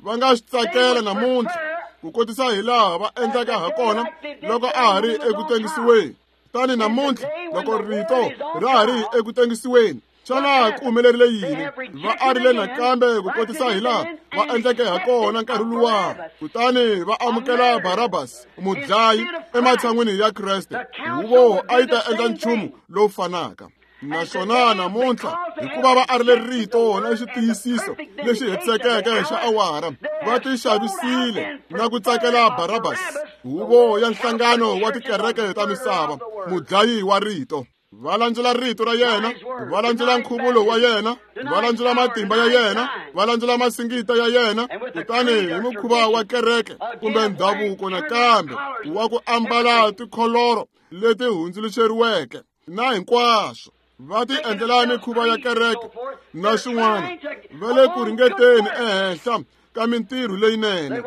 Va nga swi tsakela namuntlha ku kotisa hilaha va endlaka ha kona loko a ha ri eku tengisiweni. Tani namuntlha loko rito ra ha ri eku tengisiweni, xana ku humelerile yini? Va arile nakambe ku kotisa hilaha va endleke ha kona nkarhi luwa, kutani va amukela Barabas mudlayi ematshan'wini ya Kreste. Huvo a yi ta endla nchumu lowu fanaka. Naswona namuntlha hikuva va arile rito na xitiyisiso lexi hetisekeke xa awara, va tixavisile na ku tsakela Barabas, huvo ya nhlangano wa tikereke ta misava, mudlayi wa rito. Va landzula rito ra yena, va landzula nkhuvulo wa yena, va landzula matimba ya yena, va landzula masingita ya yena, kutani hi mukhuva wa kereke kumbe ndhavuko nakambe wa ku ambala tikholoro leti hundzuluxeriweke na hinkwaswo. Va ti endlela mikhuva ya kereke na swin'wana, va le ku ringeteni ehenhla ka mintirho leyinene.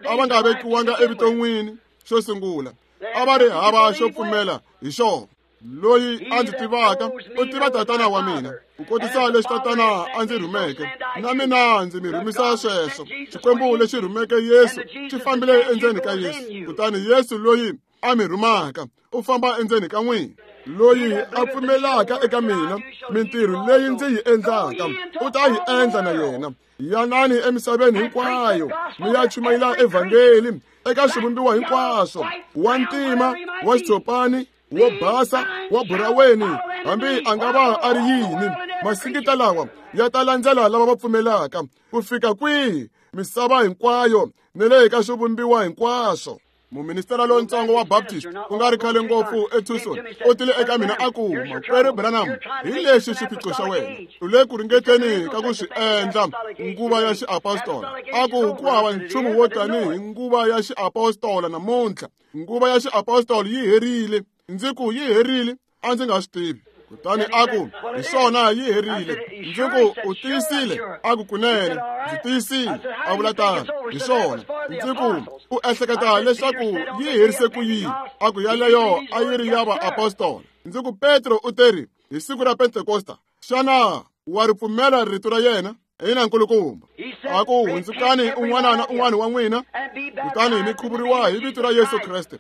A va nga vekiwanga evuton'wini xo sungula, a va ri hava xo pfumela hi xona. Loyi a ndzi tivaka u tiva tatana wa mina, ku kotisa leswi tatana a ndzi rhumeke, na mina ndzi mi rhumisa sweswo. Xikwembu lexi rhumeke Yesu xi fambile endzeni ka Yesu, kutani Yesu loyi a mi rhumaka u famba endzeni ka n'wina. Loyi a pfumelaka eka mina, mintirho leyi ndzi yi endlaka u ta yi endla na yena. Yanani emisaveni hinkwayo mi ya chumayela evhangeli eka swivumbiwa hinkwaswo, wa ntima, wa xitshopani, wo basa, wa buraweni, hambi a nga va a ri yini. Masingita lawa ya ta landzela lava va pfumelaka ku fika kwihi? Misava hinkwayo ni le ka swivumbiwa hinkwaswo. Muministera lontsongo wa Baptist ku nga ri khale ngopfu eTucson u tile eka mina a ku, Makwerhu Branham, hi lexi xiphiqo xa wena, u le ku ringeteni ka ku swi endla nguva ya xiapostola. A ku ku hava nchumu wo tanihi nguva ya xiapostola namuntlha. Nguva ya xiapostola yi herile. Ndzi ku yi herile? A ndzi nga swi tivi. Kutani a ku, hi swona, yi herile. Ndzi ku, u tiyisile? A ku, kunene ndzi tiyisile. A vula tano, hi swona. Ndzi ku, u ehleketa leswaku yi herise ku yini? A ku, yaleyo a yi ri ya vaapostola. Ndzi ku, Petro u teri hi siku ra Pentekosta, xana wa ri pfumela rito ra yena? Ina, nkulukumba. A ku, hundzukani un'wana na un'wana wa n'wina, kutani mi khuvuriwa hi vito ra Yesu Kreste,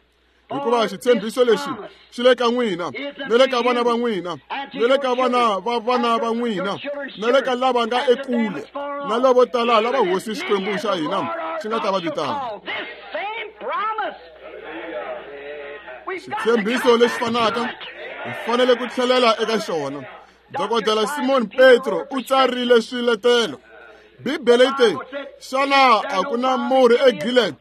hikuva xitshembiso lexi xi le ka n'wina, ni le ka vana va n'wina, ni le ka vana va vana va n'wina, ni le ka lava nga ekule, na lavo tala lava Hosi Xikwembu xa hina xi nga ta va vitana. Xitshembiso lexi fanaka hi fanele ku tlhelela eka xona. Dokodela Simon Petro u tsarile swiletelo. Bibele yi te, xana a ku na murhi eGilead?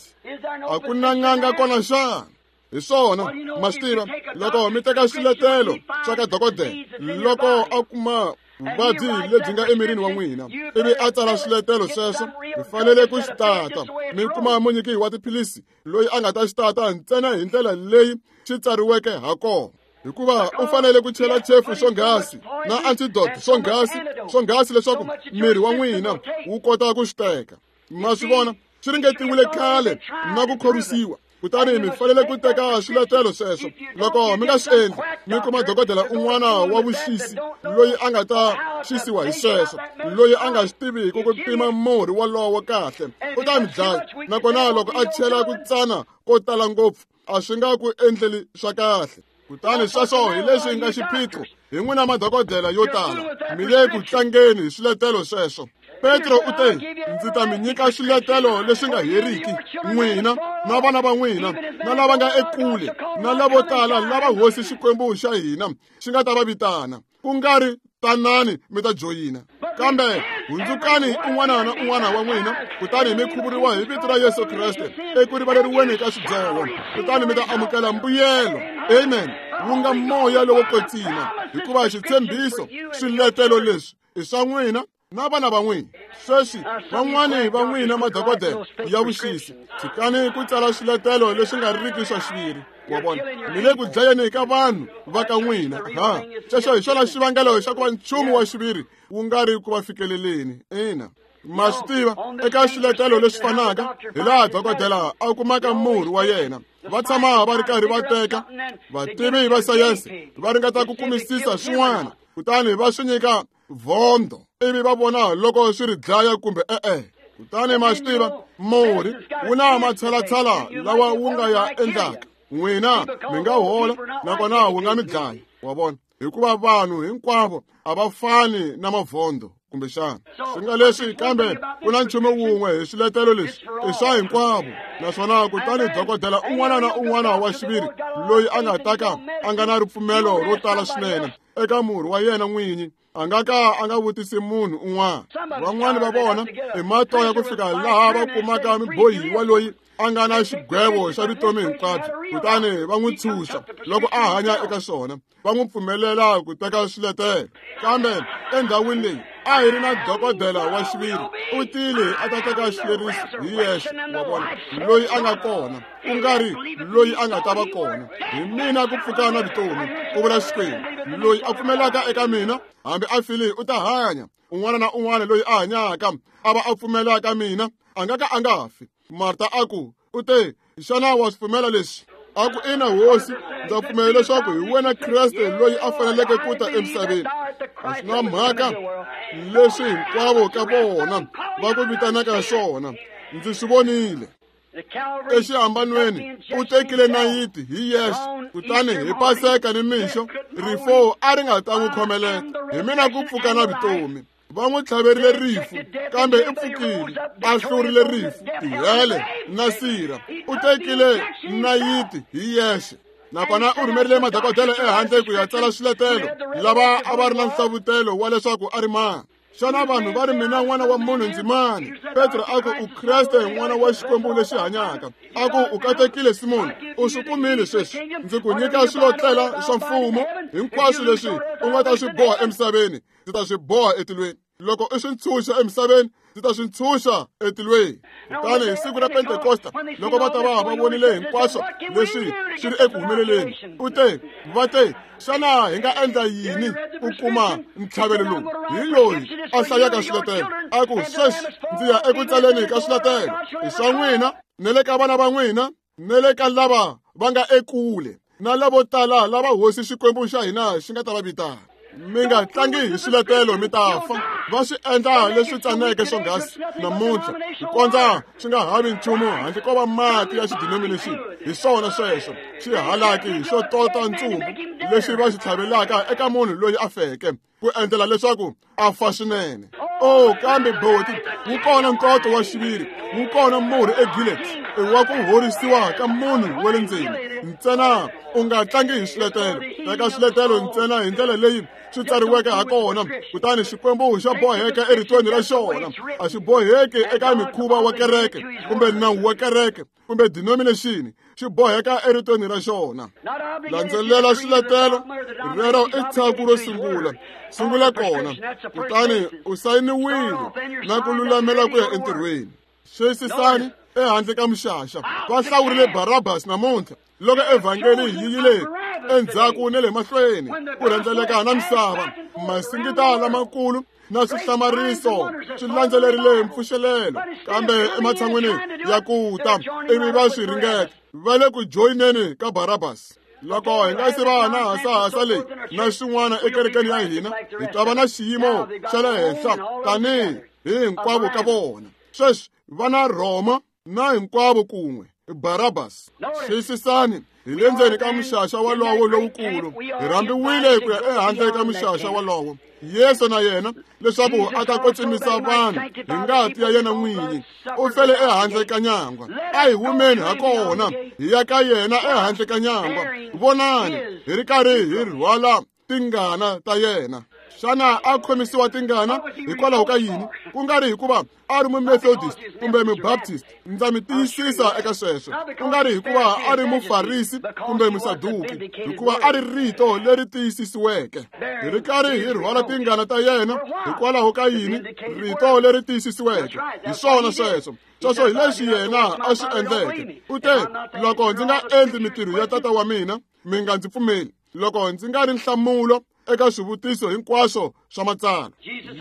A ku na n'anga kona xana? Hi swona, ma swi tiva, loko mi teka swiletelo swa ka dokodela, loko a kuma vuvabyi lebyi nga emirini wa n'wina, ivi a tsala swiletelo sweswo, mi fanele ku xi tata. Mi kuma munyiki wa tiphilisi loyi a nga ta xi tata ntsena hi ndlela leyi xi tsariweke ha kona, hikuva u fanele ku chela chefu swonghasi na antidote swonghasi swonghasi leswaku miri wa n'wina wu kota ku xi teka. Ma swi vona, swi ringetiwile khale na ku khorwisiwa. Kutani mi fanele ku teka swiletelo sweswo. Loko mi nga swi endli, mi kuma dokodela un'wana wa vuxisi loyi a nga ta xisiwa hi sweswo, loyi a nga swi tiviki ku pima murhi wolowo kahle, u ta mi dlaya. Nakona loko a chela ku tsana ko tala ngopfu, a swi nga ku endleli swa kahle. Kutani sweswo hi leswi nga xiphiqo hi n'wina madokodela yo tala, mi le ku tlangeni hi swiletelo sweswo. Petro u te, ndzi ta mi nyika swiletelo leswi nga heriki, n'wina na vana va n'wina, na lava nga ekule, na lavo tala lava Hosi Xikwembu xa hina xi nga ta va vitana. Ku nga ri tanani mi ta joyina, kambe hundzukani un'wana na un'wana wa n'wina, kutani mi khuvuriwa hi vito ra Yesu Kreste eku rivaleriweni ka swidyoho, kutani mi ta amukela mbuyelo, amen, wu nga moya lowo kwetsima, hikuva xitshembiso swiletelo leswi i swa n'wina na vana va n'wina. Sweswi van'wani va n'wina madokodela ya vuxisi, tshikani ku tsala swiletelo leswi nga riki swa xiviri. Wa vona, mi le ku dlayeni ka vanhu va ka n'wina. Ha, xexo hi xona xivangelo xa ku va nchumu wa xiviri wu nga ri ku va fikeleleni. Ina, ma swi tiva, eka swiletelo leswi fanaka hi laha dokodela a kumaka murhi wa yena, va tshama va ri karhi va teka. Vativi va sayense va ringeta ku kumisisa swin'wana, kutani va swi nyika vhondo, ivi va vona loko swi ri dlaya kumbe e-e. Kutani ma swi tiva, murhi wu na matshalatshala lawa wu nga ya endlaka. N'wina mi nga hola, nakona wu nga mi dlaya. Wa vona, hikuva vanhu hinkwavo a va fani na mavhondo kumbexana. Swi nga leswi, kambe ku na nchumu wun'we hi swiletelo leswi, i swa hinkwavo. Naswona kutani dokodela un'wana na un'wana wa xiviri loyi a nga ta ka a nga na ripfumelo ro tala swinene eka murhi wa yena n'winyi, a nga ka a nga vutisi munhu un'wana. Van'wani va vona i matoya ku fika laha va kumaka mubohiwa loyi a nga na xigwevo xa vutomi hinkwabyo, kutani va n'wi tshunxa loko a hanya eka swona, va n'wi pfumelela ku teka swiletelo. Kambe endhawini leyi a hi ri na dokodela wa xiviri, u tile a ta teka xileriso hi yexe. Wa vona, loyi a nga kona, ku nga ri loyi a nga ta va kona. Hi mina ku pfuka na vutomi, ku vula Xikwembu. Loyi a pfumelaka eka mina, hambi a file u ta hanya. Un'wana na un'wana loyi a hanyaka a va a pfumelaka mina, a nga ka a nga fi. Marta a ku, u te, xana wa swi pfumela leswi? A ku, ina Hosi, ndza pfumela leswaku hi wena Kreste loyi a faneleke ku ta emisaveni. A swi na mhaka leswi hinkwavo ka vona va ku vitanaka swona, ndzi swi vonile. Exihambanweni u tekile nayiti hi yexe, kutani hi Paseka ni mixo Rifo a ri nga ta n'wi khomelela. Hi mina ku pfuka na vutomi. Va n'wi tlhaverile rifu, kambe i pfukile, a hlurile rifu, tihele na sirha. U tekile nayiti hi yexe. Nakona u rhumerile madokodela ehandle ku ya tsala swiletelo lava a va ri na nhlavutelo wa leswaku a ri mani. Xana vanhu va ri mina n'wana wa munhu ndzi mani? Petro a ku u Kreste n'wana wa Xikwembu lexi hanyaka. A ku u katekile Simoni, u swi kumile sweswi. Ndzi ku nyika swilotlela swa mfumo hinkwaswo leswi u nga ta swi boha emisaveni, ndzi ta swi boha etilweni. Loko u swi ntshunxa emisaveni, ndzi ta swi ntshunxa etilweni. Kutani hi siku ra Pentekosta, loko va ta va va vonile hinkwaswo leswi swi ri eku humeleleni, u te, va te, xana hi nga endla yini ku kuma ntlhavelo lowu? Hi loyi a hlayaka swiletelo. A ku, sweswi ndzi ya eku tsaleni ka swiletelo i swa n'wina, ne le ka vana va n'wina, ne le ka lava va nga ekule, na lavo tala lava hosi Xikwembu xa hina xi nga ta va vitana. Mi nga tlangi hi swiletelo mi ta fa. Va swi endla leswi tsaneke swonghasi namuntlha, ku kondza swi nga havi nchumu handle ko va mati ya xidenomination. Hi swona sweswo xihalaki xo tota ntsumbu lexi va xi tlhavelaka eka munhu loyi a feke ku endlela leswaku a fa swinene. Oh, kambe boti, wu kona nkoto wa xiviri, wu kona murhi eGilead wa ku horisiwa ka munhu wa le ndzeni. Ntsena u nga tlangi hi swiletelo, teka swiletelo ntsena hi ndlela leyi swi tsariweke ha kona, kutani Xikwembu xa boheka eritweni ra xona. A xi boheki eka mikhuva wa kereke kumbe nawu wa kereke kumbe denomination, xi boheka eritweni ra xona. Landzelela swiletelo rero i tshaku ro sungula. Sungula kona, kutani u sayiniwile na ku lulamela ku ya entirhweni. Xiyisisani ehandle ka mixaxa va hlawurile Barabas namuntlha loko evhangeli yi yile endzhaku ne le mahlweni ku rhendzeleka na misava. Masingita lamakulu na swihlamariso swi landzelerile mpfuxelelo, kambe ematshan'wini ya ku ta ivi va swi ringeta, va le ku joyineni ka Barabas. Loko hi nga se va na hasahasa leyi na swin'wana ekerekeni ya hina, hi ta va na xiyimo xa le henhla tanihi hi hinkwavo ka vona. Sweswi va na Rhoma na hinkwavo kun'we Barabas. Xiyisisani, hi le ndzeni ka muxaxa walowo lowukulu, hi rhambiwile ku ya ehandle ka muxaxa walowo. Yesu na yena leswaku a ta kwetsimisa vanhu hi ngati ya yena n'winyi, u fele ehandle ka nyangwa. A hi humeni ha kona hi ya ka yena ehandle ka nyangwa. Vonani, hi ri karhi hi rhwala tingana ta yena. Xana a khomisiwa tingana hikwalaho ka yini? Ku nga ri hikuva a ri Mumethodist kumbe Mubaptist, ndza mi tiyisisa eka sweswo. Ku nga ri hikuva a ri Mufarisi kumbe Musaduki, hikuva a ri rito leri tiyisisiweke. Hi ri karhi hi rhwala tingana ta yena hikwalaho ka yini? Rito leri tiyisisiweke. Hi swona sweswo. Sweswo hi leswi yena a swi endleke. U te, loko ndzi nga endli mitirho ya tata wa mina, mi nga ndzi pfumeli. Loko ndzi nga ri nhlamulo eka swivutiso hinkwaswo swa matsalwa.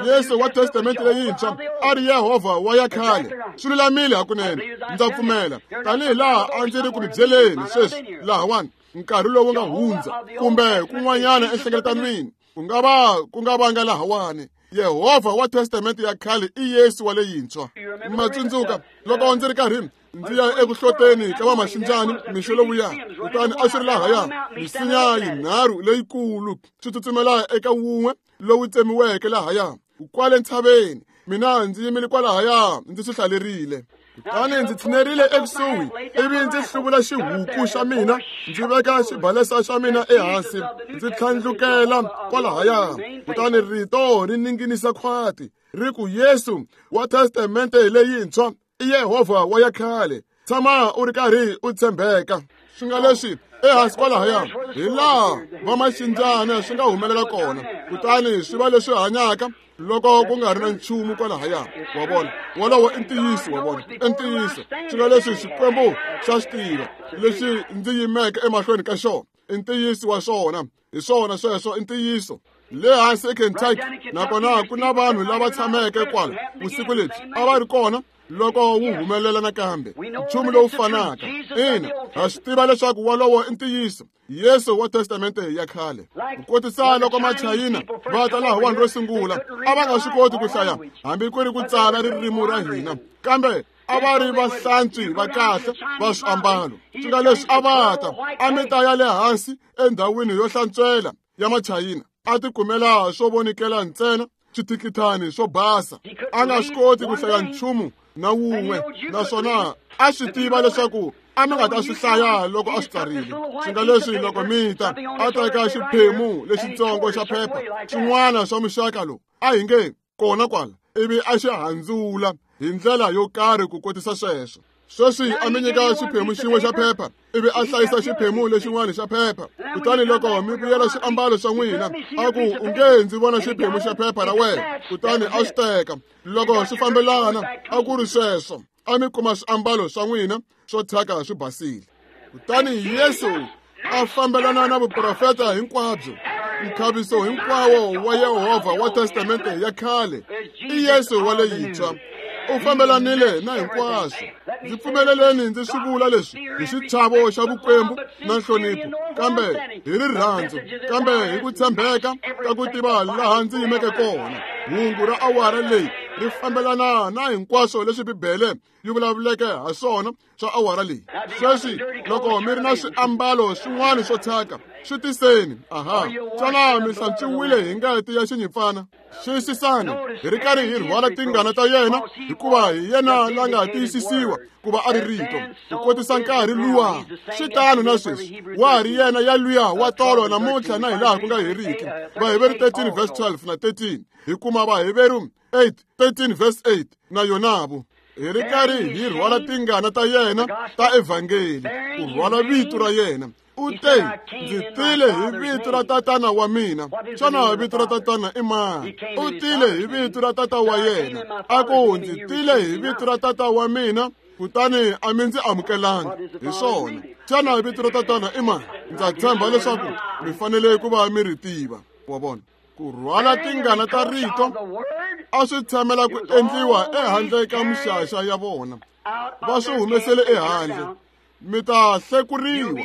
Yesu wa Testamente leyintshwa a ri Yehovha wa ya khale. Swi lulamile hakunene, ndza pfumela. Tanihi laha a ndzi ri ku mi byeleni sweswi lahawani, nkarhi lowu nga hundza kumbe kun'wanyana enhlengeletanweni, ku nga va ku nga vanga lahawani. Yehovha wa Testamente ya khale i Yesu wa leyintshwa. Ma tsundzuka loko ndzi ri karhi ndzi ya eku hloteni ka vamaxinjani mixo lowuya, kutani a swi ri lahaya misinya yinharhu leyikulu swi tsutsumela eka wun'we lowu tsemiweke lahaya kwale ntshaveni. Mina ndzi yimile kwalahaya ndzi swi hlalerile. Kutani ndzi tshinerile ekusuhi ivi ndzi hluvula xihuku xa mina, ndzi veka xibalesa xa mina ehansi, ndzi tlhandlukela kwalahaya. Kutani rito ri ninginisa khwati ri ku, Yesu wa Testamente leyintshwa i Yehovha wa ya khale. Tshama u ri karhi u tshembeka. Swi nga leswi ehansi kwalahaya hi laha vamaxinjana swi nga humelela kona, kutani swi va leswi hanyaka loko ku nga ri na nchumu kwalahaya. Wa vona, wolowo i ntiyiso. Wa vona, i ntiyiso. Swi nga leswi Xikwembu xa swi tiva leswi ndzi yimeke emahlweni ka xona, i ntiyiso wa swona. Hi swona sweswo, i ntiyiso. Le hansi eKentucky nakona ku na vanhu lava tshameke kwala vusiku lebyi a va ri kona loko wu humelela nakambe nchumu lowu fanaka. Ina, ha swi tiva leswaku wolowo i ntiyiso. Yesu wa Testamente ya khale. Ku kotisa loko Machayina va ta lahawani ro sungula, a va nga swi koti ku hlaya hambi ku ri ku tsala ririmi ra hina, kambe a va ri vahlantswi va kahle va swiambalo. Swi nga leswi a va ta a mi ta ya le hansi endhawini yo hlantswela ya Machayina a tikumela swo vonikela ntsena xithikithani swo basa. A nga swi koti ku hlaya nchumu na wun'we, naswona a swi tiva leswaku a mi nga ta swi hlaya loko a swi tsarile. Swi nga leswi loko mi ta a teka xiphemu lexitsongo xa phepha xin'wana xa muxaka lowu a hi nge kona kwala, ivi a xi handzula hi ndlela yo karhi ku kotisa sweswo. Sweswi a mi nyika xiphemu xin'we xa phepha ivi a hlayisa xiphemu lexin'wana xa phepha. Kutani loko mi vuyela swiambalo swa n'wina, a ku u nge ndzi vona xiphemu xa phepha ra wena, kutani a swi teka. Loko swi fambelana a ku ri sweswo, a mi kuma swiambalo swa n'wina swo thyaka swi basile. Kutani Yesu a fambelana na vuprofeta hinkwabyo, nkhaviso hinkwawo wa Yehovha wa Testamente ya khale i Yesu wa leyintshwa. U fambelanile na hinkwaswo. Ndzi pfumeleleni ndzi swi vula leswi hi xichavo xa vukwembu na nhlonipho, kambe hi rirhandzu, kambe hi ku tshembeka ka ku tiva laha ndzi yimeke kona. Hungu ra awara leyi ri fambelana na hinkwaswo leswi Bibele yi vulavuleke ha swona swa awara leyi. Sweswi loko mi ri na swiambalo swin'wana swo thyaka, swi tiseni. Aha, xana mi hlantswiwile hi ngati ya xinyimpfana? Xiyisisani, hi ri karhi hi rhwala tingana ta yena, hikuva hi yena la nga tiyisisiwa ku va a ri rito ku kotisa nkarhi luwa. Swi tano na sweswi, wa ha ri yena ya luya wa tolo namuntlha na hilaha ku nga heriki. Vaheveru thirteen verse twelve na thirteen, hi kuma Vaheveru eight thirteen verse eight na yonavo. Hi ri karhi hi rhwala tingana ta yena ta evhangeli, ku rhwala vito ra yena. U te, ndzi tile hi vito ra tatana wa mina. Xana vito ra tatana i mani? U tile hi vito ra tata wa yena. A ku ndzi tile hi vito ra tata wa mina, kutani a mi ndzi amukelanga. Hi swona. Xana vito ra tatana i mani? Ndza tshemba leswaku mi fanele ku va mi ri tiva. Wa vona, ku rhwala tingana ta rito a swi tshamela ku endliwa ehandle ka mixaxa ya vona. Va swi humesele ehandle. Mi ta hlekuriwa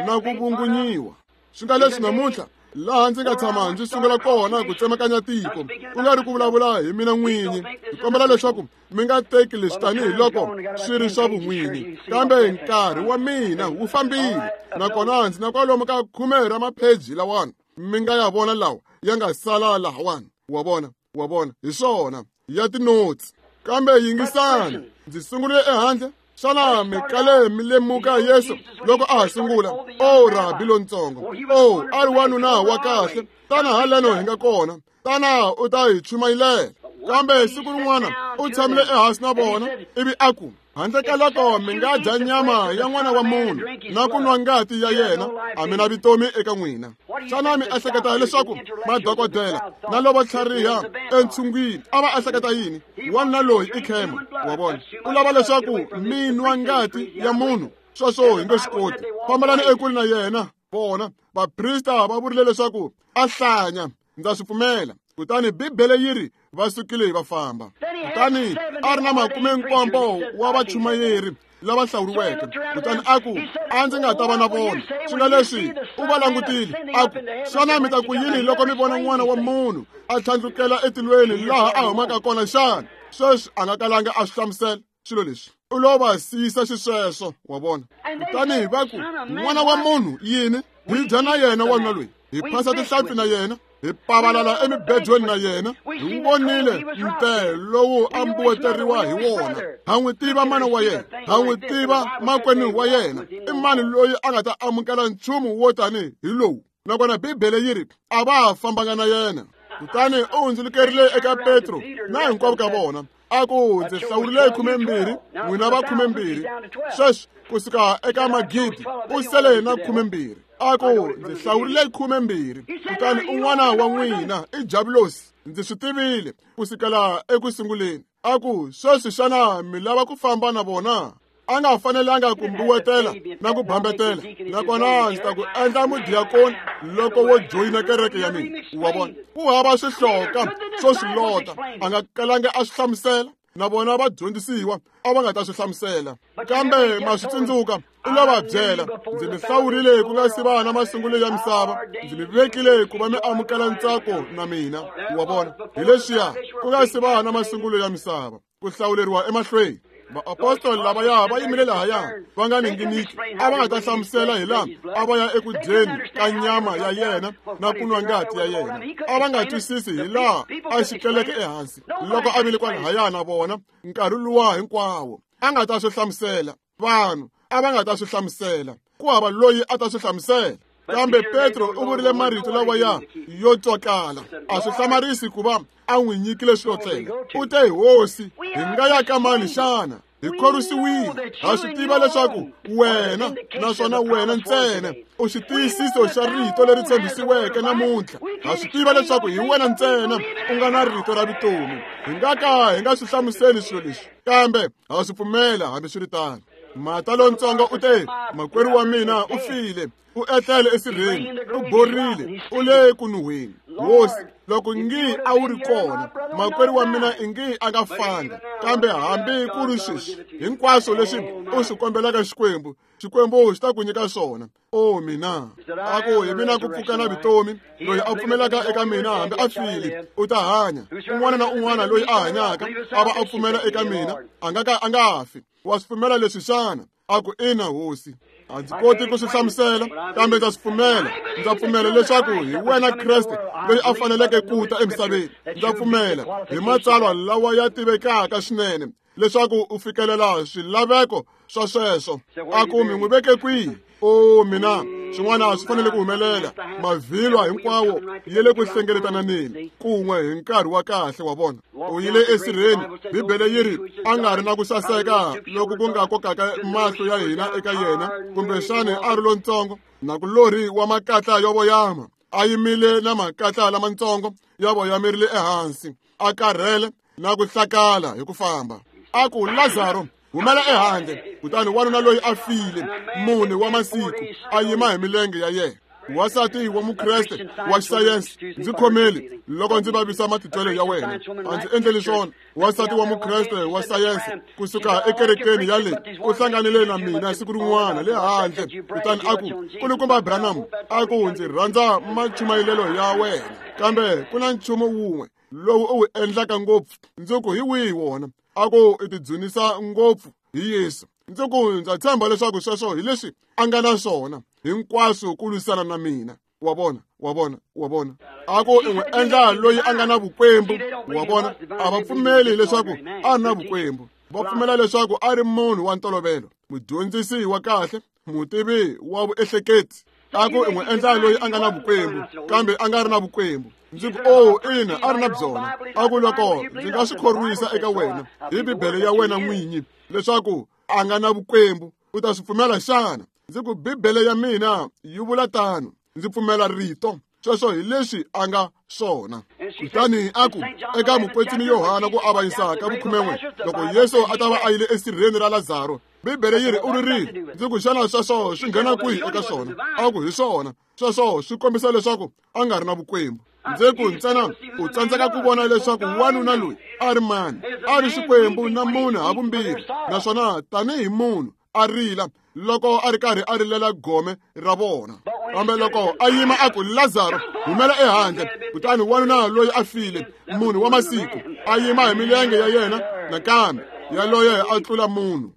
na ku vungunyiwa. Swi nga leswi namuntlha laha ndzi nga tshama ndzi sungula kona ku tsemakanya tiko, ku nga ri ku vulavula hi mina n'winyi. Hi kombela leswaku mi nga teki leswi tanihiloko swi ri swa vun'winyi, kambe nkarhi wa mina wu fambile, nakona ndzi na kwalomu ka khume ra mapheji lawani mi nga ya vona lawa ya nga sala lahawani. Wa vona, wa vona, hi swona ya tinotsi. Kambe yingisani, ndzi sungurile ehandle. Xana mi kale mi lemuka Yesu loko a ha sungula? O rabi lontsongo, o a ri wanuna wa kahle, tana haleno hi nga kona, tana u ta hi chumayilela. Kambe siku rin'wana u tshamile ehansi na vona, ivi a ku, handle ka loko mi nga dya nyama ya n'wana wa munhu na ku nwa ngati ya yena, a mi na vutomi eka n'wina. Xana mi ehleketa leswaku madokodela na lavo tlhariha entshungwini a va ehleketa yini? Wanuna loyi i khema, wa vona, u lava leswaku mi nwa ngati ya munhu. Sweswo hi nge swi koti. Fambelani ekule na yena. Vona, vaprista va vurile leswaku a hlanya. Ndza swi pfumela. Kutani Bibele yi ri va sukile va famba. Kutani a ri na makume nkombo wa vachumayeri lava hlawuriweke. Kutani a ku, a ndzi nga ta va na vona. Swi nga leswi u va langutile, a ku, xana mi ta ku yini loko mi vona n'wana wa munhu a tlhandlukela etilweni laha a humaka kona xana? Sweswi a nga kalanga a swi hlamusela swilo leswi. U lo va siyisa xisweswo, wa vona. Kutani va ku, n'wana wa munhu yini? Hi dya na yena wanuna loyi, hi phasa tihlampfi na yena, hi pavalala emibedweni na yena, hi vonile nte lowu a mbuweteriwa hi wona. Ha n'wi tiva mana wa yena, ha n'wi tiva makwenu wa yena. I mani loyi a nga ta amukela nchumu wo tani hi lowu? Nakona Bibele yi ri a va ha fambanga na yena. Kutani u hundzulukerile eka Petro na hinkwavo ka vona, a ku, ndzi hlawurile khumembirhi, n'wina va khumembirhi. Sweswi kusuka eka magidi u sele na khumembirhi. A ku, ndzi hlawurile khumembirhi, kutani un'wana wa n'wina i Javulosi. Ndzi swi tivile kusukela eku sunguleni. A ku, sweswi xana mi lava ku famba na vona? A nga fanelanga ku mbuwetela na ku bambetela, nakona ndzi ta ku endla mudiyakoni loko wo joyina kereke ya mina. Wa vona, ku hava swihloka swo swi lota, a nga kalanga a swi hlamusela. Na vona va dyondzisiwa a va nga ta swi hlamusela. Kambe ma swi tsundzuka, u lo va byela, ndzi mi hlawurile ku nga si va na masungulo ya misava, ndzi mi vekile ku va mi amukela ntsako na mina. Wa vona, hi leswiya ku nga si va na masungulo ya misava, ku hlawuleriwa emahlweni. Vaapostoli lavaya va yimile lahaya va nga ninginiki, a va nga ta hlamusela hi laha a va ya eku dyeni ka nyama ya yena na ku nwa ngati ya yena. A va nga twisisi hi laha a xikeleke ehansi loko a vile kwalahaya na vona nkarhi luwa hinkwawo. A nga ta swi hlamusela vanhu, a va nga ta swi hlamusela, ku hava loyi a ta swi hlamusela. Kambe Petro u vurile marito lawaya yo twakala. A swi hlamarisi ku va a n'wi nyikile xilotlela. U te, Hosi, hi nga ya ka mani xana? Hi khorwisiwile, ha swi tiva leswaku wena naswona wena ntsena u xitiyisiso xa rito leri tshembisiweke namuntlha. Ha swi tiva leswaku hi wena ntsena u nga na rito ra vutomi. Hi nga ka hi nga swi hlamuseli swilo leswi, kambe ha swi pfumela hambiswiritano. Mata lontsongo u te, makwerhu wa mina u file, u etlele esirheni, u borile, u le ku nuhweni. Hosi, loko ngi a wu ri kona, makwerhu wa mina ingi a nga fanga. Kambe hambi ku ri sweswi, hinkwaswo leswi u swi kombelaka Xikwembu, Xikwembu xi ta ku nyika swona. O mina, a ku hi mina ku pfuka na vutomi, loyi a pfumelaka eka mina hambi a file u ta hanya. Un'wana na un'wana loyi a hanyaka a va a pfumela eka mina a nga ka a nga fi. Wa swi pfumela leswi xana? A ku ina, Hosi. A ndzi koti ku swi hlamusela, kambe ndza swi pfumela. Ndza pfumela leswaku hi wena Kreste loyi a faneleke ku ta emisaveni. Ndza pfumela hi matsalwa lawa ya tivekaka swinene leswaku u fikelela swilaveko swa sweswo. A ku mi n'wi veke kwihi? O mina, swin'wana swi fanele ku humelela. Mavhilwa hinkwawo ya le ku hlengeletananeni kun'we hi nkarhi wa kahle wa vona. U yile esirheni, Bibele yi ri a nga ri na ku saseka loku ku nga kokaka mahlo ya hina eka yena, kumbexani a ri lontsongo na kulorhi wa makatla yo voyama, a yimile na makatla lamatsongo ya voyamerile ehansi, a karhele na ku hlakala hi ku famba. A ku, Lazaro, humela ehandle. Kutani wanuna loyi a file mune wa masiku a yima hi milenge ya yena. Wansati wa Mukreste wa xisayense, ndzi khomeli loko ndzi vavisa matitwelo ya wena, a ndzi endleli swona. Wansati wa Mukreste wa sayense kusuka ekerekeni ya le u hlanganile na mina siku rin'wana le handle, kutani a ku, Nkulukumba Branham, a ku ndzi rhandza machumayelelo ya wena, kambe ku na nchumu wun'we lowu u wu endlaka ngopfu. Ndzi ku, hi wihi wona? A ku i tidzunisa ngopfu hi Yesu. Ndzi ku, ndza tshemba leswaku sweswo hi leswi a nga na swona hinkwaswo ku lwisana na mina. Wa vona, wa vona, wa vona. A ku i n'wi endla loyi a nga na vukwembu. Wa vona, a va pfumeli leswaku a ri na vukwembu. Va pfumela leswaku a ri munhu wa ntolovelo, mudyondzisi wa kahle, mutivi wa vuehleketi. A ku i n'wi endla loyi a nga na vukwembu, kambe a nga ri na vukwembu. Ndzi ku, o ina, a ri na byona. A ku loko ndzi nga swi khorwisa eka wena hi Bibele ya wena n'winyi leswaku a nga na vukwembu, u ta swi pfumela xana? Ndzi ku, Bibele ya mina yi vula tano. Ndzi pfumela rito. Sweswo hi leswi a nga swona. Kutani a ku eka mukwetsimi Yohana ku avanyisaka vukhumen'we, loko Yesu a ta va a yile esirheni ra Lazaro, Bibele yi ri u ririle. Ndzi ku, xana sweswo swi nghena kwihi eka swona? A ku hi swona. Sweswo swi kombisa leswaku a nga ri na vukwembu. Ndzi ku, ntsena u tsandzeka ku vona leswaku wanuna loyi a ri mani, a ri Xikwembu na munhu havumbirhi, naswona tanihi munhu a rila loko a ri karhi a rilela gome ra vona. Kambe loko a yima a ku, Lazaro, humela ehandle, kutani wanuna loyi a file, munhu wa masiku, a yima hi milenge ya yena nakambe, yaloye a tlula munhu.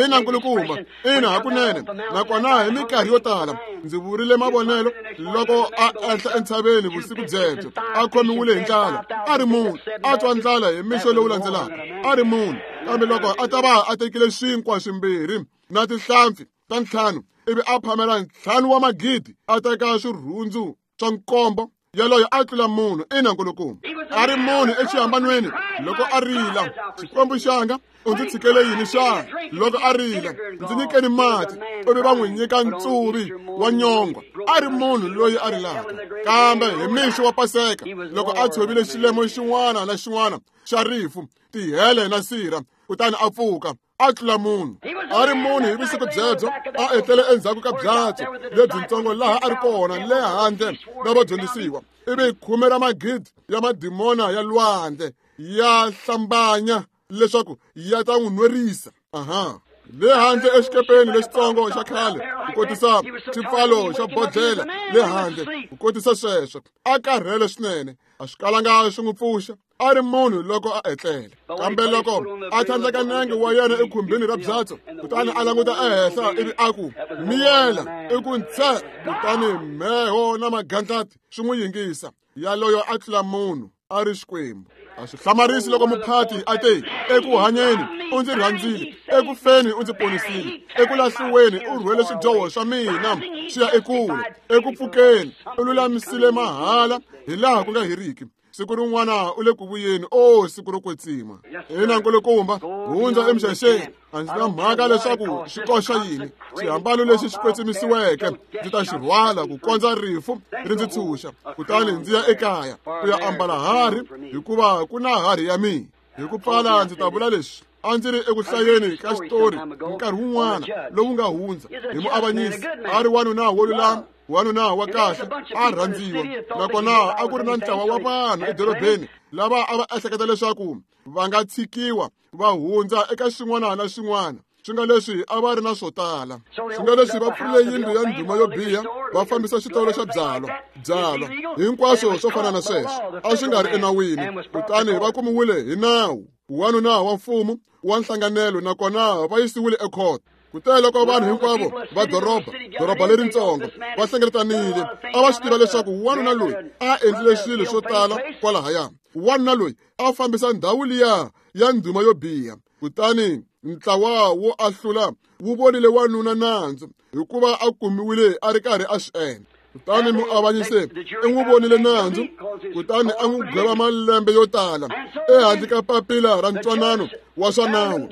Ina, nkulukumba, ina, hakunene. Nakona hi minkarhi yo tala ndzi vurile mavonelo loko a ehla entshaveni vusiku byebyo, a khomiwile hi ndlala, a ri munhu, a twa ndlala hi mixo lowu landzelaka, a ri munhu. Kambe loko a ta va a tekile swinkwa swimbirhi na tinhlampfi ta ntlhanu, ivi a phamela ntlhanu wa magidi, a teka swirhundzu swa nkombo, yaloye a tlula munhu. Ina, nkulukumba, a ri munhu exihambanweni loko a rila, Xikwembu xanga, u ndzi tshikele yini xana? Loko a rila, ndzi nyikeni mati, ivi va n'wi nyika ntsuvi wa nyongwa. A ri munhu loyi a rilaka. Kambe hi mixo wa Paseka, loko a tshovile xilemo xin'wana na xin'wana xa rifu, tihele na sirha, kutani a pfuka, a tlula munhu. A ri munhu hi vusiku byebyo, a etlele endzhaku ka byatso lebyintsongo laha a ri kona le handle na vadyondzisiwa, ivi khume ra magidi ya madimona ya lwandle ya hlambanya leswaku ya ta n'wi nwerisa. Aha. Le handle exikepeni lexitsongo xa khale, ku kotisa xipfalo xa bodlhela le handle ku kotisa sweswo a karhele swinene a swi kalanga swi n'wi pfuxa a ri munhu loko a etlele kambe loko a tlhandleka nenge wa yena ekhumbini ra byatso kutani a languta ehenhla ivi a ku miyela i ku ntse kutani mheho na magandlati swi n'wi yingisa yaloyo a tlula munhu a ri Xikwembu a swi hlamarisi loko muphati a te eku hanyeni u ndzi rhandzile eku feni u ndzi ponisile eku lahliweni u rhwele swidyoho swa mina swi ya ekule eku pfukeni u lulamisile mahala hi laha ku nga heriki siku rin'wana u le ku vuyeni o siku ro kwetsima ina nkulukumba hundza emixaxeni a ndzi na mhaka leswaku xi koxa yini xihambano lexi xi kwetsimisiweke ndzi ta xi rhwala ku kondza rifu ri ndzi tshunxa kutani ndzi ya ekaya ku ya ambala harhi hikuva ku na harhi ya mina hi ku pfala ndzi ta vula leswi a ndzi ri eku hlayeni ka xitori nkarhi wun'wana lowu nga hundza hi muavanyisi a ri wanuna wo lulama wanuna wa kahle a rhandziwa nakona a ku ri na ntlawa wa vanhu edorobeni lava a va ehleketa leswaku va nga tshikiwa va hundza eka xin'wana na xin'wana swi nga leswi a va ri na swo tala swi nga leswi va pfurile yindlu ya ndhuma yo biha va fambisa xitolo xa byalwa byalwa hinkwaswo swo fana na sweswo a swi nga ri enawini kutani va kumiwile hi nawu wanuna wa mfumo wa nhlanganelo nakona va yisiwile ekhoto kute loko vanhu hinkwavo va doroba doroba leritsongo va hlengeletanile a va swi tiva leswaku wanuna loyi a endlile swilo swo tala kwalahaya wanuna loyi a fambisa ndhawu liya ya ndhuma yo biha kutani ntlawa wo ahlula wu vonile wanuna nandzu hikuva a kumiwile a ri karhi a swi endla kutani muavanyisi i n'wi vonile nandzu kutani a n'wi gweva malembe yo tala ehandle ka papila ra ntwanano wa swa nawu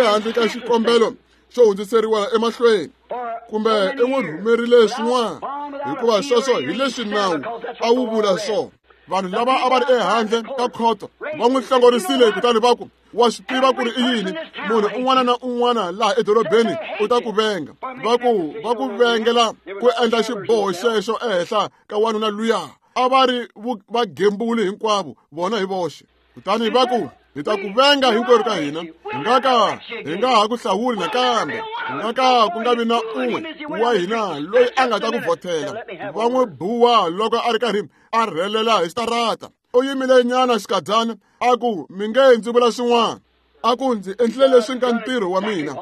ehandle ka xikombelo xo hundziseriwa emahlweni kumbe i n'wi rhumerile swin'wana hikuva sweswo hi leswi nawu a wu vula swona vanhu lava a va ri ehandle ka khoto va n'wi hlongorisile kutani va ku wa swi tiva ku ri i yini munhu un'wana na un'wana laha edorobeni u ta ku venga va ku va ku vengela ku endla xiboho xexo ehenhla ka wanuna luya a va ri vagembuli hinkwavo vona hi voxe kutani va ku hi ta ku venga hinkwerhu ka hina hi nga ka hi nga ha ku hlawuli nakambe hi nga ka ku nga vi na un'we wa hina loyi a nga ta ku vhotela va n'wi buwa loko a ri karhi a rhelela hi xitarata u yimile nyana xikadyana a ku mi nge ndzi vula swin'wana a ku ndzi endlile leswi nga ntirho wa mina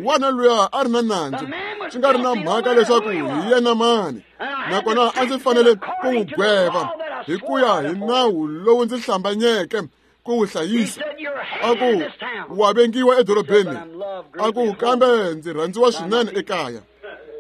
wana luya a ri na nandzu swi nga ri na mhaka leswaku hi yena mani nakona a ndzi fanele ku n'wi gweva hi ku ya hi nawu lowu ndzi hlambanyeke ku wu hlayisa a ku wa vengiwa edorobeni a ku kambe ndzi rhandziwa swinene ekaya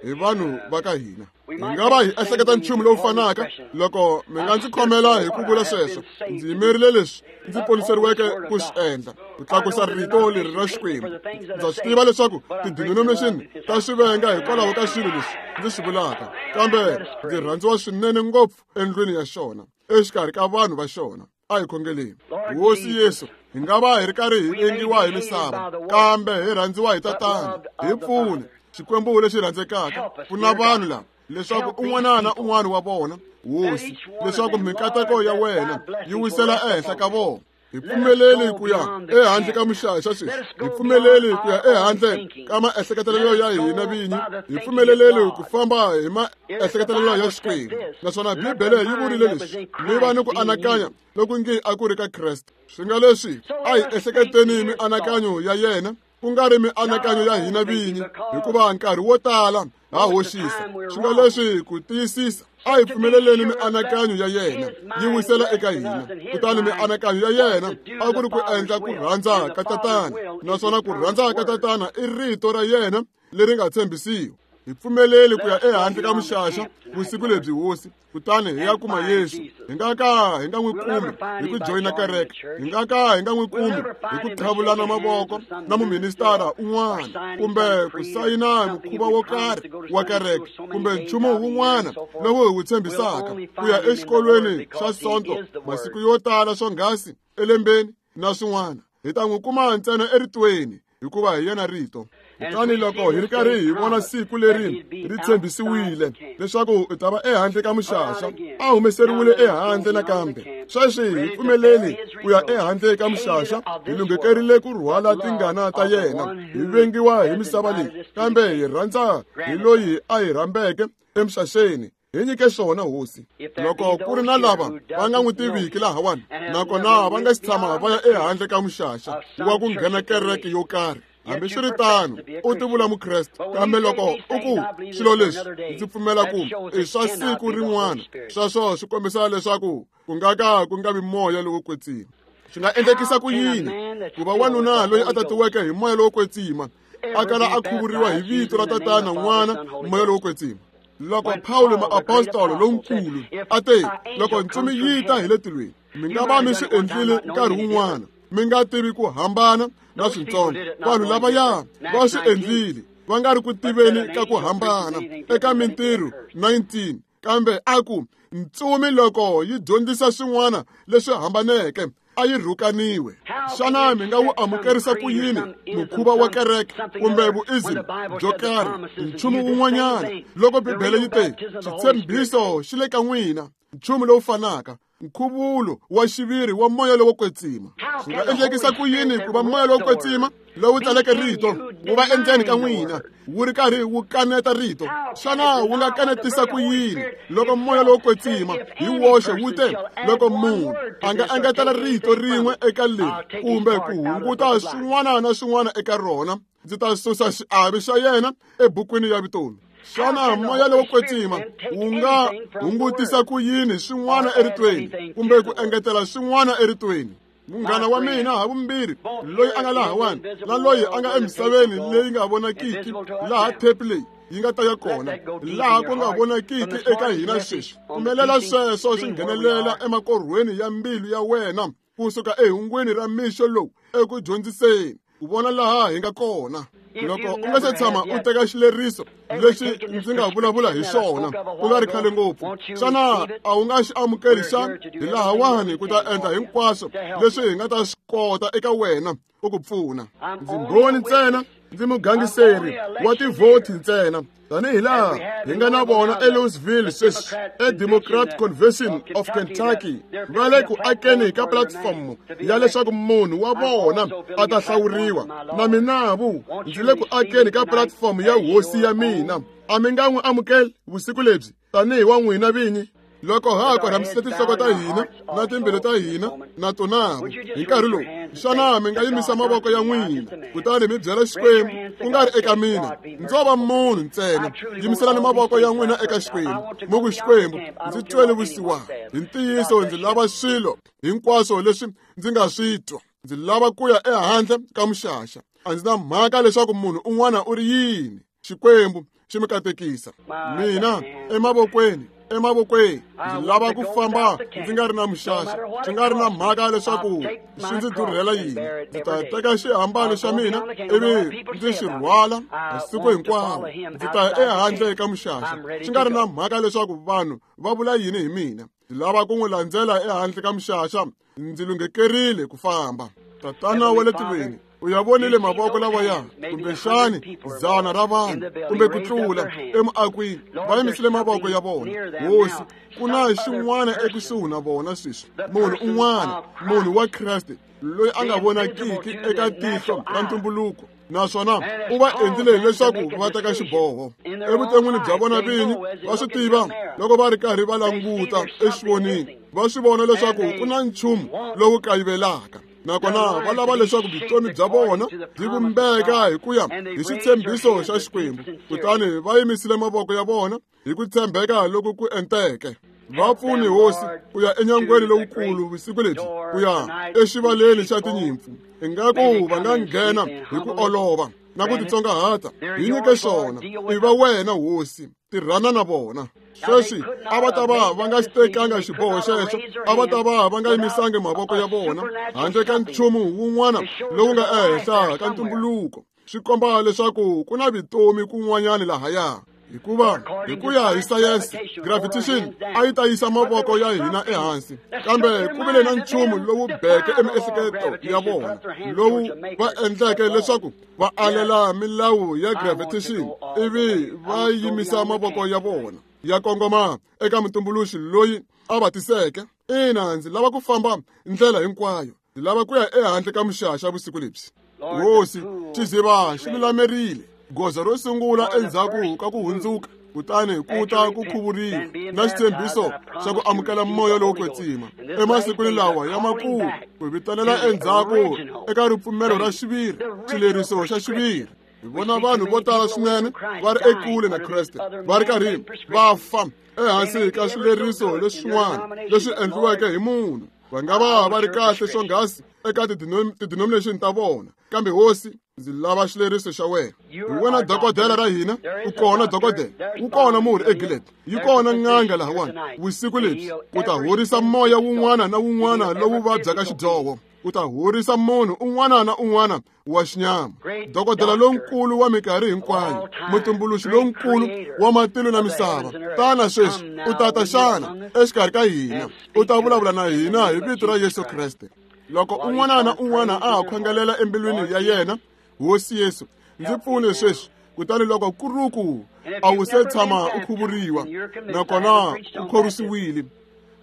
hi vanhu va ka hina hi nga va hi ehleketa nchumu lowu fanaka loko mi nga ndzi khomela hi ku vula sweswo ndzi yimerile leswi ndzi poniseriweke ku swi endla ku tlakusa rito leri ra Xikwembu ndza swi tiva leswaku ti-denomination ta swi venga hikwalaho ka swilo leswi ndzi swi vulaka kambe ndzi rhandziwa swinene ngopfu endlwini ya xona exikarhi ka vanhu va xona a hi khongeleni Hosi Yesu hi nga va hi ri karhi hi vengiwa hi misava kambe hi rhandziwa hi Tatana hi pfune Xikwembu lexi rhandzekaka pfuna vanhu lava leswaku un'wana na un'wana wa vona Hosi leswaku mikateko ya wena yi wisela ehenhla ka vona hi pfumeleli ku ya ehandle ka muxaxa sweswi hi pfumeleli ku ya ehandle ka maehleketelelo ya hina vinyi hi pfumeleleli ku famba hi maehleketelelo ya Xikwembu naswona Bibele yi vurile leswi mi va ni ku anakanya loku nge a ku ri ka Kreste swi nga leswi a hi ehleketeni mianakanyo ya yena ku nga ri mianakanyo ya hina vinyi hikuva nkarhi wo tala ha hoxisa swi nga leswi ku tiyisisa a hi pfumeleleni mianakanyo ya yena yi wisela eka hina kutani mianakanyo ya yena a ku ri ku endla ku rhandza ka Tatana naswona ku rhandza ka Tatana i rito ra yena leri nga tshembisiwa hi pfumeleli ku ya ehandle ka muxaxa vusiku lebyi Hosi kutani hi ya kuma Yesu hi nga ka hi nga n'wi kumi hi ku joyina kereke hi nga ka hi nga n'wi kumi hi ku qhavulana mavoko na muministara un'wana kumbe ku sayina mukhuva wo karhi wa kereke kumbe nchumu wun'wana lowu hi wu tshembisaka ku ya exikolweni xa Sonto masiku yo tala swonghasi elembeni na swin'wana hi ta n'wi kuma ntsena eritweni hikuva hi yena rito Kutani loko hi ri karhi hi vona siku leri ri tshembisiwile leswaku u ta va ehandle ka muxaxa, a humeseriwile ehandle nakambe. Sweswi hi pfumeleli ku ya ehandle ka muxaxa, hi lunghekerile ku rhwala tingana ta yena. Hi vengiwa hi misava leyi, kambe hi rhandza hi loyi a hi rhambeke emixaxeni. Hi nyike swona hosi. Loko ku ri na lava va nga n'wi tiviki lahawani, nakona va nga si tshama va ya ehandle ka muxaxa wa ku nghena kereke yo karhi, hambiswiritano u tivula mukreste, kambe loko u ku swilo leswi ndzi pfumela ku i swa siku rin'wana, sweswo swi kombisa leswaku ku nga ka ku nga vi moya lowo kwetsima. Swi nga endlekisa ku yini ku va wanuna loyi a tatiweke hi moya lowo kwetsima a kala a khuvuriwa hi vito ra Tatana, N'wana, Moya lowo kwetsima? Loko Pawulo muapostolo lonkulu a te, loko ntsumi yi ta hi le tilweni, mi nga va mi swi endlile nkarhi wun'wana, mi nga tivi ku hambana na swintsongo. Vanhu lavaya va swi endlile va nga ri ku tiveni ka ku hambana eka Mintirho nineteen, kambe a ku ntsumi loko yi dyondzisa swin'wana leswi hambaneke a yi rhukaniwe. Xana mi nga wu amukerisa ku yini mukhuva wa kereke kumbe vuism byo karhi, nchumu wun'wanyana, loko Bibele yi te xitshembiso xi le ka n'wina, nchumu lowu fanaka, nkhuvulo wa xiviri wa moya lowo kwetsima? Swi nga endlekisa ku yini ku va moya lowo kwetsima lowu tsaleke rito wu va endzeni ka n'wina wu ri karhi wu kaneta rito? Xana wu nga kanetisa ku yini loko moya lowo kwetsima hi woxe wu te, loko munhu a nga engetela rito rin'we eka leri kumbe ku hunguta swin'wana na swin'wana eka rona, ndzi ta susa xiave xa yena ebukwini ya vutomi? Xana moya lowo kwetsima wu nga hungutisa ku yini swin'wana eritweni kumbe ku engetela swin'wana eritweni? Munghana wa mina havumbirhi, loyi a nga lahawani na loyi a nga emisaveni leyi nga vonakiki, laha thepi leyi yi nga ta ya kona, laha ku nga vonakiki eka hina sweswi, pfumelela sweswo swi nghenelela emakorhweni ya mbilu ya wena kusuka ehungwini ra mixo lowu eku dyondziseni, ku vona laha hi nga kona. Loko u nga se tshama u teka xileriso lexi ndzi nga vulavula hi xona ku nga ri khale ngopfu, xana a wu nga xi amukeli xana? Hi lahawani ku ta endla hinkwaswo leswi hi nga ta swi kota eka wena ku ku pfuna. Ndzi mbhoni ntsena, ndzi mugangiseri wa tivhoti ntsena, tanihi laha hi nga na vona eLouisville sweswi eDemocrat Convention of Kentucky, va le ku akeni ka platform ya leswaku munhu wa vona a ta hlawuriwa. Na minavu ndzi le ku akeni ka platform ya hosi ya mina. A mi nga n'wi amukeli vusiku lebyi tanihi wa n'wina vinyi? Loko ha korhamisile tinhloko ta hina na timbilu ta hina na tonavo hi nkarhi lowu, xana mi nga yimisa mavoko ya n'wina kutani mi byela Xikwembu, ku nga ri eka mina, ndzo va munhu ntsena? Yimiselani mavoko ya n'wina eka Xikwembu, mi ku, Xikwembu, ndzi twele vusiwana. Hi ntiyiso ndzi lava swilo hinkwaswo leswi ndzi nga swi twa. Ndzi lava ku ya ehandle ka muxaxa. A ndzi na mhaka leswaku munhu un'wana u ri yini. Xikwembu xi mi katekisa. Mina emavokweni, emavokweni, ndzi lava ku famba ndzi nga ri na muxaxa, swi nga ri na mhaka leswaku swi ndzi durhela yini. Ndzi ta teka xihambano xa mina ivi ndzi xi rhwala masiku hinkwawo. Ndzi ta ya ehandle ka muxaxa, swi nga ri na mhaka leswaku vanhu va vula yini hi mina. Ndzi lava ku n'wi landzela ehandle ka muxaxa. Ndzi lunghekerile ku famba. Tatana wa le tilweni, u ya vonile mavoko lawaya, kumbexani dzana ra vanhu kumbe ku tlula emuakwini va yimisile mavoko ya vona. Hosi, ku na xin'wana ekusuhi na vona sweswi, munhu un'wana, munhu wa Kreste loyi a nga vonakiki eka tihlo ra ntumbuluko, naswona u va endlile leswaku va teka xiboho evuton'wini bya vona vinyi. Va swi tiva loko va ri karhi va languta exivonini, va swi vona leswaku ku na nchumu lowu kayivelaka, nakona va lava leswaku vutomi bya vona byi vumbeka hi ku ya hi xitshembiso xa Xikwembu. Kutani va yimisile mavoko ya vona hi ku tshembeka loku ku enteke. Va pfuni hosi ku ya enyangweni lowukulu vusiku lebyi, ku ya exivaleni xa tinyimpfu. Ingaku va nga nghena hi ku olova na ku titsongahata. Hi nyike xona. I va wena hosi, tirhana na vona. Sweswi a va ta va va nga xi tekanga xiboho xexo, a va ta va va nga yimisangi mavoko ya vona handle ka nchumu wun'wana lowu nga ehenhla ka ntumbuluko. Swi komba leswaku ku na vutomi kun'wanyana lahaya. Hikuva hi ku ya hi sayense gravitation a yi ta yisa mavoko ya hina ehansi, kambe ku vile na nchumu lowu beke emiehleketo ya vona lowu va endleke leswaku va alela milawu ya gravitation ivi va yimisa mavoko ya vona ya kongoma eka mutumbuluxi loyi a va tiseke. Ina, ndzi lava ku famba ndlela hinkwayo, ndzi lava ku ya ehandle ka muxaxa vusiku lebyi. Hosi, xiziva xi lulamerile goza ro sungula endzhaku ka ku hundzuka, kutani ku ta ku khuvuriwa na xitshembiso xa ku amukela moya lowo kwetsima emasikwini lawa ya makumu, ku vitanela endzhaku eka ripfumelo ra xiviri, xileriso xa xiviri. Hi vona vanhu vo tala swinene va ri ekule na Kreste, va ri karhi va fa ehansi ka swileriso leswin'wana leswi endliweke hi munhu. Va nga va va ri kahle swonghasi eka ti-denomination ta vona, kambe Hosi, ndzi lava xileriso xa wena. Hi wena dokodela ra hina, u kona dokodela, wu kona murhi eGilead, yi kona n'anga lahawani vusiku lebyi ku ta horisa moya wun'wana na wun'wana lowu vabyaka xidyoho, ku ta horisa munhu un'wana na un'wana wa xinyama. Dokodela lonkulu wa minkarhi hinkwayo, mutumbuluxi lonkulu wa matilo na misava, tana sweswi u tata xana exikarhi ka hina, u ta vulavula na hina hi vito ra Yesu Kreste. Loko un'wana na un'wana a ha khongelela embilwini ya yena, Hosi Yesu, ndzi pfune sweswi. Kutani loko ku ri ku a wu se tshama u khuvuriwa nakona u khorwisiwile,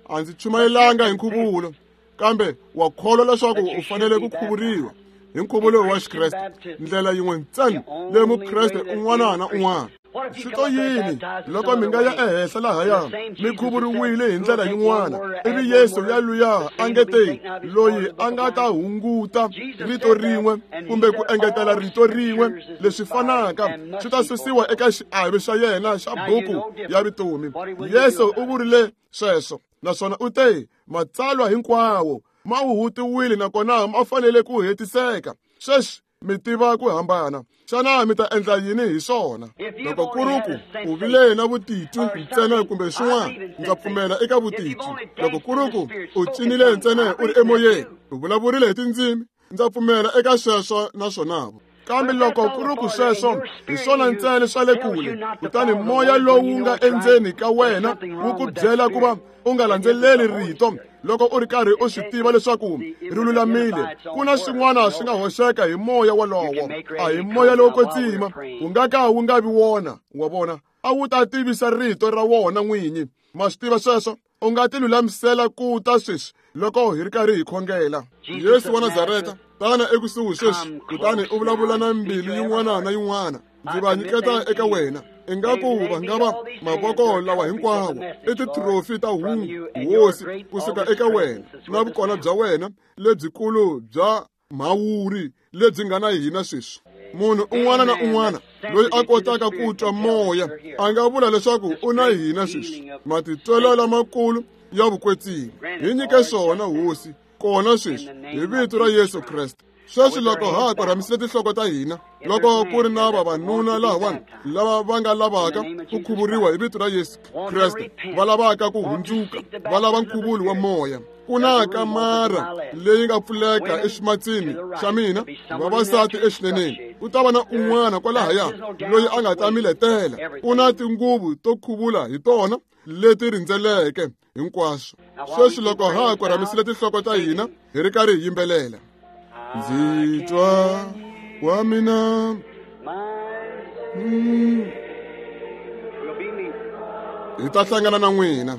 a ndzi chumayelanga hi nkhuvulo, kambe wa kholwa leswaku u fanele ku khuvuriwa hi nkhuvulo wa Xikreste, ndlela yin'we ntsena leyi mukreste un'wana na un'wana. Swi to yini loko mi nga ya ehenhla lahaya mi khuvuriwile hi ndlela yin'wana, ivi Yesu ya luya a nge te loyi a nga ta hunguta rito rin'we kumbe ku engetela rito rin'we leswi fanaka swi ta susiwa eka xiave xa yena xa buku ya vutomi. Yesu u vurile sweswo, naswona u te matsalwa hinkwawo ma huhutiwile nakona ma fanele ku hetiseka. Sweswi mi tiva ku hambana, xana mi ta endla yini hi swona? Loko ku ri ku u vile na vutitwi ntsena kumbe swin'wana, ndza pfumela eka vutitwi. Loko ku ri ku u cinile ntsena u ri emoyeni, u vulavurile hi tindzimi, ndza pfumela eka sweswo naswona. Kambe loko ku ri ku sweswo hi swona ntsena swa le kule, kutani moya lowu nga endzeni ka wena wu ku byela ku va u nga landzeleli rito loko u ri karhi u swi tiva leswaku ri lulamile, ku na swin'wana swi nga hoxeka hi moya wolowo. A hi moya lowo kwetsima, wu nga ka wu nga vi wona. Wa vona, a wu ta tivisa rito ra wona n'winyi. Ma swi tiva sweswo? U nga ti lulamisela ku ta sweswi loko hi ri karhi hi khongela. Yesu wa Nazareta, tana ekusuhi sweswi, kutani u vulavula na mbilu yin'wana na yin'wana. Ndzi va nyiketa eka wena. Ingaku va nga va mavoko lawa hinkwawo i titrofi ta hungu, Hosi, kusuka eka wena na vukona bya wena lebyikulu bya mhawuri lebyi nga na hina sweswi. Munhu un'wana na un'wana loyi a kotaka ku twa moya a nga vula leswaku u na hina sweswi. Matitwelo lamakulu ya vukwetsimi, hi nyike swona Hosi, kona sweswi hi vito ra Yesu Kreste. Sweswi loko ha korhamisile tinhloko ta hina, loko ku ri na vavanuna lahawani lava va nga lavaka ku khuvuriwa hi vito ra Yesu Kreste, va lavaka ku hundzuka, va lava nkhuvulo wa moya, ku na kamara leyi nga pfuleka eximatsini xa mina, vavasati exineneni, ku ta va na un'wana kwalahaya loyi a nga ta mi letela. U na tinguvu to khuvula hi tona leti rindzeleke hinkwaswo. Sweswi loko ha korhamisile tinhloko ta hina hi ri karhi hi yimbelela, ndzi twa wa mina hi ta hlangana na n'wina.